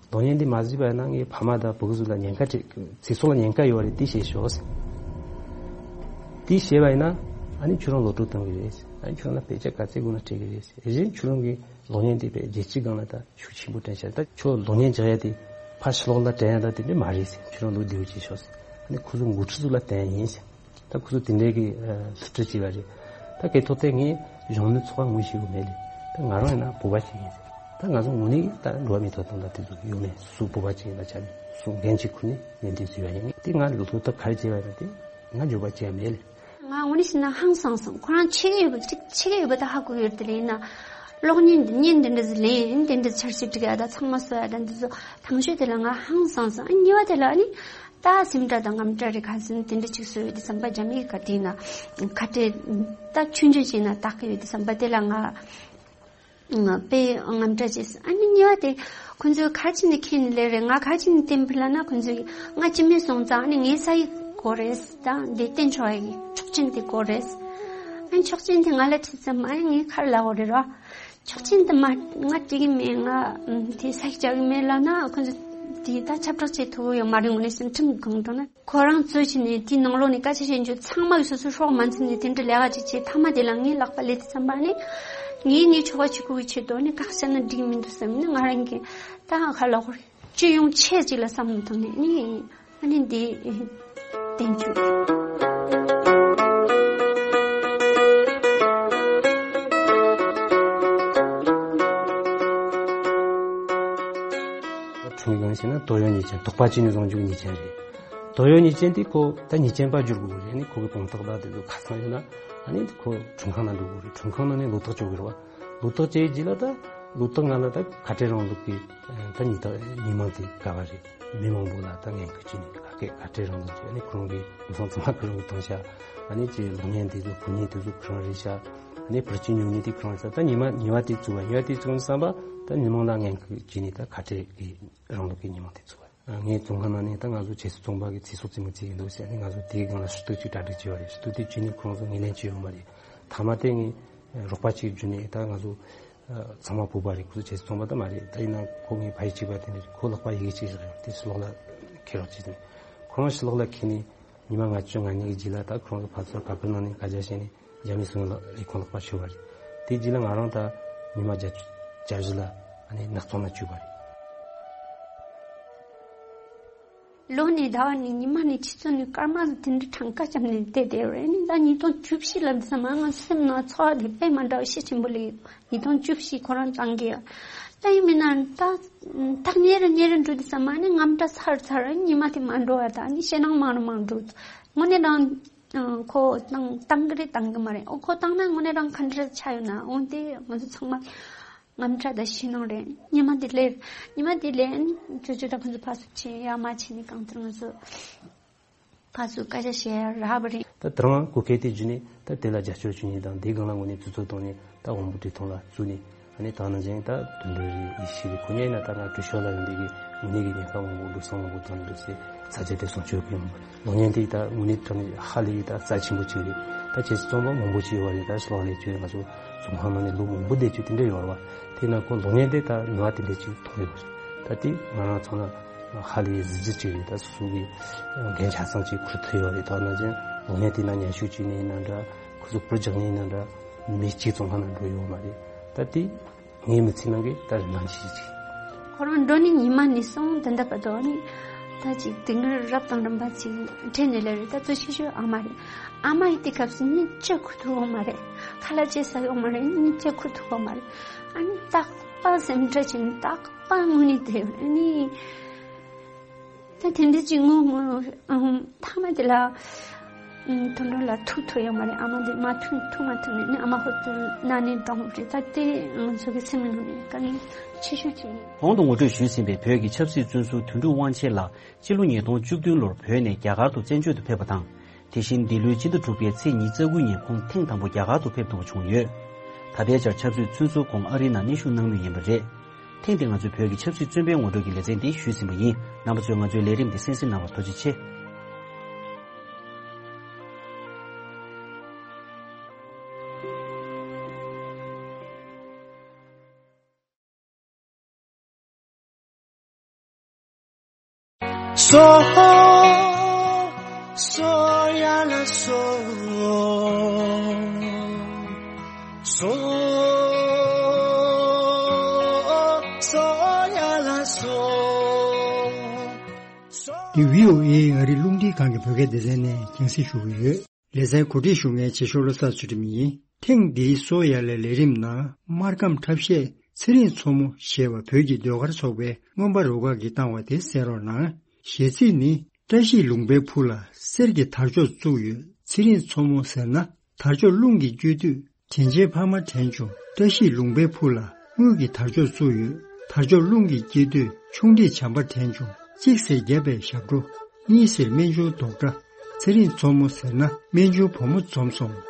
གློག་བརྙན་འདི་མ་བཟོས་པ་ཡིན་ན་ངའི་ཕ་མ་དང་བུ་གུ་ཚོ་ལ་ཉེན་ཁ་སྤྲད། ཚེ་སྲོག་ལ་ཉེན་ཁ་ཡོད་རེད། དེ་བཤད་ཤོག་ཟེར། དེ་བཤད་པ་ཡིན་ན། ཨ་ནི་ཁྱོད་རང་ལོག་སྤྲོད་གཏོང་གི་རེད་ཟེར། ཨ་ནི་ཁྱོད་རང་ལ་དཔེ་ཆ་ག་ཚད་དགོས་ན་སྤྲད་གི་རེད་ཟེར། གཞན་ཁྱོད་རང་གི་གློག་བརྙན་དེ་དཔེ་རྒྱལ་སྤྱིའི་སྒང་ལ་ད་ཤུགས་ཆེན་པོ་བསྐྲུན་ཤག་ད་ཁྱོད་གློག་བརྙན་རྒྱག་ཡ་དེ་ཕར་ཕྱི་ལོགས་ལ་སྟོན་ཡ་ད་དེ་འདྲ་མ་རེད་ཟེར། ཁྱོད་རང་ལོག་འདི་བྱེད་ཤོག་ཟེར། ཨ་ནི་ཁོ་ཚོ་འགོ་ཁྲིད་ཚོ་ལ་སྟོན་ཡ་ཡིན་ཟེར། ད་ཁོ་ཚོ་དེ་འདྲའི་གི་ཨ་ལྷུ་སྒྲུབ་བྱས་པ་རེད། ད་སྐད་ཐོག་དེ་ངས་གཞོན་ནུ་ཚོགས་པ་ངོས་བཞེས་དགོས་མེད་ལེ། ད་ང་རང་ཡིན་ན་བོད་པ་ཞིག་ཡིན་ཟེར། ད་ང་ཚོ་དངོས་གནས་ད་འགྲོ་བ་མིའི་ཐོབ་ཐང་དང་དེ་ཚོ་ཡོད་མེད། སོ་སོ་བོད་པ་ཅིག་ཡིན་པའི་ཆ་ནས་སོ་འགན་ཅིག་ཁུར་ནས་ལས་འདི་བཟོས་པ་ཡིན། དེ་ང་ལོ་ཐོག་ད་ག་རེ་བྱས་པ་ཡིན་ན། དེ་ང་འགྱོད་པ་བྱས་མེད་ལེ། ང་དངོས་གནས་བཤད་ན་ཧང་སངས་སོང་། ཁོ་རང་ཆེ་གི་ཡོད་པ་ཅིག་ཆེ་གི་ཡོད་པ་ད་ཧ་གོ་ཡོད་དེ་ལེ། ཡིན་ན་གློག་བརྙན་འདི་བརྙན་འདི་འདྲ་ཟིག་ལེན་དེ་འདྲ་འཆར་གཞི་སྒྲིག་ཡ་ད་ཚང་མ་བཟོ་ཡ་ད་འདི་ཚོ་དང་ཤོས་དེ་ལ་ང་ཧང་སངས་སོང་། ཨ་གཉིས་པ་དེ་ལ་ཨ་ནི། ད་སེམས་ཁྲལ་དང་དངངས་སྐྲག་རེ་ཁ་སང་དེ་འདྲ་ཅིག་བཟོས་ཡོད་དེ་བསམ་པ་རྒྱ་མིའི་ཁ་དེ་ན་ཁ་བྲལ་ད་ཆུང་ཆུང་ཅིག་ན་བཏགས་ཀྱི་ཡོད་དེ་བསམ་པ་དེ་ལ་ང་དཔེ་དངངས་སྐྲག་བྱས་སོང་། ཨ་ནི་གཉིས་པ་དེ་ཁོ་ཚོས་ག་རེ་བྱས་ནས་ཁྱེར་ནས་སླེབས་རེད། ང་ག་རེ་བྱས་ནས་བསྟན་པ་ལབ་ན། ཁོ་ཚོས་ང་སྤྱི་མི་སོང་ཙང་ཨ་ནི་ངའི་ས་ཡིག་དགོས་རེད། ད་འདི་བསྟན་ཆོག་ཡ་གི་ཆོག་མཆན་དེ་དགོས་རེད། ཨ་ནི་ཆོག་མཆན་དེ་ང་ལ་དྲིས་ཙམ། ཨ་ནི་ངས་ག་རེ་ལབ་དགོས་རེད་ར། ཆོག་མཆན་དེ་མ་ང་སྤྲད་གི་མེད། ང་ཨ་དེ་ས་ཡིག་རྒྱག་གི་མེད་ལབ་ན། ཁོ་ཚོས་དེ་ད་ཁྱབ་བསྒྲགས་བྱེད་ཐུབ་ཡོད་མ་རེད། དངོས་གནས་སེམས་ཁྲིམས་གང་དྲང་ན་ཁོ་རང་ཚོས་བྱས་ནས་དེའི་ནང་ལོགས་ནས་སྐད་ཆ་བཤད་རྒྱུ་ཚང་མ་གི་སོ་སོའི་སྲོག་མ་འཛིན་ནས་དེ་འདྲ་ལས་ཀ་ཅིག་བྱས། མཐའ་མ་དེ་ལ་ངའི་ལག་པ་ལས་དེ་བསམ་པ་ནི་ངས་ངའི་ཆོ་ག་བྱེད་དགོས་ཀྱི་ཆེད་དུ་ནི་བཀག་བྱས་ན་འགྲིག་མི་འདུག་བསམ་ནས། ང་རང་གིས་ད་ཧ་ལ་ཧོར་སྤྱི་ཡོངས་ཆེད་ཅིག་ལ་བསམ་བློ་བཏང་ནས་ནི། ཨ་ནི་འདི་བསྟན་བཅོས། ཁྲུང་གི་སྒང་བྱས་ན་དོ་ཡོད་ཉེས་ཅན། དོགས་པ་ཅི་ནས་བཟུང་རྒྱུ་ཉེས་ཅན་རེད། དོ་ཡོད་ཉེས་ཅན་དེ་ཁོ་ད་ཉེས་ཅན་པ་བསྒྱུར་དགོས་རེད། ཨ་ནི་ཁོ་གི་དཔང་རྟགས་དང་དེ་ཚོ་ཁ་ཚང་ཡོད་ན། ཨ་ནི་ཁོ་ཁྲིམས་ཁང་ནང་འགྲོ་དགོས་རེད། ཁྲིམས་ཁང་ནང་ནས་ལོ་ཐོག་གཅོད་དགོས་རེད་བ། ལོ་ཐོག་བཅད་རྗེས་ལ་ད་ལོ་ཐོག་སྔ་ལ་ད་ཁ་བྲལ་རིང་ལུགས་ཀྱི་ད་ཉི་ད་ཉི་མ་དེ་ག་བ་རེད། མི་མང་པོ་ལ་ད་ངན་སྐུལ་བྱས་ནས་ཁ་སྐད་ཁ་བྲལ་རིང་ལུགས་ཀྱི། ཨ་ནི་ཁོ་རང་གི་མི་ཚང་ཚང་མ་ཁོ་རང་གི་བཏང་ཤག་ཨ་ནི་ཅིག་གློག་བརྙན་དེ་ཚོ་བུ་བརྙན་དེ་ཚོ་ཁོ་རང་རེད་ཤག་ཨ་ནི་བུ་སྐྱིད་ཉོ་མཁན་དེ་ཁོ་རང་ཤག་ད་ཉི་མ་ཉི་མ་དེ་བཙུགས་པ། ཉི་མ་དེ་བཙུགས་ནས་བསམ་པ་ད་མི་མང་ལ་ངན་སྐུལ་བྱས་ནས་ད་ཁ་བྲལ་གྱི་རིང་ལུགས་ཀྱི་ཉི་མ་དེ་བཙུགས་པ། ངའི་བཙོན་ཁང་ནང་ནས་ད་ང་ཚོ་ཆབ་སྲིད་བཙོན་པ་གི་ཚེ་སྲོག་རྩིས་མེད་བྱེད་ཀྱི་འདུག་ཟེར་ནས་ང་ཚོ་དེའི་སྒང་ལ་ཞུ་གཏུག་ཅིག་གྲ་སྒྲིག་བྱས་པ་རེད། ཞུ་གཏུག་དེ་བྱས་ནས་ཁོ་རང་ཚོ་ངོས་ལེན་བྱས་ཡོད་མ་རེད། མཐའ་མ་དེ་ངས་རོགས་པ་ཅིག་བརྒྱུད་ནས། ད་ང་ཚོ་ཚང་མ་བོད་པ་རེད། ཁོ་ཚོ་ཆབ་སྲིད་བཙོན་པ་ད་མ་རེད། ད་ཡིན་ན་ཁོ་ངའི་ཕ་ཡུལ་གཅིག་པ་དེ་འདྲ་རེད། ཁོ་ལག་པ་ཡི་གེ་གཅིག་བཞག་ཡོད། དེ་ཕྱི་ལོགས་ལ་འཁྱེར་རོགས་བྱས་ཟེར་ནས། ཁོ་རང་ཕྱི་ལོགས་ལ་འཁྱེར་ནས་ཉི་མ་ལྔ་བཅུ་ང་གཉིས་ཀྱི་རྗེས་ལ་ད་ཁོ་རང་ཚོ་ཕར་ཚུར་ཁ་པར་ནང་ནས་སྐད་ཆ་བཤད་ནས། རྒྱ་མི་སོང་ལ་ལས་ཁུངས་ལག་པ་ཤོར་བ་རེད། དེ་རྗེས་ལ་ང་རང་ད་ཉི་མ་བརྒྱད་ཅུ་གྱ་བཞི་ལ་ཨ་ནི་ནག་ཚོང་ལ་བཅུག་པ་རེད། ལོ་ནས་ཟླ་བ་ནས་ཉི་མ་ནས་ཆུ་ཚོད་ནས་སྐར་མ་ཟིག་དེ་འདྲའི་གྲངས་ཀ་བརྒྱབ་ནས་བསྡད་བསྡད་ཡོད་རེད། ཨ་ནི་ད་ཉིས་སྟོང་བཅུ་བཞི་ལ་འདི་ཚང་མ་ང་སེམས་ནང་ཚོར་བ་དེ་དཔེ་མ་འདྲ་བ་ཤུགས་ཆེན་པོ་སླེབས་ཡོད། ཉིས་སྟོང་བཅུ་བཞི་ཁོ་རང་བཏང་གི་ཡོད། ད་ཡིན་མིན་ན་ད་ཐག་ཉེ་རུ་ཉེ་རུ་འགྲོ་དུས་ཙམ་པ་ཨ་ནི་དངངས་སྐྲག་ཚ་རུ་ཚ་རུ་ཉི་མ་དེ་མ་འགྲོ་བ་དང་ཨ་ནི་ཞེད་སྣང་མང་རུ་མང་རུ་འགྲོ། དངོས་གནས་རང་ཁོ་བཏང་བཏང་གི་རེད་བཏང་གི་མ་རེད། ཨོ་ཁོ་བཏང་ན་དངོས་གནས་རང་ག་འདྲ་ཆགས་ཡོད་ན། འོན་ཏེ་ང་ཚོ་ཚང་མ་དངངས་སྐྲག་དང་ཞེད་སྣང་རེད། ཉི་མ་དེ་སླེབས། ཉི་མ་དེ་སླེབས་ཨ་ནི་ཅོ་ཅོ་དང་ཁོ་ཚོ་ཕར་ཚུར་ཕྱིན་ཡར་མར་ཕྱིན་ནས་གང་ལྟར་ང་ཚོ། ཕར་ཚུར་སྐད་ཆ་བཤད་ཡ་རག་པ་རེད། ད་དེ་རིང་གོ་སྐབས་དེ་བརྒྱུད་ནས་ད་དེ་ལ་རྒྱབ་སྐྱོར་ཞུ་མཁན་དང་དེའི་སྒང་ལ་དངོས་གནས་ཐུགས་ཚོར་བཏང་ནས་ད་དབང་པོ་བཀྲས་མཐོང་ལགས་བཙུགས་ནས། ཨ་ནི་ད་ནང་བཞིན་ད་དོན་འགྲུབ་རེད། ཡེ་ཤེས་རེད། ཁོ་གཉིས་ཡིན་ན་ད་ང་བྲོས་ཤོར་ལ་ཡོང་དུས་ཀྱི་དངོས་གནས་ཀྱི་ཉེན་ཁ་མང་པོ་འདུག་ས་མང་པོ་བཏང་འདུག་ཟེར་ཚ་གྱང་དེ་སྲུང་སྐྱོབ་ཀྱི་ཡོང་། གློག་བརྙན་དེ་ད་དངོས་གནས་དྲང་གནས་ཧ་ལས་ཀྱི་ད་རྩ་ཆེན་པོ་གཅིག་རེད། ད་ཁྱེད་ཚོ་རྩོམ་པ་མང་པོ་ཅིག་ཡོད་པ་རེད། ད་གློག་ཀླད་ཀྱི་ང་ཚོ་རྩོམ་པ་མ་ནས་ལོ་མང་པོ་བསྡད་རྒྱུ་དེ་འདྲ་ཡོད་རེད་བ། དེ་ན་ཁོ་གློག་བརྙན་དེ་ད་ནུས་པ་དེ་འདྲ་ཅིག་ཐོན་ཡོད་རེད། ད་དེ་ང་རང་ཚོ་ལ་ཧ་ལས་གཟི་བརྗིད་ཅིག་རེད། ད་སོ་སོ་གི་འགན་ཆ་ཚང་ཅིག་འཁུར་ཐུབ་ཡོད་རེད། ད་ནང་བཞིན་གློག་བརྙན་དེ་ན་ཉམས་ཞིབ་བྱས་ནས་ཡིན་ན་འདྲ། ཁོ་ཚོ་བུ་རྒྱག་ནས་ཡིན་ན་འདྲ། མི་གཅིག་ཙམ་ལྷག་ན་འགྲོ་ཡོད་མ་རེད། ད་དེ་ངའི་མི་ཚེ་ནང་གི་ད་རིན་ཐང་ཞིག་ཅིག་ཁོ་རང་འགྲོ་ནས་ཉི་མ་ནས་བཟུང་ད་ལྟ་བར་དུ་ནི་ད་ཅིག་དེ་སྔར་རབ་དང་རིམ་པ་ཅིག་འཕྲད་ནས་ལས་རེད། ད་གཙོ་ཆེ་ཤོས་ཨ་མ་རེད། ཨ་མ་ཡི་དེ་སྐབས་སུ་གཉིད་ཅི་ཁུག་ཐུབ་ཡོད་མ་རེད། ཁ་ལག་ཅི་ཟ་ཡོད་མ་རེད། གཉིད་ཅི་ཁུག་ཐུབ་ཡོད་མ་རེད། ཨ་ནི་རྟག་པར་སེམས་ཁྲལ་བྱས་ནས་རྟག་པར་དངོས་གནས་དེ་ནི། ད་དེ་འདྲ་ཅིག་ངོ་ངོ་ཨ་ཧུམ་མཐའ་མ་དེ་ལ་ཨུམ་དོན་གྲུབ་ལགས་ཐུག་ཐུབ་ཡོད་མ་རེད། ཨ་མ་དེ་མ་ཐུག་ཐུག་མ་ཐུབ་ནས་ནི་ཨ་མ་ཧོ་ཏུ་ན་ནས་འགྲོ་འོང་རེད། ད་དེ་ང་ཚོ་གི་སེམས་ནང་ནས་དཀའ་ངལ་ཆེ་ཤོས་ཅིག་ཡིན། གོང་དུ་ངོ་སྤྲོད་ཞུས་ཟིན་པའི་བོད་ཀྱི་ཆབ་སྲིད་བཙོན་ཟུར་དོན་གྲུབ་དབང་ཆེན་ལགས་སྤྱི་ལོ་ཉིས་སྟོང་བཅུ་བདུན་ལོར་བོད་ནས་རྒྱ་གར་དུ་བཙན་བྱོལ་དུ་ཕེབས་པ་དང་། དེ་བཞིན་འདི་ལོའི་ཕྱི་ཟླ་དྲུག་པའི་ཚེས་ཉི་ཤུ་རྩ་དགུ་ཉིན་ཁོང་ཐེངས་དང་པོ་རྒྱ་གར་དུ་ཕེབས་གཏུགས་པ་བྱུང་ཡོད། ད་ལྟའི་ཆར་ཆབ་སྲིད་བཙོན་ཟུར་ཁོང་ཨ་རིའི་ནང་གནས་བཞུགས་གནང་མུས་ཡིན་པ་རེད། ཐེངས་འདིའི་ང་ཚོའི་བོད་ཀྱི་ཆབ་སྲིད་བཙོན་པའི་ངོ་སྤྲོད་ཀྱི་ལེ་ཚན་འདི་ཞུས་ཟིན་པ་ཡིན། རྣམ་པ་ཚོས་ང་ཚོའི་ལས་རིམ་འདི་གསན་གཟིགས་གནང་བར་ཐུགས་རྗེ་ཆེ། སོ། སོ་ཡ་ལ་སོ། སོ། སོ་ཡ་ལ་སོ། འདི་བྷི་ཨོ་ཨེ་ཨ་རིའི་རླུང་འཕྲིན་ཁང་གི་བོད་སྐད་སྡེ་ཚན་ནས་རྒྱང་སྲིང་ཞུ་གི་ཡོད། ལེ་ཚན་གོ་སྒྲིག་ཞུ་མཁན་བྱེད་ཤོག་བློ་བཟང་ཚུལ་ཁྲིམས་ཡིན། ཐེངས་འདིའི་སོ་ཡ་ལའི་ལས་རིམ་ནང་སྨར་ཁམས་འཁྲབ་གཞས་ཚེ་རིང་མཚོ་མོ་ཞེས་པ་བོད་ཀྱི་ཟློས་གར་ཚོགས་པའི་མངོན་པ་རུ་ཁག་གིས་བཏང་བ་དེ་གསན་རོགས་གནང་། གཞས་ཚིག་ནི། བཀྲ་ཤིས་ལུང་པའི་ཕུ་ལ་གསེར་གྱི་དར་ལྕོག་བཙུགས་ཡོད། ཚེ་རིང་མཚོ་མོ་ཟེར་ན། དར་ལྕོག་རླུང་གིས་བསྐྱོད་དུས་དྲིན་ཆེན་ཕ་མ་དྲན་བྱུང་། བཀྲ་ཤིས་ལུང་པའི་ཕུ་ལ་དངུལ་གྱི་དར་ལྕོག་བཙུགས་ཡོད། དར་ལྕོག་རླུང་གིས་བསྐྱེད་དུས་ཆུང་འདྲིས་བྱམས་པ་དྲན་བྱུང་། གཅིག་ཟེར་བརྒྱབ་པའི་ཞབས་བྲོ། གཉིས་ཟེར་སྨན་ཆུང་རྡོག་འདྲ། ཚེ་རིང་མཚོ་མོ་ཟེར་ན་སྨན་ཆུང་བུ་མོ་འཛོམས་སོང་།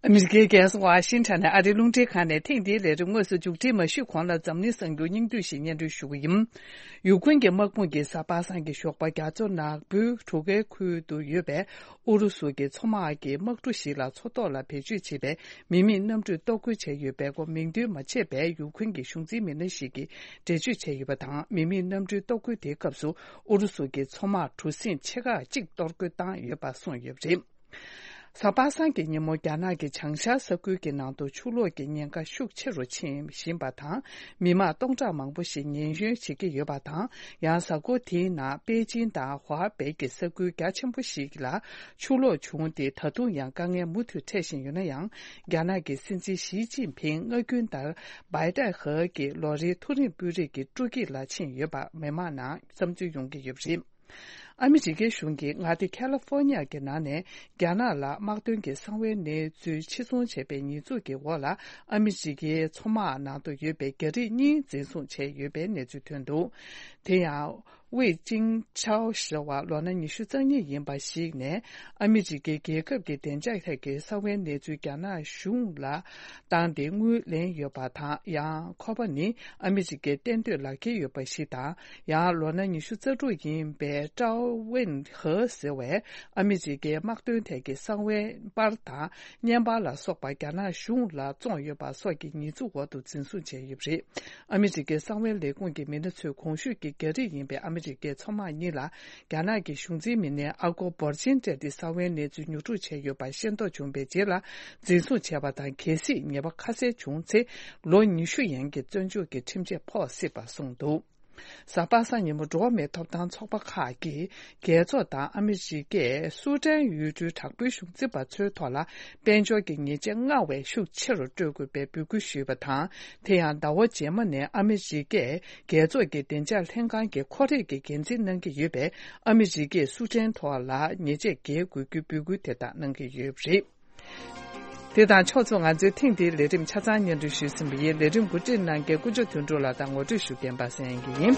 ཨ་མི་རི་ཀའི་རྒྱལ་ས་ཝ་ཤིང་ཊོན་ནས་ཨ་རིའི་རླུང་འཕྲིན་ཁང་ནས་ཐེངས་འདིའི་ལས་རིམ་དངོས་སུ་མཇུག་སྒྲིལ་མ་ཞུས་གོང་ལ་འཛམ་གླིང་གསར་འགྱུར་སྙིང་བསྡུས་ཤིག་སྙན་སྒྲོན་ཞུ་གི་ཡིན། ཡུ་ཁུན་གྱི་དམག་དཔུང་གིས་གཟའ་པ་སངས་ཀྱི་ཞོགས་པ་རྒྱ་མཚོ་ནག་པོའི་གྲུ་ཁའི་ཁུལ་དུ་ཡོད་པའི་ཨུ་རུ་སུ་གྱི་མཚོ་དམག་གི་དམག་གྲུ་ཞིག་ལ་མཚོ་ཐོག་ལ་བེད་སྤྱོད་བྱས་པའི་མི་མེད་གནམ་གྲུས་གཏོར་རྒོལ་བྱས་ཡོད་པའི་སྐོར་མིང་འདོན་མ་བྱས་པའི་ཡུ་ཁུན་གྱི་གཞུང་འཛིན་མི་སྣ་ཞིག་གིས་འགྲེལ་བརྗོད་བྱས་ཡོད་པ་དང་། མི་མེད་གནམ་གྲུའི་གཏོར་རྒོལ་དེའི་སྐབས་སུ་ཨུ་རུ་སུ་གྱི་མཚོ་དམག་གྲུ་གཟིངས་ཆེ་ཁག་གཅིག་གཏོར་རྒོལ་བཏང་ཡོད་པ་གསུངས་ཡོད་པ་རེད། གཟའ་པ་སངས་ཀྱི་ཉིན་མོ་རྒྱ་ནག་གི་བྱང་ཤར་ས་ཁུལ་གྱི་ནང་དུ་ཆུ་ལོག་གི་ཉེན་ཁ་ཤུགས་ཆེ་རུ་ཕྱིན་བཞིན་པ་དང་། མི་མང་སྟོང་ཕྲག་མང་པོ་ཞིག་ཉེན་གཡོལ་བྱེད་ཀྱི་ཡོད་པ་དང་། ཡང་གཟའ་འཁོར་དེའི་ནང་པེ་ཅིན་དང་ཧུའུ་པེ་གྱི་ས་ཁུལ་རྒྱ་ཆེན་པོ་ཞིག་ལ་ཆུ་ལོག་བྱུང་སྟེ། ད་དུང་ཡང་དཀའ་ངལ་མུ་མཐུད་འཕྲད་བཞིན་ཡོད་ན་ཡང་། རྒྱ་ནག་གི་སྲིད་འཛིན་ཞི་ཅིན་ཕིང་སྔ་རྒྱུན་ལྟར་བྷའི་ཏའེ་ཧེ་གྱི་ལོ་རེའི་མཐོ་རིམ་དཔོན་རིགས་ཀྱི་སྤྲོ་སྐྱིད་ལ་ཕྱིན་ཡོད་པ་མི་མང་ནང་བསམ་ཚུལ་ཡོང་གི་ཡོད་པ་རེད། ཨ་མི་རི་ཀའི་གཞུང་གིས་མངའ་སྡེ་ཁ་ལི་ཧྥོ་ནི་ཡ་གི་ནང་ནས་རྒྱ་ནག་ལ་དམག་དོན་གྱི་གསང་བའི་གནས་ཚུལ་ཕྱིར་ཚོང་བྱས་པའི་ཉེས་འཛུགས་ཀྱི་འོག་ལ། ཨ་མི་རི་ཀའི་མཚོ་དམག་ནང་དུ་ཡོད་པའི་རྒྱ་རིགས་གཉིས་འཛིན་བཟུང་བྱས་ཡོད་པའི་གནས་ཚུལ་ཐོན་འདུག་དེ་ཡང་། ཝེ་ཅིང་ཆའོ་ཞེས་པ་ལོ་ན་ཉི་ཤུ་རྩ་གཉིས་ཡིན་པ་ཞིག་ནས། ཨ་མི་རི་ཀའི་རྒྱལ་ཁབ་ཀྱི་བདེ་འཇགས་ཐད་ཀྱི་གསང་བའི་གནས་ཚུལ་རྒྱ་ནག་གཞུང་ལ་བཏང་སྟེ་དངུལ་ལེན་ཡོད་པ་དང་། ཡང་ཁོ་པ་ནི་ཨ་མི་རི་ཀའི་གཏན་སྡོད་ལག་འཁྱེར་ཡོད་པ་ཞིག་དང་། ཡང་ལོ་ན་ཉི་ཤུ་རྩ་དྲུག་ཡིན་པའི་ཀྲའོ་ཝེན་ཧེ་ཟེར་བས་ཨ་མི་རི་ཀའི་དམག་དོན་ཐད་ཀྱི་གསང་བའི་པར་དང་བརྙན་པར་ལ་སོགས་པ་རྒྱ་ནག་གཞུང་ལ་བཙོངས་ཡོད་པ་སོགས་ཀྱི་ཉེས་འཛུགས་འོག་ཏུ་འཛིན་བཟུང་བྱས་ཡོད་པ་རེད། ཨ་མི་རི་ཀའི་གསང་བའི་ལས་ཁུངས་ཀྱི་མི་སྣ་ཚོས་གོང་ཞུས་ཀྱི་རྒྱ་རིགས་ཡིན་པའི་ཨ་མི་རི་ཀའི་མཚོ་དམག་གཉིས་ལ་རྒྱ་ནག་གི་གཞུང་འཛིན་མི་སྣས་ཨ་སྒོར་འབོར་ཆེན་སྤྲད་དེ་གསང་བའི་གནས་ཚུལ་ཉོ་སྒྲུབ་བྱས་ཡོད་པ་ཤེས་རྟོགས་བྱུང་བའི་རྗེས་ལ་འཛིན་བཟུང་བྱས་པ་དང་། གལ་སྲིད་ཉེས་པ་ཁ་གསལ་བྱུང་ཚེ་ལོ་ཉི་ཤུ་ཡན་གྱི་བཙོན་འཇུག་གི་ཁྲིམས་ཆད་ཕོག་སྲིད་པ་གསུངས་འདུག་གཟའ་པ་སངས་ཉིན་མོ་འགྲོ་བ་མིའི་ཐོབ་ཐང་ཚོགས་པ་ཁག་གིས་རྒྱལ་ཚོགས་དང་ཨ་མི་རི་ཀས་སུ་ཏན་ཡུལ་གྲུའི་དྲག་པོའི་གཞུང་འཛིན་པ་ཚོའི་ཐོག་ལ་དཔལ་འབྱོར་གྱི་ཉེས་ཆད་སྔར་བས་ཤུགས་ཆེ་རུ་སྤྲོད་དགོས་པའི་འབོད་སྐུལ་ཞུས་པ་དང་། དེ་ཡང་ཟླ་བ་རྗེས་མ་ནས་ཨ་མི་རི་ཀས་རྒྱལ་ཚོགས་ཀྱི་བདེ་འཇགས་ལྷན་ཁང་གི་ཁོར་ཡུག་གི་འགན་འཛིན་གནང་གི་ཡོད་པས། ཨ་མི་རི་ཀས་སུ་ཏན་ཐོག་ལ་ཉེས་ཆད་འགེལ་དགོས་རྒྱུའི་འབོད་སྐུལ་དེ་དག་གནང་གི་ཡོད་པ་རེད། དེ་དང་ཕྱོགས་མཚུངས། ང་ཚོའི་ཐེངས་འདིའི་ལས་རིམ་ཆ་ཚང་སྙན་སྒྲོན་ཞུས་ཟིན་པ་ཡིན། ལས་རིམ་གོ་སྒྲིག་གནང་མཁན་དཀོན་མཆོག་དོན་གྲུབ་ལགས་དང་ངོ་སྤྲོད་ཞུ་མཁན་པ་སངས་དབྱངས་སྐྱིད་ཡིན།